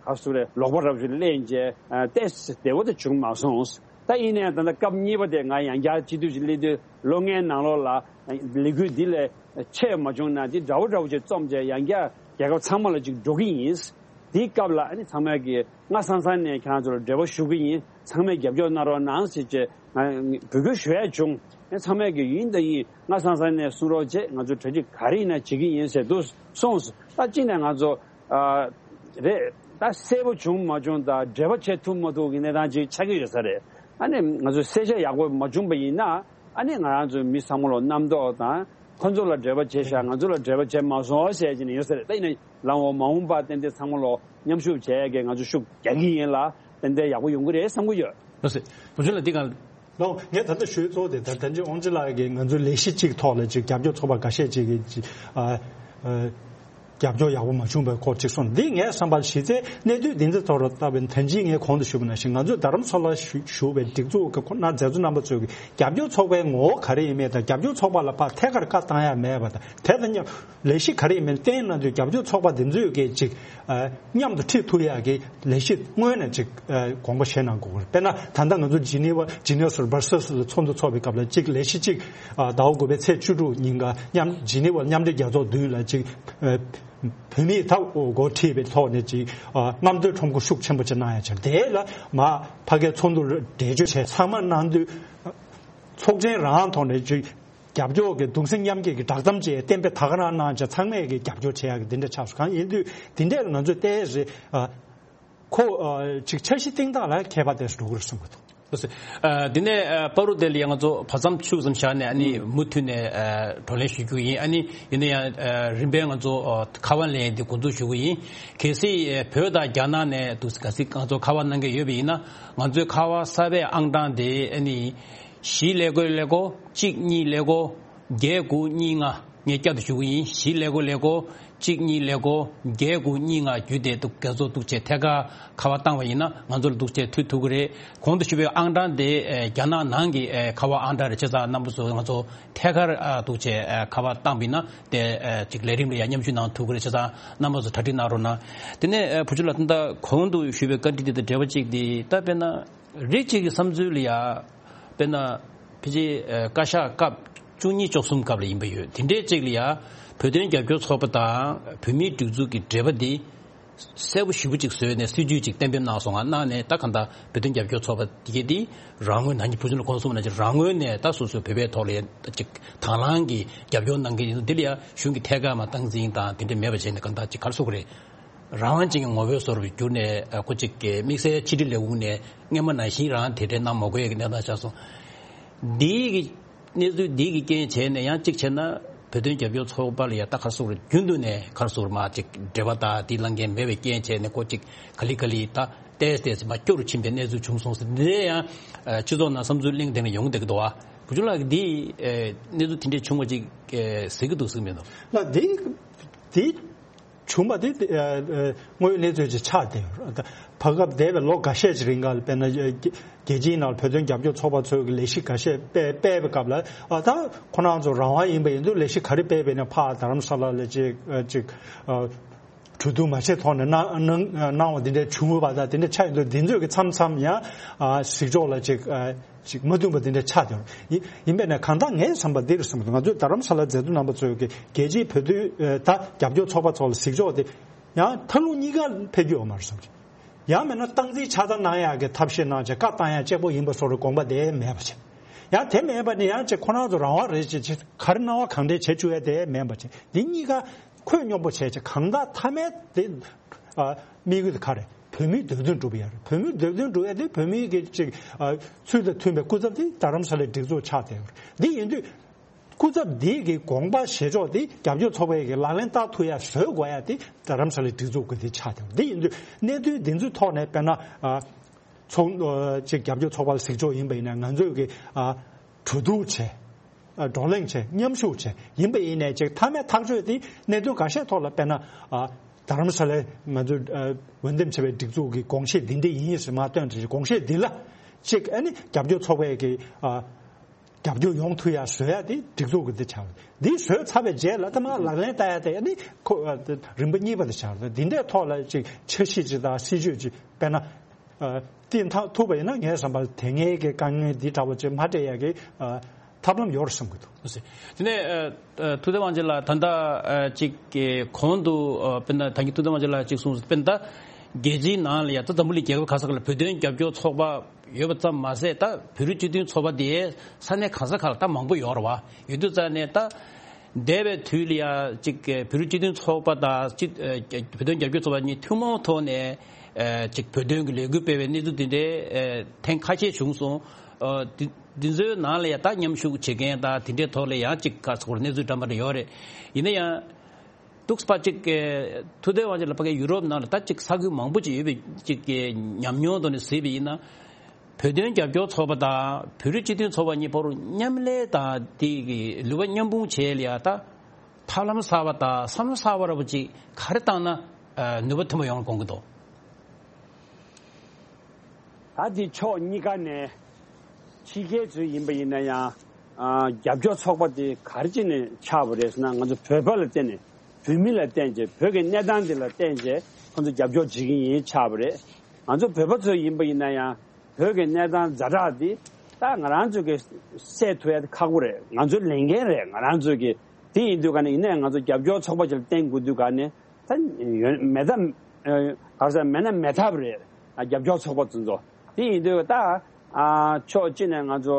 ག་ཚོད་རེད། ལོག་པ་རབ་ཞིག་ལེན་རྗེས་ཏོག་ཙམ་བདེ་བོ་དེ་བྱུང་མ་སོང་། ད་ཡིན་ནའང་ད་ལྟ་སྐབས་གཉིས་པ་དེ་ང་ཡང་བསྐྱར་སྤྱི་འཐུས་ཤིག་སླེབས་དུས་ལོ་ལྔའི་ནང་ལོགས་ལ་ལས་འགུལ་འདི་ལས་ཆེ་མ་བྱུང་ན་འདི་འདྲ་བོ་འདྲ་བོ་ཅིག་རྩོམ་བྱས་ཡང་བསྐྱར་རྒྱལ་ཁབ་ཚང་མ་ལ་ཅིག་འགྲོ་གི་ཡིན། དེའི་སྐབས་ལ་ཨ་ནི་ཚང་མས་ཀྱིས་སྔ་སང་སང་ནས་ཁྱེད་རང་ཚོ་ལ་འབྲེལ་བ་ཞུ་གི་ཡིན། ཚང་མས་རྒྱབ་སྐྱོར་གནང་རོགས་གནང་ཟེར་བྱས་ང་འབོད་སྐུལ་ཞུ་ཡ་བྱུང་། ཨ་ཚང་མས་ཀྱིས་ཡིན་དང་ཡིན། སྔ་སང་སང་ནས་གསུང་རོགས་བྱས། ང་ཚོ་གྲ་སྒྲིག་ག་རེ་ཡིན་ན་བྱེད་ཀྱི་ཡིན་ཟེར་འདུག་གསུངས་སོང་། ད་གཅིག་ནས་ང་ཚོ་ཨ་རེད། ད་གསལ་པོ་བྱུང་མ་བྱུང་དང་འབྲེལ་བ་བྱེད་ཐུབ་མ་ཐུབ་ཀྱི་གནས་སྟངས་ཅིག་ཆགས་ཀྱི་ཡོད་ས་རེད། ཨ་ནི་ང་ཚོས་གསལ་བཤད་ཡག་པོ་མ་བྱུང་པ་ཡིན་ན་ཨ་ནི་ང་རང་ཚོའི་མི་ཚང་མ་ལ་རྣམ་རྟོག་དང་། ཁོ་ཚོ་ལ་འབྲེལ་བ་བྱས་ཤག་ང་ཚོ་ལ་འབྲེལ་བ་བྱས་མ་སོང་ཟེར་གྱི་ནི་ཡོད་ས་རེད། ད་ཡིན་ན་ལམ་འོག་མ་འོངས་པ་ཏན་ཏན་ཚང་མ་ལ་མཉམ་ཞུགས་བྱས་ཀྱི་ང་ཚོ་ཤུགས་རྒྱག་གི་ཡིན་ལ། ཏན་ཏན་ཡག་པོ་ཡོང་གི་རེད་བསམ་གྱི་ཡོད། ལགས་སེ། བུ་ཆུང་ལགས་འདི་ག་ལོ། ངས་ད་ལྟ་ཞུས་ཚོགས་དེ་ད་ད་ཅི་ཨོང་ཅི་ལགས་ཀྱིས་ང་ཚོའི་ལས་གཞི་གཅིག་ཐོག་ལ་ཅིག་རྒྱབ་སྐྱོར་ཚོགས་པ་འགའ་ཤས་ཅིག་གིས་ཅིག་ཨ་ཨ་རྒྱབ་སྐྱོར་ཡག་པོ་མ་བྱུང་བའི་སྐོར་ཅིག་གསུངས། འདི་ངའི་བསམ་པར་གཞི་རྩའི་གནད་དོན་འདི་ཚོ་ཐོག་ལ་བལྟས་པའི་ད་ཅི་ངས་གོང་དུ་ཞུས་པ་ནང་བཞིན་ང་ཚོས་རྡ་རམ་ས་ལར་བཞུགས་བཞུགས་པའི་སྒྲིག་འཛུགས་ཀྱི་ཁོ་ན་མཛད་གཙོ་རྣམ་པ་ཚོས་ཀྱི་རྒྱབ་སྐྱོར་ཚོགས་པའི་ངོ་བོ་ག་རེ་ཡིན་མིན་དང་རྒྱབ་སྐྱོར་ཚོགས་པ་ལ་ཕར་ཐད་ཀར་བཀའ་བཏང་ཡ་མེད་པ་དང་། དེ་དང་མཉམ་ལས་གཞི་ག་རེ་ཡིན་མིན་བསྟན་གནང་དུས་རྒྱབ་སྐྱོར་ཚོགས་པ་འདི་ཚོས་ཀྱི་ཅིག་ཨ་མཉམ་དུ་ཁྲིད་ཐུབ་ཡག་གི་ལས་གཞི་སྔོན་ནས་ཅིག་ཨ་དགོངས་པ་བཞེས་གནང་དགོས་ཀྱི་རེད། དཔེར་ན་ད་ལྟ་ང་ཚོ་ཇི་ནི་ཝ་ཇི་ནི་ཝ་སོར་སྦར་སེལ་སི་ལ་ཚོགས་འདུ་ཚོགས་པའི་སྐབས་ལ་ཅིག་ལས་གཞི་ཅིག་ཨ་ཟླ་བ་དགུ་པའི་ཚེས་བཅུ་དྲུག་ཉིན་ཀ་མཉམ་ཇི་ནི་ཝ་མཉམ་འབྲེལ་རྒྱལ་ཚོགས་མདུན་ལ་ཅིག་ཨ་བོད་མིས་ད་འགོ་ཁྲིད་པའི་ཐོག་ནས་ཅིག་ཨ་རྔམ་སྟོན་ཁྲོམ་སྐོར་ཤུགས་ཆེན་པོ་ཅིག་གནང་ཡ་ཆེད། དེ་ལ་མ་ཕ་གིའི་ཚོགས་འདུ་འགྲེལ་བརྗོད་བྱས་ཚང་མ་གནང་དུས་ཚོགས་ཆེན་རང་ཐོག་ནས་ཅིག་རྒྱབ་སྐྱོར་གྱི་གདུང་སེམས་མཉམ་སྐྱེད་ཀྱི་བསྒྲགས་གཏམ་ཅིག་གཏན་འབེབས་ད་ག་རང་གནང་བྱས་ཚང་མས་ཀྱི་རྒྱབ་སྐྱོར་བྱེད་ཡག་གི་འདི་འདྲ་ཆགས་སོང་། གང་ཡིན་དུས་འདི་འདྲ་ལ་ང་ཚོས་ཏོག་ཙམ་ཨ་ཁོ་ཨ་ཅིག་འཆར་གཞི་བཏིང་སྟངས་ལ་ཁྱད་པར་ཏོག་ཙམ་འགྲོ་གི་རེད་གསུངས་པ་དང་། ཨ་འདི་ནས་ཨ་བར་དུ་དེ་ལ་ཡང་ང་ཚོ་བར་མཚམས་ཆུ་ཙམ་བཞག་ནས་ཨ་ནི་མུ་མཐུད་ནས་ཨ་བགྲོ་གླེང་ཞུ་རྒྱུ་ཡིན། ཨ་ནི་ཡིན་ན་ཡང་ཨ་རིམ་པས་ང་ཚོ་ཨ་ཁ་པར་ལེན་འདི་འགོ་འཛུགས་ཞུ་གི་ཡིན། གལ་སྲིད་ཨ་བོད་དང་རྒྱ་ནག་ནས་འདུག་གལ་སྲིད་ང་ཚོ་ཁ་པར་གནང་མཁན་ཡོད་པ་ཡིན་ན་ང་ཚོའི་ཁ་པར་གསར་པའི་ཨང་གྲངས་དེ་ཨ་ནི། བཞི་ཀླད་ཀོར་ཀླད་ཀོར་གཅིག་གཉིས་ཀླད་ཀོར་བརྒྱད་དགུ་གཉིས་ལྔ། ངས་བསྐྱར་དུ་ཞུ་གི་ཡིན། བཞི་ཀླད་ཀོར་ཀླད་ཀོར་གཅིག་གཉིས་ཀླད་ཀོར་བརྒྱད་དགུ་གཉིས་ལྔ་བརྒྱུད་དེ་འདུག་རྒྱ་མཚོ་འདུག་བྱས་ཐད་ཀར་ཁ་པར་བཏང་བ་ཡིན་ན་ང་ཚོ་ལ་འདུག་བྱས་མཐུད་ཐུབ་ཀྱི་རེད། གོང་དུ་ཞུས་པའི་ཨང་གྲངས་དེ་ཨེ་རྒྱ་ནག་ནང་གི་ཨེ་ཁ་པར་ཨང་གྲངས་རེད། བྱས་ཙང་རྣམ་པ་ཚོ་ང་ཚོ་ཐད་ཀར་ཨ་འདུག་བྱས་ཨེ་ཁ་པར་བཏང་བ་ཡིན་ན་དེ་ཨེ་ཅིག་ལས་རིམ་ལ་ཡང་མཉམ་ཞུགས་གནང་ཐུབ་ཀྱི་རེད། བྱས་ཙང་རྣམ་པ་ཚོ་གྲ་སྒྲིག་གནང་རོགས་གནང་། དེ་ནས་ཨེ་བུ་ཆུ་ལགས། ད་ལྟ་གོང་དུ་ཞུས་པའི་བཀའ་འདྲི་དེ་དང་འབྲེལ་བ་གཅིག་དེ། ད་དཔེར་ན་རིགས་གཅིག་གི་བསམ་ཚུལ་ལ་ཡ། དཔེར་ན་ཕལ་ཆེར་ཨ་བཀའ་ཤག་སྐབས་བཅུ་གཉིས་བཅུ་གསུམ་སྐབས་ལ་ཡིན་པ་ཡོད། དེ་འདྲའི་གཅིག་ལ་ཡ་བོད་དོན་རྒྱབ་སྐྱོར་ཚོགས་པ་དང་བོད་མིའི་སྒྲིག་འཛུགས་ཀྱི་འབྲེལ་བ་འདི་གསལ་པོ་ཞེ་པོ་ཅིག་བཟོས་ནས་སྲིད་ཇུས་ཅིག་གཏན་འབེབས་གནང་སོང་ང་། གནང་ནས་ད་གང་ལྟར་བོད་དོན་རྒྱབ་སྐྱོར་ཚོགས་པ་དེ་གའི་འདི་རང་ངོས་ནང་གི་བུ་ཆུང་ལ་གོང་གསུངས་ནང་བཞིན་རང་ངོས་ནས་ད་སོ་སོའི་བོད་པའི་ཐོག་ལ་ཡ་ཅིག་དང་བླངས་ཀྱི་རྒྱབ་སྐྱོར་གནང་གི་ཡིན། འདི་ལ་ཡ་གཞུང་གི་ཐད་ཀར་མ་སྟངས་འཛིན་དང་དེ་འདྲ་མེད་པ་བྱས་ནས་གང་ལྟར་ཅིག་ག་རེ་ཟེར་དགོས་རེད། རང་དབང་ཅན་གྱི་ངོ་བོའི་བཟོ་འདྲ་གྱུར་ནས་ཨ་ཁོ་ཅིག་གི་དམིགས་བསལ་ཕྱི་དྲིལ་ལས་ཁུངས་ནས་སྔོན་མ་ནང་བཞིན་རང་དེ་འདྲའི་གནང་མ་དགོས་ཡ་གི་གནས་སྟངས་ཆགས་སོང་། འདིའི་གི་གནས་ཚུལ་འདིའི་གི་རྐྱེན་བྱས་ནས་ཡང་གཅིག་བྱས་ན་བོད་དོན་རྒྱབ་སྐྱོར་ཚོགས་པ་ལ་ཡ་ད་ག་རེ་ཟེར་དགོས་རེད། རྒྱུན་དུ་ནས་ག་རེ་ཟེར་དགོས་རེད། མ་ཅིག་འབྲེལ་བ་དང་དེ་ལངས་མཁན་མེད་པའི་རྐྱེན་བྱས་ནས་ཁོ་ཅིག་ག་ལེ་ག་ལེ་ད་ཏོག་ཙམ་ཏོག་ཙམ་མར་སྐྱོ་རུ་ཕྱིན་པའི་གནས་ཚུལ་བྱུང་སོང་ཟེར། འདི་ཡང་ཨ་སྤྱི་ཚོགས་ནང་བསམ་ཚུལ་གླེང་དེ་འདྲ་ཡོང་བསྡད་ཀྱི་འདུག་བ། བུ་ཆུང་ལགས་ཀྱིས་འདི་ཨ་གནས་ཚུལ་དེ་འདྲ་བྱུང་བ་ཅིག་ཨ་གཟིགས་ཀྱི་འདུག་གཟིགས་མི་འདུག་ལགས། འདི་འདི་བྱུང་བ་དེ་ཨ་ཨ་དངོས་ཡོད་གནས་ཚུལ་ཅིག་ཆགས་བསྡད་ཡོད་རེད། ད་བར་སྐབས་འདས་པའི་ལོ་འགའ་ཤས་ཅིག་རིང་ག་ལ་དཔེར་ན་རྒྱལ་རྒྱལ་སྤྱིའི་ནང་ལ་བོད་དོན་རྒྱབ་སྐྱོར་ཚོགས་པ་ཚོའི་གི་ལས་གཞི་འགའ་ཤས་སྤེལ་སྤེལ་བའི་སྐབས་ལ། ཨ་ད་ཁོ་རང་ཚོ་རང་དབང་ཡིན་པ་ཡིན་དུས་ལས་གཞི་ག་རེ་སྤེལ་བས་ན་ཕར་རྡ་རམ་ས་ལ་ལ་ཅིག་ཨ་ཅིག་ཨ་གྲོས་བསྡུར་མ་བྱས་ཐོག་ནས་གནང་གནང་གནང་བ་འདི་འདྲ་བྱུང་བ་དང་། དེ་འདྲ་ཆགས་ཡོང་དུས་འདི་ཚོས་ཀྱི་མཚམས་མཚམས་ཡང་ཨ་གཟིགས་ཕྱོགས་ལ་ཅིག་ཨ་ཅིག་མ་མཐུན་པ་འདི་འདྲ་ཆགས་བསྡད་ཡོད། ཡིན་ཡིན་པས་ན་གང་ལྟར་ངའི་བསམ་པ་འདི་རེད་བསམ་གྱི་འདུག་ང་ཚོའི་རྡ་རམ་ས་ལ་མཛད་གཙོ་རྣམ་པ་ཚོས་ཀྱི་རྒྱལ་སྤྱིའི་བོད་དོན་ཨ་ད་རྒྱབ་སྐྱོར་ཚོགས་པ་ཚོ་ལ་གཟིགས་ཕྱོགས་དེ་ཡང་མཐའ་ལུགས་གཉིས་ཀ་ཕེབས་རྒྱུ་ཡོད་མ་རེད་བསམ་གྱི། ཡང་མིན་ན་སྟངས་འཛིན་ཆ་ཚང་གནང་ཡག་གི་ཐབས་ཤེས་གནང་བྱས་བཀའ་བཏང་ཡག་གཅིག་པོ་ཡིན་པ་བཟོ་འདྲའི་དགོངས་པ་དེ་མེད་པ་བྱས། ཡང་དེ་མེད་པ་ནི་ཡང་ཅིག་ཁོ་རང་ཚོ་རང་དབང་རེད་ཅེས་ཅིག་ག་རེ་གནང་བ་གང་འདྲ་བྱེད་བཅུག་ཡ་དེ་མེད་པ་བྱས། འདི་གཉིས་ཀ་ཁོད་སྙོམས་པོ་བྱས་ཅིག་གང་ལྟར་མཐའ་མའི་དེ་ཨ་དམིགས་ཡུལ་དེ་ག་རེ། བོད་མིའི་འདོད་དོན་སྒྲུབ་ཡ་རེད། བོད་མིའི་འདོད་དོན་སྒྲུབ་ཡ་དེ་བོད་མིའི་གི་ཅིག་ཨ་ཚུལ་དང་མཐུན་པའི་སྐུ་ཚབ་དེ་རྡ་རམ་ས་ལའི་སྒྲིག་འཛུགས་ཆགས་བསྡད་ཡོད་རེད། འདི་ཡིན་དུས་སྐུ་ཚབ་འདི་གི་དགོངས་པ་བཞེས་ཕྱོགས་དེ་རྒྱབ་སྐྱོར་ཚོགས་པའི་གི་ལག་ལེན་བསྟར་ཐུབ་ཡ་བཟོ་དགོས་ཡ་དེ་རྡ་རམ་ས་ལའི་སྒྲིག་འཛུགས་ཀྱི་དེ་ཆགས་བསྡད་ཡོད་རེད། འདི་ཡིན་དུས་གནད་དོན་འདི་ཚོའི་ཐོག་ནས་དཔེར་ན་ཨ། ཚོགས་ཨ་ཅིག་རྒྱབ་སྐྱོར་ཚོགས་པ་ལ་གཟིགས་ཕྱོགས་ཡིན་པ་ཡིན་ན་ང་ཚོས་ཀྱི་ཨ་གྲོས་བསྡུར་བྱས། ཨ་བགྲོ་གླེང་བྱས། མཉམ་ཞུགས་བྱས། ཡིན་པ་ཡིན་ནའི་ཅིག་མཐའ་མའི་ཐག་གཅོད་དེ་གནད་དོན་འགའ་ཤས་ཐོག་ལ་དཔེར་ན་ཨ་རྡ་རམ་ས་ལའི་ང་ཚོས་ཨ་འོས་འདེམས་བྱས་པའི་སྒྲིག་འཛུགས་ཀྱི་དགོངས་བཞེད་འདི་འདྲ་ཡིན་ཟེར་མར་བཏོན་བྱས། དགོངས་བཞེད་འདི་ལ་ཅིག་ཨ་ནི་རྒྱབ་སྐྱོར་ཚོགས་པའི་གི་ཨ་རྒྱབ་སྐྱོར་ཡོང་ཐུབ་ཡ་བཟོ་ཡ་དེ་སྒྲིག་འཛུགས་ཀྱི་འདི་ཆགས། འདི་བཟོས་ཚར་བའི་རྗེས་ལ་ད་མར་ལག་ལེན་བསྟར་ཡ་དེ་ཨ་ནི་ཁོ་ཨ་རིམ་པ་གཉིས་པ་དེ་ཆགས། འདི་འདྲའི་ཐོག་ལ་ཅིག་འཆར་གཞི་ཅིག་དང་སྲིད་ཇུས་ཅིག་དཔེར་ན། ཨ་བཏིང་ཐག་ཐུབ་པ་ཡིན་ན་ངའི་བསམ་པར་དེ་སྔའི་གི་དཀའ་ངལ་འདི་འདྲ་བོ་ཅིག་མ་སྤྲད་ཡ་གི་ཨ་ཐབས་ལམ་ཡོད་རེད་བསམ་གྱི་འདུག། དེ་ནས་ཨ་ཨ་ཐུབ་བསྟན་དབང་ཆེན་ལགས་ད་ལྟ་ཨ་ཅིག་གི་གོང་དུ་ཨ་དཔེར་ན་ད་གིན་ཐུབ་བསྟན་དབང་ཆེན་ལགས་ཅིག་གསུངས། དཔེར་ན་ད་རྒྱལ་སྤྱིའི་ནང་ལ་ཡ་ད་འཛམ་བུ་གླིང་རྒྱལ་ཁབ་ག་ས་ག་ལ་བོད་དོན་རྒྱབ་སྐྱོར་ཚོགས་པ་ཡོད་པ་ཙམ་མ་ཟད། ད་བོད་རིགས་སྤྱི་མཐུན་ཚོགས་པ་དེ་ས་གནས་ག་ས་ག་ལ་ད་མང་པོ་ཡོད་རེད་བ། ཡོད་དུས་ཙང་ནས་ད། འདས་པའི་དུས་ལ་ཡ་ཅིག་བོད་རིགས་སྤྱི་མཐུན་ཚོགས་པ་དང་སྤྱི་ཨ་བོད་དོན་རྒྱབ་སྐྱོར་ཚོགས་པ་གཉིས་ཐུན་མོང་ཐོག་ནས་ཨ་ཅིག་བོད་དོན་གྱི་ལས་འགུལ་སྤེལ་བའི་གནས་ཚུལ་དེ་འདྲའི་ཨ་ཐེངས་ཁ་ཤས་བྱུང་སོང་། ཨ་དེ་དེ་ཚོའི་ནང་ལ་ཡ་ད་མཉམ་ཞུགས་བྱེད་མཁན་དང་དེ་འདྲའི་ཐོག་ལ་ཡང་ཅིག་ག་ཚོར་གནས་ཚུལ་འདྲ་མི་འདྲ་ཡོད་རེད། ཡིན་ན་ཡང་། འདུག་སེ་ཅིག་ཨ་ཐུབ་བསྟན་དབང་ཆེན་ལགས་ཕ་གིའི་ཡུ་རོབ་ནང་ལ་ད་ཅིག་ས་ཁུལ་མང་པོ་ཅིག་ཡོད་པའི་ཅིག་གི་ཉམས་མྱོང་ཐོག་ནས་གཟིགས་པ་ཡིན་ན། བོད་དོན་རྒྱབ་སྐྱོར་ཚོགས་པ་དང་བོད་རིགས་སྤྱི་མཐུན་ཚོགས་པ་གཉིས་བར་མཉམ་ལས་དང་དེ་གི་ལུས་པ་མཉམ་སྤུངས་བྱས་ལ་ཡ་ད་ཐབས་ལམ་གསར་པ་དང་བསམ་བློ་གསར་པ་འདྲ་པོ་ཅིག་ག་རེ་བཏང་ན་ཨ་ནུས་པ་ཐོན་པ་ཡོང་དགོངས་ཀྱི་འདུག། ད་དེ་ཕྱོགས་གཉིས་ཀ་ནས་ཕྱི་རྒྱལ་ཚོས་ཡིན་པ་ཡིན་ན་ཡང་ཨ་རྒྱབ་སྐྱོར་ཚོགས་པ་དེ་ག་རེ་བྱས་ནས་ཆགས་པ་རེད་ཟེར་ན། ང་ཚོ་བོད་པ་ལ་བརྟེན་ནས་བོད་མི་ལ་བརྟེན་བྱས་བོད་ཀྱི་གནས་སྟངས་དེ་ལ་བརྟེན་བྱས་ཁོ་ཚོ་རྒྱབ་སྐྱོར་བྱེད་ཀྱི་ཡིན་ཆགས་པ་རེད། ང་ཚོ་བོད་པ་ཚོས་ཡིན་པ་ཡིན་ན་ཡང་བོད་ཀྱི་གནས་སྟངས་ཛ་དྲག་འདི་ད་ང་རང་ཚོ་གི་སེལ་ཐུབ་ཡ་ཁག་པོ་རེད། ང་ཚོའི་ལས་འགན་རེད་ང་རང་ཚོ་གི། དེ་ཡིན་དུས་ག་ནས་ཡིན་ནའི་ང་ཚོ་རྒྱབ་སྐྱོར་ཚོགས་པ་ཅིག་ལ་བརྟེན་དགོས་དུས་ག་ནས་ད་ཡོད་མེད་ད་ཨ་ག་རེ་ཟེར་མེད་ན་མེད་ཐབས་རེད། ཨ་རྒྱབ་སྐྱོར་ཚོགས་པ་དེ་ཚོ་དེ་ཡིན་དུས་ད་ཨ་ཕྱོགས་གཅིག་ནས་ང་ཚོ་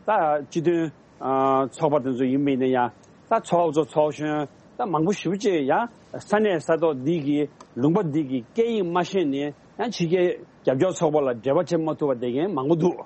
ད་སྤྱི་མཐུན་ཨ་ཚོགས་པ་དེ་ཚོ་ཡིན་པ་ཡིན་ན་ཡང་ད་ཚོགས་གཙོ་ཚོགས་གཞོན་ད་མང་པོ་ཞེ་པོ་ཅིག་ཡང་ས་གནས་ས་ཐོག་འདི་གི་ལུང་པ་འདི་གི་སྐད་ཡིག་མ་ཤེས་ནས་ཡང་ཕྱི་རྒྱལ་རྒྱབ་སྐྱོར་ཚོགས་པ་ལ་འབྲེལ་བ་བྱེད་མ་ཐུབ་པ་བསྡད་མཁན་མང་པོ་འདུག།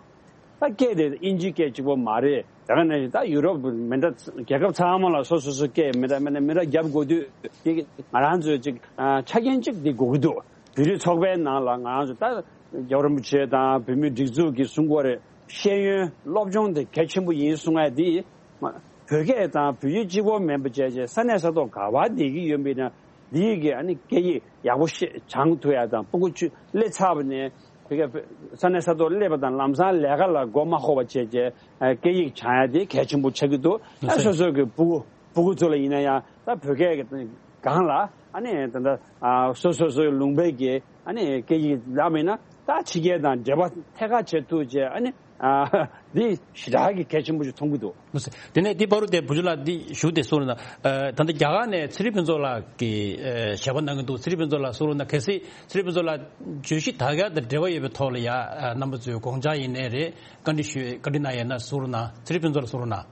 ད་སྐད་དེ་དབྱིན་ཇིའི་སྐད་གཅིག་པོ་མ་རེད། དེ་ག་ནང་བཞིན་ད་ཡུ་རོབ་མི་འདྲ་རྒྱལ་ཁབ་ཚང་མ་ལ་སོ་སོ་སོ་སྐད་མི་འདྲ་མི་འདྲ་མི་འདྲ་རྒྱབ་དགོས་དུས་དེ་ང་རང་ཚོས་ཅིག་ཨ་ཆ་རྐྱེན་ཅིག་དེ་དགོས་ཀྱི་འདུག། བོད་རིགས་ཚོགས་པའི་ནང་ལ་ང་རང་ཚོ་ད་རྒྱལ་བ་རིན་པོ་ཆེ་དང་བོད་མིའི་སྒྲིག་འཛུགས་ཀྱིས་གསུང་གི་ཡོད་རེད། ཤེས་ཡོན་སློབ་སྦྱོང་དེ་གལ་ཆེན་པོ་ཡིན་གསུང་ཡ་དེ། བོད་སྐད་དང་བོད་ཡིག་གཅིག་པོ་མིན་པ་བྱས་བྱས་ས་གནས་ས་ཐོག་ག་བ་བསྡད་ཀྱི་ཡོད་པ་ཡིན་ན། འདི་ཡི་གི་ཨ་ནི་སྐད་ཡིག་ཡག་པོ་ཤེས་སྦྱང་ཐུབ་ཡ་དང་། སྤུ་གུ་ཆུ་སླེབས་ཚར་བ་ནས་བོད་སྐད་ས་གནས་ས་ཐོག་སླེབས་པ་དང་ལམ་སང་ལས་ཀ་ལ་མགོ་མ་འཁོར་བ་བྱས་བྱས་སྐད་ཡིག་སྦྱང་ཡ་དེ་གལ་ཆེན་པོ་ཆགས་ཀྱི་འདུག་ཨ་སོ་སོ་གི་སྤུ་གུ་སྤུ་གུ་ཚོ་ལ་ཡིན་ན་ཡང་ད་བོད་སྐད་ཀྱི་སྒང་ལ་ཨ་ནི་ད་ལྟ་ཨ་སོ་སོ་སོའི་ལུང་པའི་གི་ཨ་ནི་སྐད་ཡིག་ལ་མིན་ན་ད་ཕྱི་རྒྱལ་དང་འབྲེལ་བ་ཐད་ཀར་བྱེད་ཐུབ་བྱས། ཨ་ནི་ཨ་འདི་ཞེ་དྲག་གི་གལ་ཆེན་པོ་ཞིག་མཐོང་གི་འདུག་དེ་ནས་འདི་བར་དུ་དེ་བུ་ཆུ་ལགས་འདི་ཞུ་དེ་གསུང་རོགས་གནང་། ཨ་ད་ལྟ་རྒྱ་གར་ནས་ཚེ་རིང་ཕུན་ཚོགས་ལགས་ཀྱིས་ཨ་ཞལ་པར་གནང་གི་འདུག་ཚེ་རིང་ཕུན་ཚོགས་ལགས་གསུང་རོགས་གནང་། གལ་སྲིད་ཚེ་རིང་ཕུན་ཚོགས་ལགས་བརྗོད་གཞི་དག་ཡག་དང་འབྲེལ་བ་ཡོད་པའི་ཐོག་ལ་ཡ་ཨ་རྣམ་པ་ཚོས་དགོངས་འཆར་ཡིན་ནའི་རེད། བཀའ་འདྲི་ཞུ་བཀའ་འདྲི་གནང་ཡས་ན་གསུང་རོགས་གནང་། ཚེ་རིང་ཕུན་ཚོགས་ལགས་གསུང་རོགས་གནང་།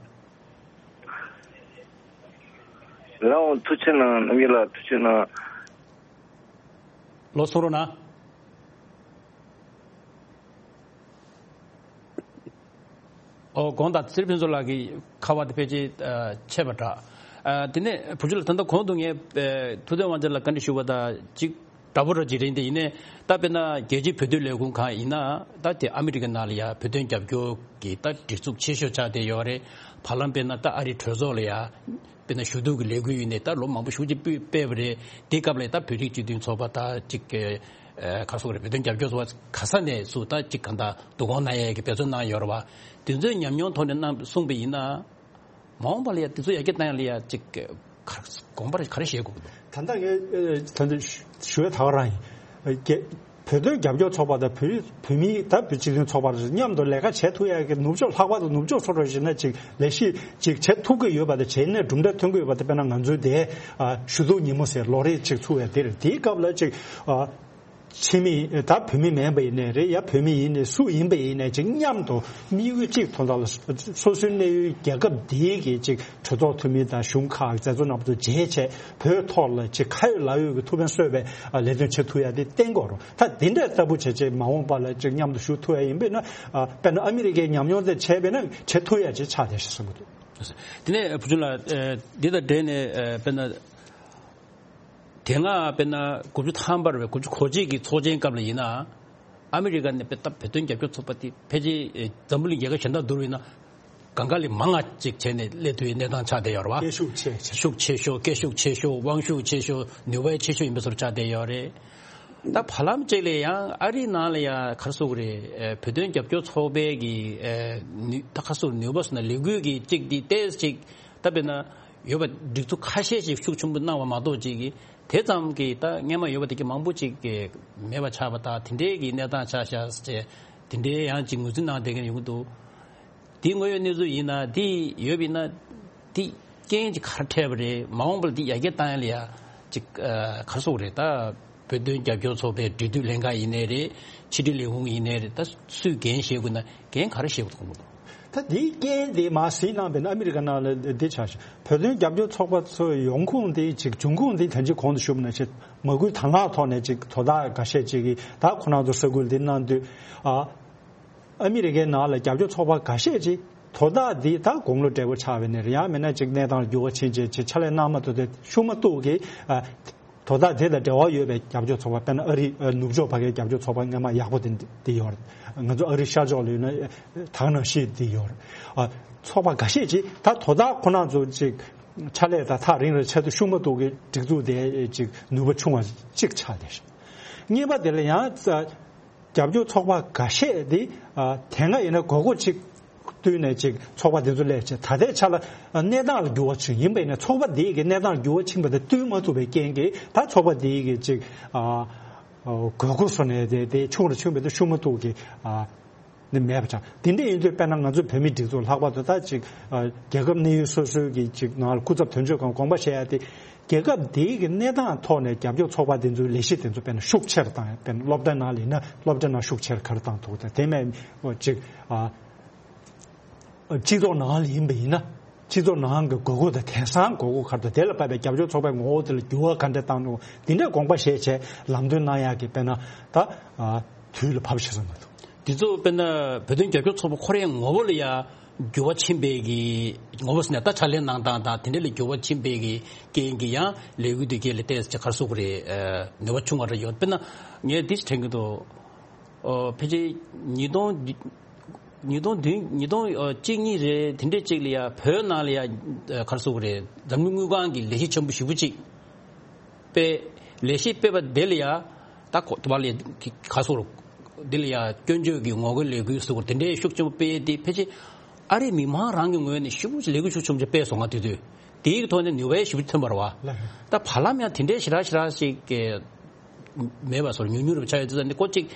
ལགས་འོང་། ཐུགས་ཆེ་གནང་། རྣམ་རྒྱལ་ལགས་ཐུགས་ཆེ་གནང་། ལོ་གསུང་རོགས་གནང་། ཨོ་དགོངས་དག་ཚེ་རིང་ཕུན་ཚོགས་ལགས་ཀྱི་ཁ་པར་དེ་ཕལ་ཆེར་ཨ་ཆད་པ་འདྲ། ཨ་དེ་ནས་བུ་ཆུ་ལགས་ད་ལྟ་གོང་དུ་ངས་ཨ་ཐུབ་བསྟན་དབང་ཆེན་ལགས་བཀའ་འདྲི་ཞུ་བ་དང་གཅིག་འདྲ་པོ་ར་ཅིག་རེད། འདི་ཡིན་ནའི་ད་དཔེར་ན་རྒྱལ་སྤྱིའི་བོད་དོན་ལས་ཁུངས་གང་ཡིན་ན་ད་དེ་ཨ་མི་རི་ཀའི་ནང་ལ་ཡ་བོད་དོན་རྒྱབ་སྐྱོར་གྱི་ད་སྒྲིག་འཛུགས་ཆེ་ཤོས་ཆགས་བསྡད་ཡོད་རེད། བར་ལམ་དཔེར་ན་ད་ཨ་རིའི་གྲོས་ཚོགས་ལ་ཡ་དཔེར་ན་ཞུ་གཏུག་གི་ལས་འགུལ་ཡིན་ནའི་ད་ལོ་མང་པོ་ཞེ་པོ་ཅིག་སྤེལ་བ་རེད། དེ་སྐབས་ལ་ད་བོད་རིགས་སྤྱི་མཐུན་ཚོགས་པ་ད་ཅིག་ག་རེ་ཟེར་དགོས་རེད། བོད་དོན་རྒྱབ་སྐྱོར་ཚོགས་པ་ག་ས་ནས་སུ་ད་ཅིག་གང་ལྟར་བསྡུ་སྐོང་གནང་ཡས་ཀྱི་འབད་བརྩོན་གནང་ཡོད་རེད་བ། དེ་ཚོའི་ཉམས་མྱོང་ཐོག་ནས་གནང་གསུངས་པ་ཡིན་ན། མ་འོངས་པ་ལ་ཡ་དེ་ཚོ་ཡར་རྒྱས་བཏང་ཡ་ལ་ཡ་ཅིག་ག་དགོངས་པ་ག་རེ་བཞེས་དགོས་ཀྱི་འདུག་ད་ལྟ་ངས་ཨ་ད་ལྟ་ཞུ་ཞུ་ཡ་ད་ག་རང་ཡིན། ཨ་རྒྱ་བོད་དོན་རྒྱབ་སྐྱོར་ཚོགས་པ་དང་བོད་རིགས་བོད་མིའི་ད་བོད་སྤྱི་མཐུན་ཚོགས་པ་མཉམ་དུ་ལས་ཀ་བྱེད་ཐུབ་ཡ་གི་ནུབ་ཕྱོགས། ལྷག་པར་དུ་ནུབ་ཕྱོགས་ཕྱོགས་རོགས་བྱས་ན་ཅིག་ལས་གཞི་ཅིག་བྱེད་ཐུབ་ཀྱི་ཡོད་པ་དང་། བྱས་ནས་གྲུབ་འབྲས་ཐོན་གྱི་ཡོད་པ་དེ། དཔེར་ན་ང་ཚོའི་དེ་ཨ་ཞུ་གཏུག་ཉིན་མོ་ཟེར་ལོ་རེ་ཅིག་ཚུགས་ཡ་དེ་རེད། དེའི་སྐབས་ལ་ཅིག་ཨ་ཕྱི་མི་ད་བོད་མི་མིན་པ་ཡིན་ནའི་རེད། ཡ་བོད་མི་ཡིན་ནའི་སུ་ཡིན་པ་ཡིན་ནའི་ཅིག་མཉམ་དུ་དམིགས་ཡུལ་གཅིག་ཐོག་ལ་སོ་སོའི་གནས་ཡུལ་རྒྱལ་ཁབ་འདིའི་གི་ཅིག་གྲོས་ཚོགས་འཐུས་མི་དང་གཞུང་ཁག་མཛད་གཙོ་རྣམ་པ་ཚོ་མཇལ་བྱས། བོད་ཐོག་ལ་ཅིག་ཁ་ཡོད་ལག་ཡོད་ཀྱི་ཐུགས་ཕན་གསོས་པའི་ཨ་ལས་དོན་བྱེད་ཐུབ་ཡ་དེ་བསྟན་དགོས་རེད། ད་དེ་འདྲ་ལྟ་བུ་བྱས་བྱས་མ་འོངས་པ་ལ་ཅིག་མཉམ་དུ་ཞུགས་ཐུབ་ཡ་ཡིན་པས་ན། ཨ་དཔེར་ན་ཨ་མི་རི་ཀའི་ཉམས་མྱོང་དེ་བྱས་པས་ན་བྱེད་ཐུབ་ཡ་ཅིག་ཆགས་བསྡད་ཤག་བསམ་གྱི་འདུག་དེ་ནས་བུ་ཆུང་ལགས། ཨ་འདི་དང་འབྲེལ་ནས་ཨ་དཔེར་ན། དེ་སྔ་དཔེར་ན་དགུ་བཅུ་ཐམ་པ་རེད་པས། དགུ་བཅུ་གོ་གཅིག་གི་ཚོགས་ཆེན་སྐབས་ལ་ཡིན་ན། ཨ་མི་རི་ཀ་ནས་དཔེ་ད་བོད་དོན་རྒྱབ་སྐྱོར་ཚོགས་པ་དེ་ཕལ་ཆེར་ཨེ་འཛམ་བུ་གླིང་རྒྱལ་ཁབ་གཞན་དང་བསྡུར་བ་ཡིན་ན། གང་ག་ལས་མང་ང་ཅིག་བྱས་ནས་སླེབས་ཐུབ་པའི་གནས་སྟངས་ཆགས་བསྡད་ཡོད་རེད་བ། སྐད་ཤུགས་ཆེ་ཆེ། ཤུགས་ཆེ་ཤོས། སྐད་ཤུགས་ཆེ་ཤོས། དབང་ཤུགས་ཆེ་ཤོས། ནུས་པ་ཆེ་ཤོས་ཡིན་པ་བཟོ་འདྲ་ཆགས་བསྡད་ཡོད་རེད། ད་བར་ལམ་གཅིག་ལ་ཡང་ཨ་རིའི་ནང་ལ་ཡང་ག་རེ་ཟེར་དགོས་རེད། ཨེ་བོད་དོན་རྒྱབ་སྐྱོར་ཚོགས་པའི་གི་ཨེ་ནུས་ད་ག་རེ་ཟེར་དགོས་རེད། ནུས་པ་ཟེར་ན་ལས་འགུལ་གྱི་གཅིག་འདི་ཏོག་ཙམ་ཅིག་ད་དཔེར་ན་ཡོད་པ་སྒྲིག་འཛུགས་ཁ་ཤས་ཤིག་ཤུགས་ཆེན་པོ་གནང་བ་མ་གཏོགས་ཅིག་གིས་དེ་ཙམ་གྱིས་ད་སྔོན་མ་ཡོད་པ་དེ་གི་མང་པོ་ཅིག་གི་མེད་པ་ཆགས་པ་དང་། དེ་འདྲའི་གི་གནས་སྟངས་ཆགས་ཤག་ཟེར་བྱས་དེ་འདྲའི་ཡང་ཅིག་ངོས་འཛིན་གནང་བསྡད་མཁན་ཡོང་གི་འདུག་དེ་དངོས་ཡོད་གནས་ཚུལ་ཡིན་ན། དེ་ཡོད་པ་ཡིན་ན་དེ་རྐྱེན་ཅིག་ག་རེ་འཕྲད་པ་རེད། མ་འོངས་པ་ལ་དེ་ཡར་རྒྱས་བཏང་ཡ་ལ་ཡ་ཅིག་ཨ་ག་རེ་ཟེར་དགོས་རེད། ད་བོད་དོན་རྒྱབ་སྐྱོར་ཚོགས་པའི་འབྲེལ་མཐུད་ལྷན་ཁང་ཡིན་ནའི་རེད། ཕྱི་དྲིལ་ལས་ཁུངས་ཡིན་ནའི་རེད། ད་སུས་འགན་བཞེས་དགོས་ན་འགན་ག་རེ་བཞེས་དགོས་མཐོང་གི་འདུག་ད་དེའི་རྐྱེན་དེ་མར་གཟིགས་གནང་བས་ན་ཨ་མི་རི་ཀ་ནང་ལ་འདི་ཆགས་ཤག་བོད་དོན་རྒྱབ་སྐྱོར་ཚོགས་པ་ཚོའི་ཡོང་ཁུངས་དེ་ཅིག་འབྱུང་ཁུངས་དེ་ད་ཅི་གོང་དུ་ཞུས་པ་ནང་བཞིན་མ་སྐུལ་དང་བླངས་ཐོག་ནས་ཅིག་དོ་བདག་འགའ་ཤས་ཅིག་གིས་ད་ཁོ་རང་ཚོ་ས་ཁུལ་འདི་གནང་དུས། ཨ་ཨ་མི་རི་ཀའི་ནང་ལ་རྒྱབ་སྐྱོར་ཚོགས་པ་འགའ་ཤས་ཅིག་དོ་བདག་འདི་ད་དགུང་ལོ་བགྲེས་པོ་ཆགས་པ་ཡིན་ནའི་རེད། ཡང་མིན་ན་ཅིག་གནས་སྟངས་འགྱུར་བ་ཕྱིན་བྱས་ཅིག་ཕྱག་ལས་གནང་མ་ཐུབ་དེ་ཤུགས་མ་གཏོགས་ཀྱི། ཨ་དོ་བདག་དེ་དང་འབྲེལ་བ་ཡོད་པའི་རྒྱབ་སྐྱོར་ཚོགས་པ། དཔེར་ན་ཨ་རི་ཨ་ནུབ་ཕྱོགས་ཕ་གིའི་རྒྱབ་སྐྱོར་ཚོགས་པ་སྔོན་མ་ཡག་པོ་དེ་འདི་ཡོད་རེད། ང་ཚོ་ཨ་རི་ཤར་ཕྱོགས་ལ་ཡོད་ན་ད་ག་ནང་བཞིན་འདི་ཡོད་རེད། ཨ་ཚོགས་པ་འགའ་ཤས་ཅིག་ད་དོ་བདག་ཁོ་རང་ཚོ་ཅིག་ཕྱག་ལས་ད་ཐག་རིང་རུ་ཆེད་དུ་ཤུགས་མ་གཏོགས་ཀྱི་སྒྲིག་འཛུགས་དེ་ཅིག་ནུས་པ་ཆུང་བ་ཅིག་ཆགས་བསྡད་ཤག་གཉིས་པ་དེ་ལ་ཡང་རྒྱབ་སྐྱོར་ཚོགས་པ་འགའ་ཤས་དེ་ཨ་དེ་སྔ་ཡིན་ན་དགོས་མཁོ་ཅིག་བསྟུན་ནས་ཅིག་ཚོགས་པ་དེ་ཚོ་སླེབས་བྱས། ད་ལྟའི་ཆ་ལ་གནས་སྟངས་ལ་འགྱུར་བ་ཕྱིན་ཡིན་པ་ཡིན་ན། ཚོགས་པ་དེ་གི་གནས་སྟངས་འགྱུར་བ་ཕྱིན་པ་དེ་བསྟུན་མ་ཐུབ་པའི་རྐྱེན་གྱིས་ད་ཚོགས་པ་དེ་གི་ཅིག་ཨ་དགོས་མཁོ་བཟོ་ནས་དེ་དེ་ཆུང་རུ་ཆུང་བའི་དེ་ཤུགས་མ་གཏོགས་ཀྱི་ཨ་ནི་མེད་པ་ཆགས། དེ་འདྲ་ཡིན་དུས་དཔེར་ན་ང་ཚོ་བོད་མིའི་སྒྲིག་འཛུགས་ལྷག་པར་དུ་ད་ཅིག་ཨ་རྒྱལ་ཁབ་གནས་ཡུལ་སོ་སོའི་གི་ཅིག་ནང་ལ་སྐུ་ཚབ་དོན་གཅོད་ཁང་དགོངས་པ་བཞེས་ཡ་དེ། རྒྱལ་ཁབ་དེའི་གི་གནས་སྟངས་ཐོག་ནས་རྒྱབ་སྐྱོར་ཚོགས་པ་དེ་ཚོའི་ལས་གཞི་དེ་ཚོ་དཔེར་ན་ཤུགས་ཆེ་རུ་བཏང་ཡ། དཔེར་ན་སློབ་གྲྭ་ནང་ལ་ཡིན་ན་སློབ་གྲྭ་ནང་ཤུགས་ཆེ་རུ་ག་རེ་བཏང་ཐུབ་དང་། དེ་མིན་ཅིག་ཨ་སྤྱི་ཚོགས་ནང་ལ་ཡིན་པ་ཡིན་ན་སྤྱི་ཚོགས་ནང་གི་དགོས་མཁོ་དང་། དེང་སང་དགོས་མཁོ་ག་རེ་འདུག་དེ་ལ་བབས་པའི་རྒྱབ་སྐྱོར་ཚོགས་པའི་ངོ་བོ་དེ་ལ་འགྱུར་བ་ག་འདྲ་བཏང་འདུག་དེ་འདྲ་དགོངས་པ་བཞེས་བྱས་ལམ་སྟོན་གནང་ཡག་གི་དཔེར་ན་ད་ཨ་དུས་ལ་བབས་ཤག་བསམ་གྱི་འདུག་འདི་ཚོ་དཔེར་ན་བོད་དོན་རྒྱབ་སྐྱོར་ཚོགས་པ་ཁོ་རའི་ངོ་བོ་ལ་ཡ་འགྱུར་བ་ཕྱིན་པའི་གི་ངོ་བོ་ཟེར་ན། ད་ཕྱག་ལས་གནང་སྟངས་དང་དེ་འདྲ་ལ་འགྱུར་བ་ཕྱིན་པའི་གི་རྐྱེན་གྱིས་ཡང་ལས་འགུལ་དེ་གའི་ལ་ཏོག་ཙམ་ག་རེ་ཟེར་དགོས་རེད། ཨ་ནུས་པ་ཆུང་བ་རེ་ཡོད། དཔེར་ན་ངས་འདི་ཞིག་དྲན་གྱི་འདུག་ཨོ་ཕལ་ཆེར་ཉིས་སྟོང་ ཉིས་སྟོང་བདུན་ཉིས་སྟོང་གཅིག་གཉིས་རེད། དེ་འདྲས་གཅིག་ལ་ཡ་བོད་ནང་ལ་ཡ་ག་རེ་ཟེར་དགོས་རེད། འཛམ་གླིང་དངུལ་ཁང་གིས་ལས་གཞི་ཆེན་པོ་ཞེ་པོ་ཅིག་སྤེལ། ལས་གཞི་སྤེལ་བ་དེ་ལ་ཡ་ད་གོ་དུ་བ་ལས་ག་ཟེར་དགོས་རེད། དེ་ལ་ཡ་སྐྱོན་བརྗོད་ཀྱི་ངོ་རྒོལ་ལས་འགུལ་ཟེར་དགོས་རེད། དེ་འདྲས་ཤུགས་ཆེན་པོ་སྤེལ་ཡས་དེ་ཕལ་ཆེར་ཨ་རིའི་མི་མང་རང་གི་ངོས་ནས་ཞེ་པོ་ཅིག་ལས་འགུལ་ཤུགས་ཆེན་པོ་ཅིག་སྤེལ་སོང་ང་། དེ་དུས་དེའི་ཐོག་ནས་ནུས་པ་ཞེ་པོ་ཐོན་པ་རེད་བ། ད་བར་ལམ་ཡང་དེ་འདྲས་ཞེ་དྲག་ཞེ་དྲག་ཅིག་གི་མེད་པ་སོར་ཉུང་ཉུང་རུ་ཆགས་ཡོད་དུས་ཙང་ནི་ཁོ་གཅིག་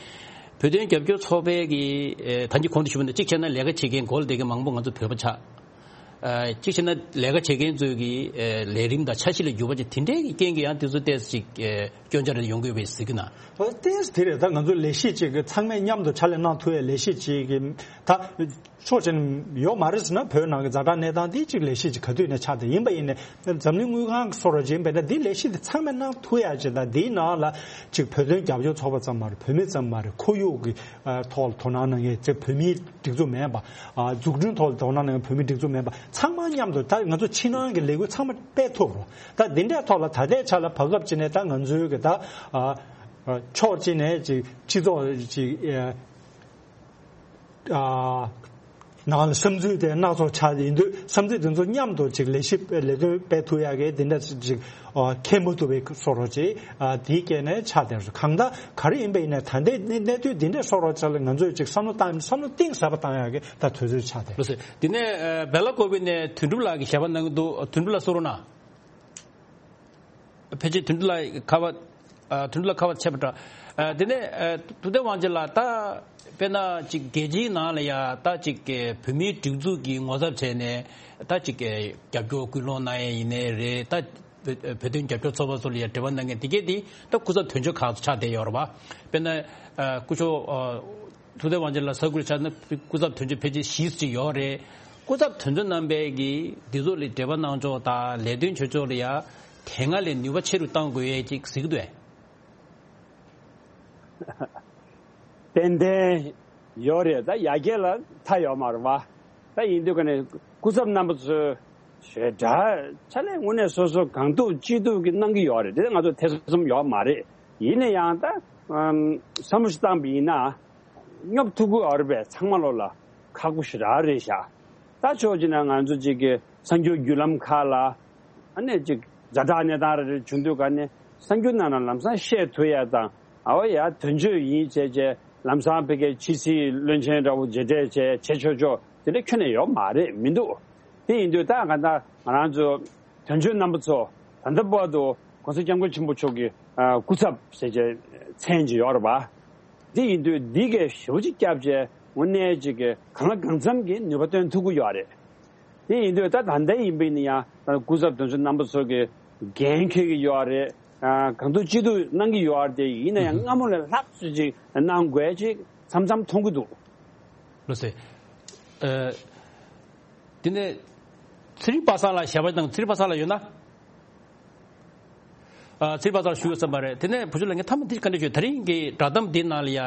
བོད་དོན་རྒྱབ་སྐྱོར་ཚོགས་པའི་གི་ཨེ་ད་གིན་གོང་དུ་ཞུས་པ་ནི་གཅིག་བྱས་ན་ལས་ཀ་བྱེད་མཁན་གོ་ལ་བསྡད་མཁན་མང་པོ་ང་ཚོ་བོད་པ་ཆགས། ཨ་གཅིག་བྱས་ན་ལས་ཀ་བྱེད་མཁན་ཚོའི་གི་ཨེ་ལས་རིམ་དང་འཆར་གཞི་ལ་འགྱུར་བ་ཅིག་དེ་འདྲའི་གི་རྐྱེན་གྱིས་ཡང་དེ་ཚོ་ཏོག་ཙམ་ཅིག་ཨེ་སྐྱོན་ཆ་རེ་ཡོང་གི་ཡོད་པའི་གཟིགས་ཀྱི་ན། ཨོ་ཏོག་ཙམ་དེ་རེད། ད་ང་ཚོ་ལས་གཞི་གཅིག་གི་ཚང་མས་མཉམ་དུ་ཕྱག་ལས་གནང་ཐུབ་ཡའི་ལས་གཞི་གཅིག་གི་ད། ཕྱོགས་གཅིག་ནས་ཡོད་མ་རེད་ཟེར་ན། བོད་ནང་གི་ཛ་དྲག་གནས་སྟངས་དེ་གཅིག་ལས་གཞི་གཅིག་ག་དུས་ནས་ཆགས་ཏེ་ཡིན་པ་ཡིན་ནས། འཛམ་གླིང་དངུལ་ཁང་གི་སོ་ར་ཅིག་ཡིན་པས་ན། འདི་ལས་གཞི་དེ་ཚང་མས་གནང་ཐུབ་ཡ་ཅིག་དང་། འདིའི་ནང་ལ་གཅིག་བོད་དོན་རྒྱབ་སྐྱོར་ཚོགས་པ་ཙམ་མ་རེད། བོད་མི་ཙམ་མ་རེད། ཁོར་ཡུག་གི་ཨ་ཐོག་ལ་དོ་སྣང་གནང་མཁན་ཅིག་བོད་མིའི་སྒྲིག་འཛུགས་མིན་པ། ཨ་འཛུགས་སྐྲུན་ཐོག་ལ་དོ་སྣང་གནང་མཁན་བོད་མིའི་སྒྲིག་འཛུགས་མིན་པ་ཚང་མ་མཉམ་དུ་ད་ང་ཚོ་ཕྱི་ནང་གི་ལས་འགུལ་ཚང་མ་སྤེལ་ཐུབ་རོགས། ད་འདི་འདྲའི་ཐོག་ལ་ད་ལྟའི་ཆ་ལ་བར་སྐབས་ཅིག་ནས་ད་ང་ཚོའི་གི་ད་ཨ་ཨ་ཕྱོགས་གཅིག་ནས་ཅིག་སྤྱི་ཚོགས་ཅིག་ཨ། ཨ་ནང་ལ་བསམ་ཚུལ་དེ་སྣ་ཚོགས་ཆགས་ཡིན་དུས། བསམ་ཚུལ་དེ་ཚོ་མཉམ་དུ་ཅིག་ལས་གཞི་ལས་དོན་སྤེལ་ཐུབ་ཡག་གི་དེ་འདྲ་ཅིག་ཨ་ཁེལ་མ་ཐུབ་པའི་བཟོ་འདྲ་ཅིག་ཨ་དེའི་རྐྱེན་ནས་ཆགས་བསྡད་རེད། གང་ལྟར་ག་རེ་ཡིན་པ་ཡིན་ན། ད་ལྟའི་གནས་གནས་དུས་འདི་འདྲའི་བཟོ་འདྲ་ཅིག་ལ་ང་ཚོས་ཅིག་བསམ་བློ་བཏང་། བསམ་བློ་གཏིང་ཟབ་པ་བཏང་ཡག་གི་ད་དུས་ཚོད་ཆགས་བསྡད། ལགས་སོ། དེ་ནས་ཨ་སྦེ་ལ་ཀོ་བི་ནས་དོན་གྲུབ་ལགས་ཀྱིས་ཞལ་པར་གནང་གི་འདུག། དོན་གྲུབ་ལགས་གསུང་རོགས་གནང་། ཕལ་ཆེར་དོན་གྲུབ་ལགས་ཁ་པར། ཨ་དོན་གྲུབ་ལགས་ཁ་པར་ཆད་པ་འདྲ། ཨ་དེ་ནས་ཨ་ཐུབ་བསྟན་དབང་ཆེན་ལགས། ད་དཔེར་ན་ཅིག་རྒྱལ་སྤྱིའི་ནང་ལ་ཡ་ད་ཅིག་བོད་མིའི་སྒྲིག་འཛུགས་ཀྱི་ངོ་ཚབ་བྱས་ནས་ད་ཅིག་རྒྱབ་སྐྱོར་སྐུལ་སློང་གནང་ཡས་ཡིན་ནའི་རེད། ད་བོད་བོད་དོན་རྒྱབ་སྐྱོར་ཚོགས་པ་ཚོ་ལ་ཡ་འབྲེལ་བ་གནང་མཁན་དེ་གས་དེ་ད་སྐུ་ཚབ་དོན་གཅོད་ཁག་ཏུ་ཆགས་བསྡད་ཡོད་རེད་པ། དཔེར་ན་ཨ་སྐུ་ཞབས་ཨ་ཐུབ་བསྟན་དབང་ཆེན་ལགས་ས་ཁུལ་ཆགས་ན་སྐུ་ཚབ་དོན་གཅོད་ཕལ་ཆེར་བཞི་ཙམ་ཅིག་ཡོད་རེད། སྐུ་ཚབ་དོན་གཅོད་རྣམ་པས་ཀྱིས་འདི་ཚོ་ལ་འབྲེལ་བ་གནང་ཕྱོགས་དང་ལས་དོན་བྱེད་ཕྱོགས་ལ་ཡ་དེ་སྔ་ལས་ནུས་པ་ཆེ་རུ་གཏང་དགོས་ཡས་ཅིག་གཟིགས་འདུག་ཨེ། ཏན་ཏན་ཡོད་རེད། ད་ཡ་གྱལ་ལ་མཐའ་ཡོད་མ་རེད་པ། ད་ཡིན་དུས་ཀ་ནས་སྐུ་ཚབ་རྣམ་པ་ཚོས་ཞེ་དྲག་ཕྱག་ལས་དངོས་གནས་སོ་སོ་གང་ཐུབ་ཅི་ཐུབ་ཀྱིས་གནང་གི་ཡོད་རེད། དེ་ང་ཚོ་ཐེ་ཚོམ་ཡོད་མ་རེད། ཡིན་ན་ཡང་ད་ཨམ་བསམ་བློ་ཞིག་བཏང་པ་ཡིན་ན། སྙོབ་ཐུབ་ཀྱི་ཡོད་རེད་པས། ཚང་མ་ལོག་ལ་ཁག་པོ་ཞེ་དྲག་རེད་ཤག། ད་ཕྱོགས་གཅིག་ནས་ང་ཚོ་གཅིག་གི་གསར་འགྱུར་བརྒྱུད་ལམ་ཁག་ལ་ཨ་ནི་གཅིག་ཛ་དྲག་གནས་སྟངས་རེ་རེ་བྱུང་དུས་ཀ་ནས་གསར་འགྱུར་ནང་ལ་ལམ་སང་བཤད་ཐུབ་ཡ་དང་། ཨ་བ་ཡ་དོན་གཅོད་ཡིན་བྱས་བྱས་ལམ་སང་ཕ་གིའི་ཕྱི་སྲིད་བློན་ཆེན་འདྲ་བོ་མཇལ་འཕྲད་བྱས་བྱེད་ཆོག་ཆོག་དེ་འདྲ་ཁྱོན་ནས་ཡོད་མ་རེད། མི་འདུག། དེ་ཡིན་དུས་ད་ག་ད་ང་རང་ཚོ་དོན་གཅོད་རྣམ་པ་ཚོ་ད་ལྟ་བར་དུ་༸གོང་ས་༸སྐྱབས་མགོན་ཆེན་པོ་མཆོག་གི་ཨ་སྐུ་ཚབ་ཟེར་བྱས་མཚན་ཅིག་ཡོད་རེད་པ། དེ་ཡིན་དུས་འདི་གས་ཞེ་པོ་ཅིག་བསྐྱབས་བྱས་དངོས་གནས་ཅིག་གི་གང་ལ་གང་འཚམ་གྱི་ནུས་པ་བཏོན་ཐུབ་ཀྱི་ཡོད་རེད། དེ་ཡིན་དུས་ད་ད་ལྟ་ཡིན་པ་ཡིན་ན་ཡང་ད་སྐུ་ཚབ་དོན་གཅོད་རྣམ་པ་ཚོ་གི་འགན་འཁྱེར་གྱི་ཡོད་རེད། ཨ་གང་ཐུབ་ཅི་ཐུབ་གནང་གི་ཡོད་རེད། དེ་ཡིན་ན་ཡང་སྔ་མོ་ལས་ལྷག་ཙམ་ཅིག་གནང་དགོས་ཅིག་མཚམས་མཚམས་མཐོང་གི་འདུག། ལགས་སོ། ཨ། དེ་ནས་ཚེ་རིང་པ་སངས་ལགས་ཞལ་པར་དང་། ཚེ་རིང་པ་སངས་ལགས་ཡོད་ན། ཨ་ཚེ་རིང་པ་སངས་ལགས་ཞུ་དགོས་བསམ་པ་རེད། དེ་ནས་བུ་ཆུང་ལགས་ངས་མཐའ་མ་འདི་ག་འདྲ་ཞུ། ད་རིང་གི་བསྒྲགས་གཏམ་འདི་ནང་ལ་ཡ་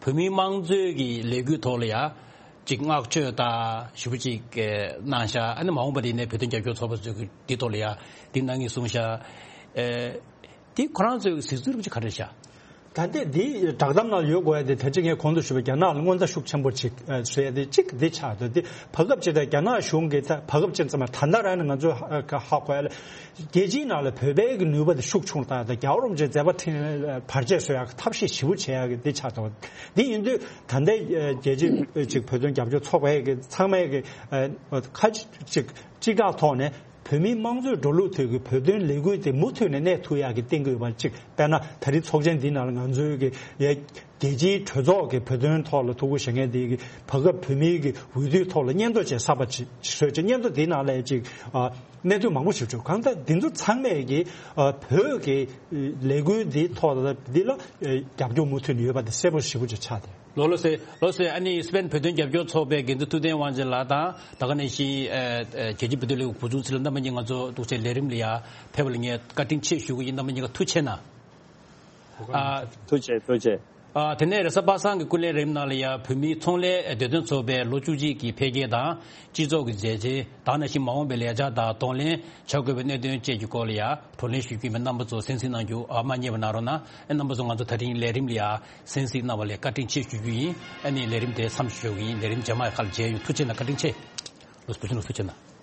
བོད་མིའི་དམངས་གཙོའི་གི་ལས་འགུལ་ཐོག་ལ་ཡ་ཅིག་བསྔགས་བརྗོད་དང་ཞེ་པོ་ཅིག་གནང་ཤག། ཨ་ནི་མ་འོངས་པ་དེ་ནས་བོད་དོན་རྒྱབ་སྐྱོར་ཚོགས་པ་ཚོས་གི་འདི་ཐོག་ལ་ཡ་འདི་གནང་ངེས་གསུངས་ཤག། ཨེ། དེ་ཁོ་རང་ཚོའི་གཟིགས་ཚུལ་རིགས་ག་རེ་ཤག། ད་ལྟའི་འདི་བསྒྲགས་གཏམ་ནང་ཡོད་དགོས་ཡ་དེ། ད་ཅི་ངས་གོང་དུ་ཞུས་པ་རྒྱ་ནག་ལ་མངོན་མཐའ་ཤུགས་ཆེན་པོ་ཅིག་ཨ་བཟོ་ཡ་དེ་གཅིག་འདི་ཆགས་འདུག། འདི་བར་སྐབས་ཅིག་དང་རྒྱ་ནག་གཞུང་གིས་ད་བར་སྐབས་ཅིག་ཙམ་མ་ད་ལྟ་རང་ནས་ང་ཚོས་ཧ་ཧ་གོ་ཡ་ལ། རྒྱལ་སྤྱིའི་ནང་ལ་བོད་པའི་གི་ནུས་པ་དེ་ཤུགས་ཆུང་བཏང་ཡ་དང་། རྒྱལ་བ་རིན་པོ་ཆེའི་མཛད་པ་འཕྲིན་ལས་བར་ཆད་བཟོ་ཡ་གི་ཐབས་ཤེས་ཞེ་པོ་བྱེད་ཡ་གི་འདི་ཆགས་འདུག། འདི་ཡིན་དུས་ད་ལྟའི་རྒྱལ་སྤྱིའི་ཅིག་བོད་དོན་རྒྱབ་སྐྱོར་ཚོགས་པའི་གི་ཚང་མའི་གི་ཨ་ཁ་ཅིག་སྤྱི་ཁག་ཐོག་ནས། བོད་མིའི་དམངས་གཙོའི་འགྲོ་ལུགས་ཐོག་གི་བོད་དོན་ལས་འགུལ་དེ་མུ་མཐུད་ནས་གནས་ཐུབ་ཡག་གི་གཏན་འཁེལ་ཡོད་པ་གཅིག། དཔེར་ན་ད་རེས་ཚོགས་ཆེན་འདིའི་ནང་ལ་ང་ཚོའི་གི་ཡ་རྒྱལ་སྤྱིའི་གྲོས་ཚོགས་ཀྱི་བོད་དོན་ཐོག་ལ་ཐུགས་ཁུར་བཞེས་མཁན་དེ་གི་བར་སྐབས་བོད་མིའི་གི་འོས་བསྡུའི་ཐོག་ལ་སྙན་ཐོ་ཅིག་གསར་པ་ཅིག་བཟོས་ཅིག། སྙན་ཐོ་འདིའི་ནང་ལ་ཅིག་ཨ་གནད་དོན་མང་པོ་ཞིག་བྱུང་། གང་ལྟར་འདི་ཚོ་ཚང་མས་གི་ཨ་བོད་ཀྱི་ལས་འགུལ་འདིའི་ཐོག་ལ་འདི་ལ་ཨ་རྒྱབ་སྐྱོར་མུ་མཐུད་ནས་ཡོད་པ་དེ་གསལ་པོ་ཞེ་པོ་ཅིག་ཆགས་ཏེ། ལགས་སོ། ལགས་སོ། ཨ་ནི་སི་པན་བོད་དོན་རྒྱབ་སྐྱོར་ཚོགས་པའི་འགན་འཛིན་ཐུབ་བསྟན་དབང་ཆེན་ལགས་དང་། ད་ག་ནང་བཞིན་ཨ་ཨ་རྒྱལ་སྤྱིའི་བོད་དོན་ལས་འགུལ་འགོ་འཛུགས་ཚུལ་ལ་རྣམ་པ་གཉིས་ང་ཚོ་ཐུགས་རྗེ་ཆེ། ལས་རིམ་ལ་ཡ་ཕེབས་པ་ལ་ངས་བཀའ་དྲིན་ཆེ་ཞུ་གི་ཡིན། རྣམ་པ་གཉིས་ཀ་ཐུགས་རྗེ་གནང་། ཨ་ཐུགས་རྗེ་ཆེ། ཐུགས་རྗེ་ཆེ། ཨ། དེ་ནས་རེས་གཟའ་པ་སངས་ཀྱི་སྐུ་ལས་རིམ་ནང་ལ་ཡང་བོད་མིའི་ཚོང་ལས་བདེ་དོན་ཚོགས་པའི་ལོ་བཅུ་གཅིག་གི་འཕེལ་རྒྱས་དང་། སྤྱི་ཚོགས་ཀྱི་མཛད་རྗེས་དང་། ནང་བཞིན་མ་འོངས་པའི་ལས་འཆར་དང་གདོང་ལེན་བྱ་དགོས་པའི་གནད་དོན་བཅས་ཀྱི་སྐོར་ལ་ཡང་བགྲོ་གླེང་ཞུ་རྒྱུ་ཡིན་པས། རྣམ་པ་ཚོ་གསན་གཟིགས་གནང་རྒྱུ། ཨ། མ་བསྙེལ་བ་གནང་རོགས་གནང་། ཨ། རྣམ་པ་ཚོ་ང་ཚོ་དེ་རིང་ལས་རིམ་ལ་ཡང་གསན་གཟིགས་གནང་བ་ལ་བཀའ་དྲིན་ཆེ་ཞུ་རྒྱུ་ཡིན། ཨ་ནི་ལས་རིམ་དེ་མཚམས་ཞུ་རྒྱུ་ཡིན། ལས་རིམ་རྗེས་མ་ཡང་ཁ་ལ་མཇལ་ཡོང་། ཐུགས་རྗེ་གནང་། བཀའ་དྲིན་ཆེ། ལགས་སོ། བུ་ཆུང་ལགས་ཐུགས་རྗེ་གནང་།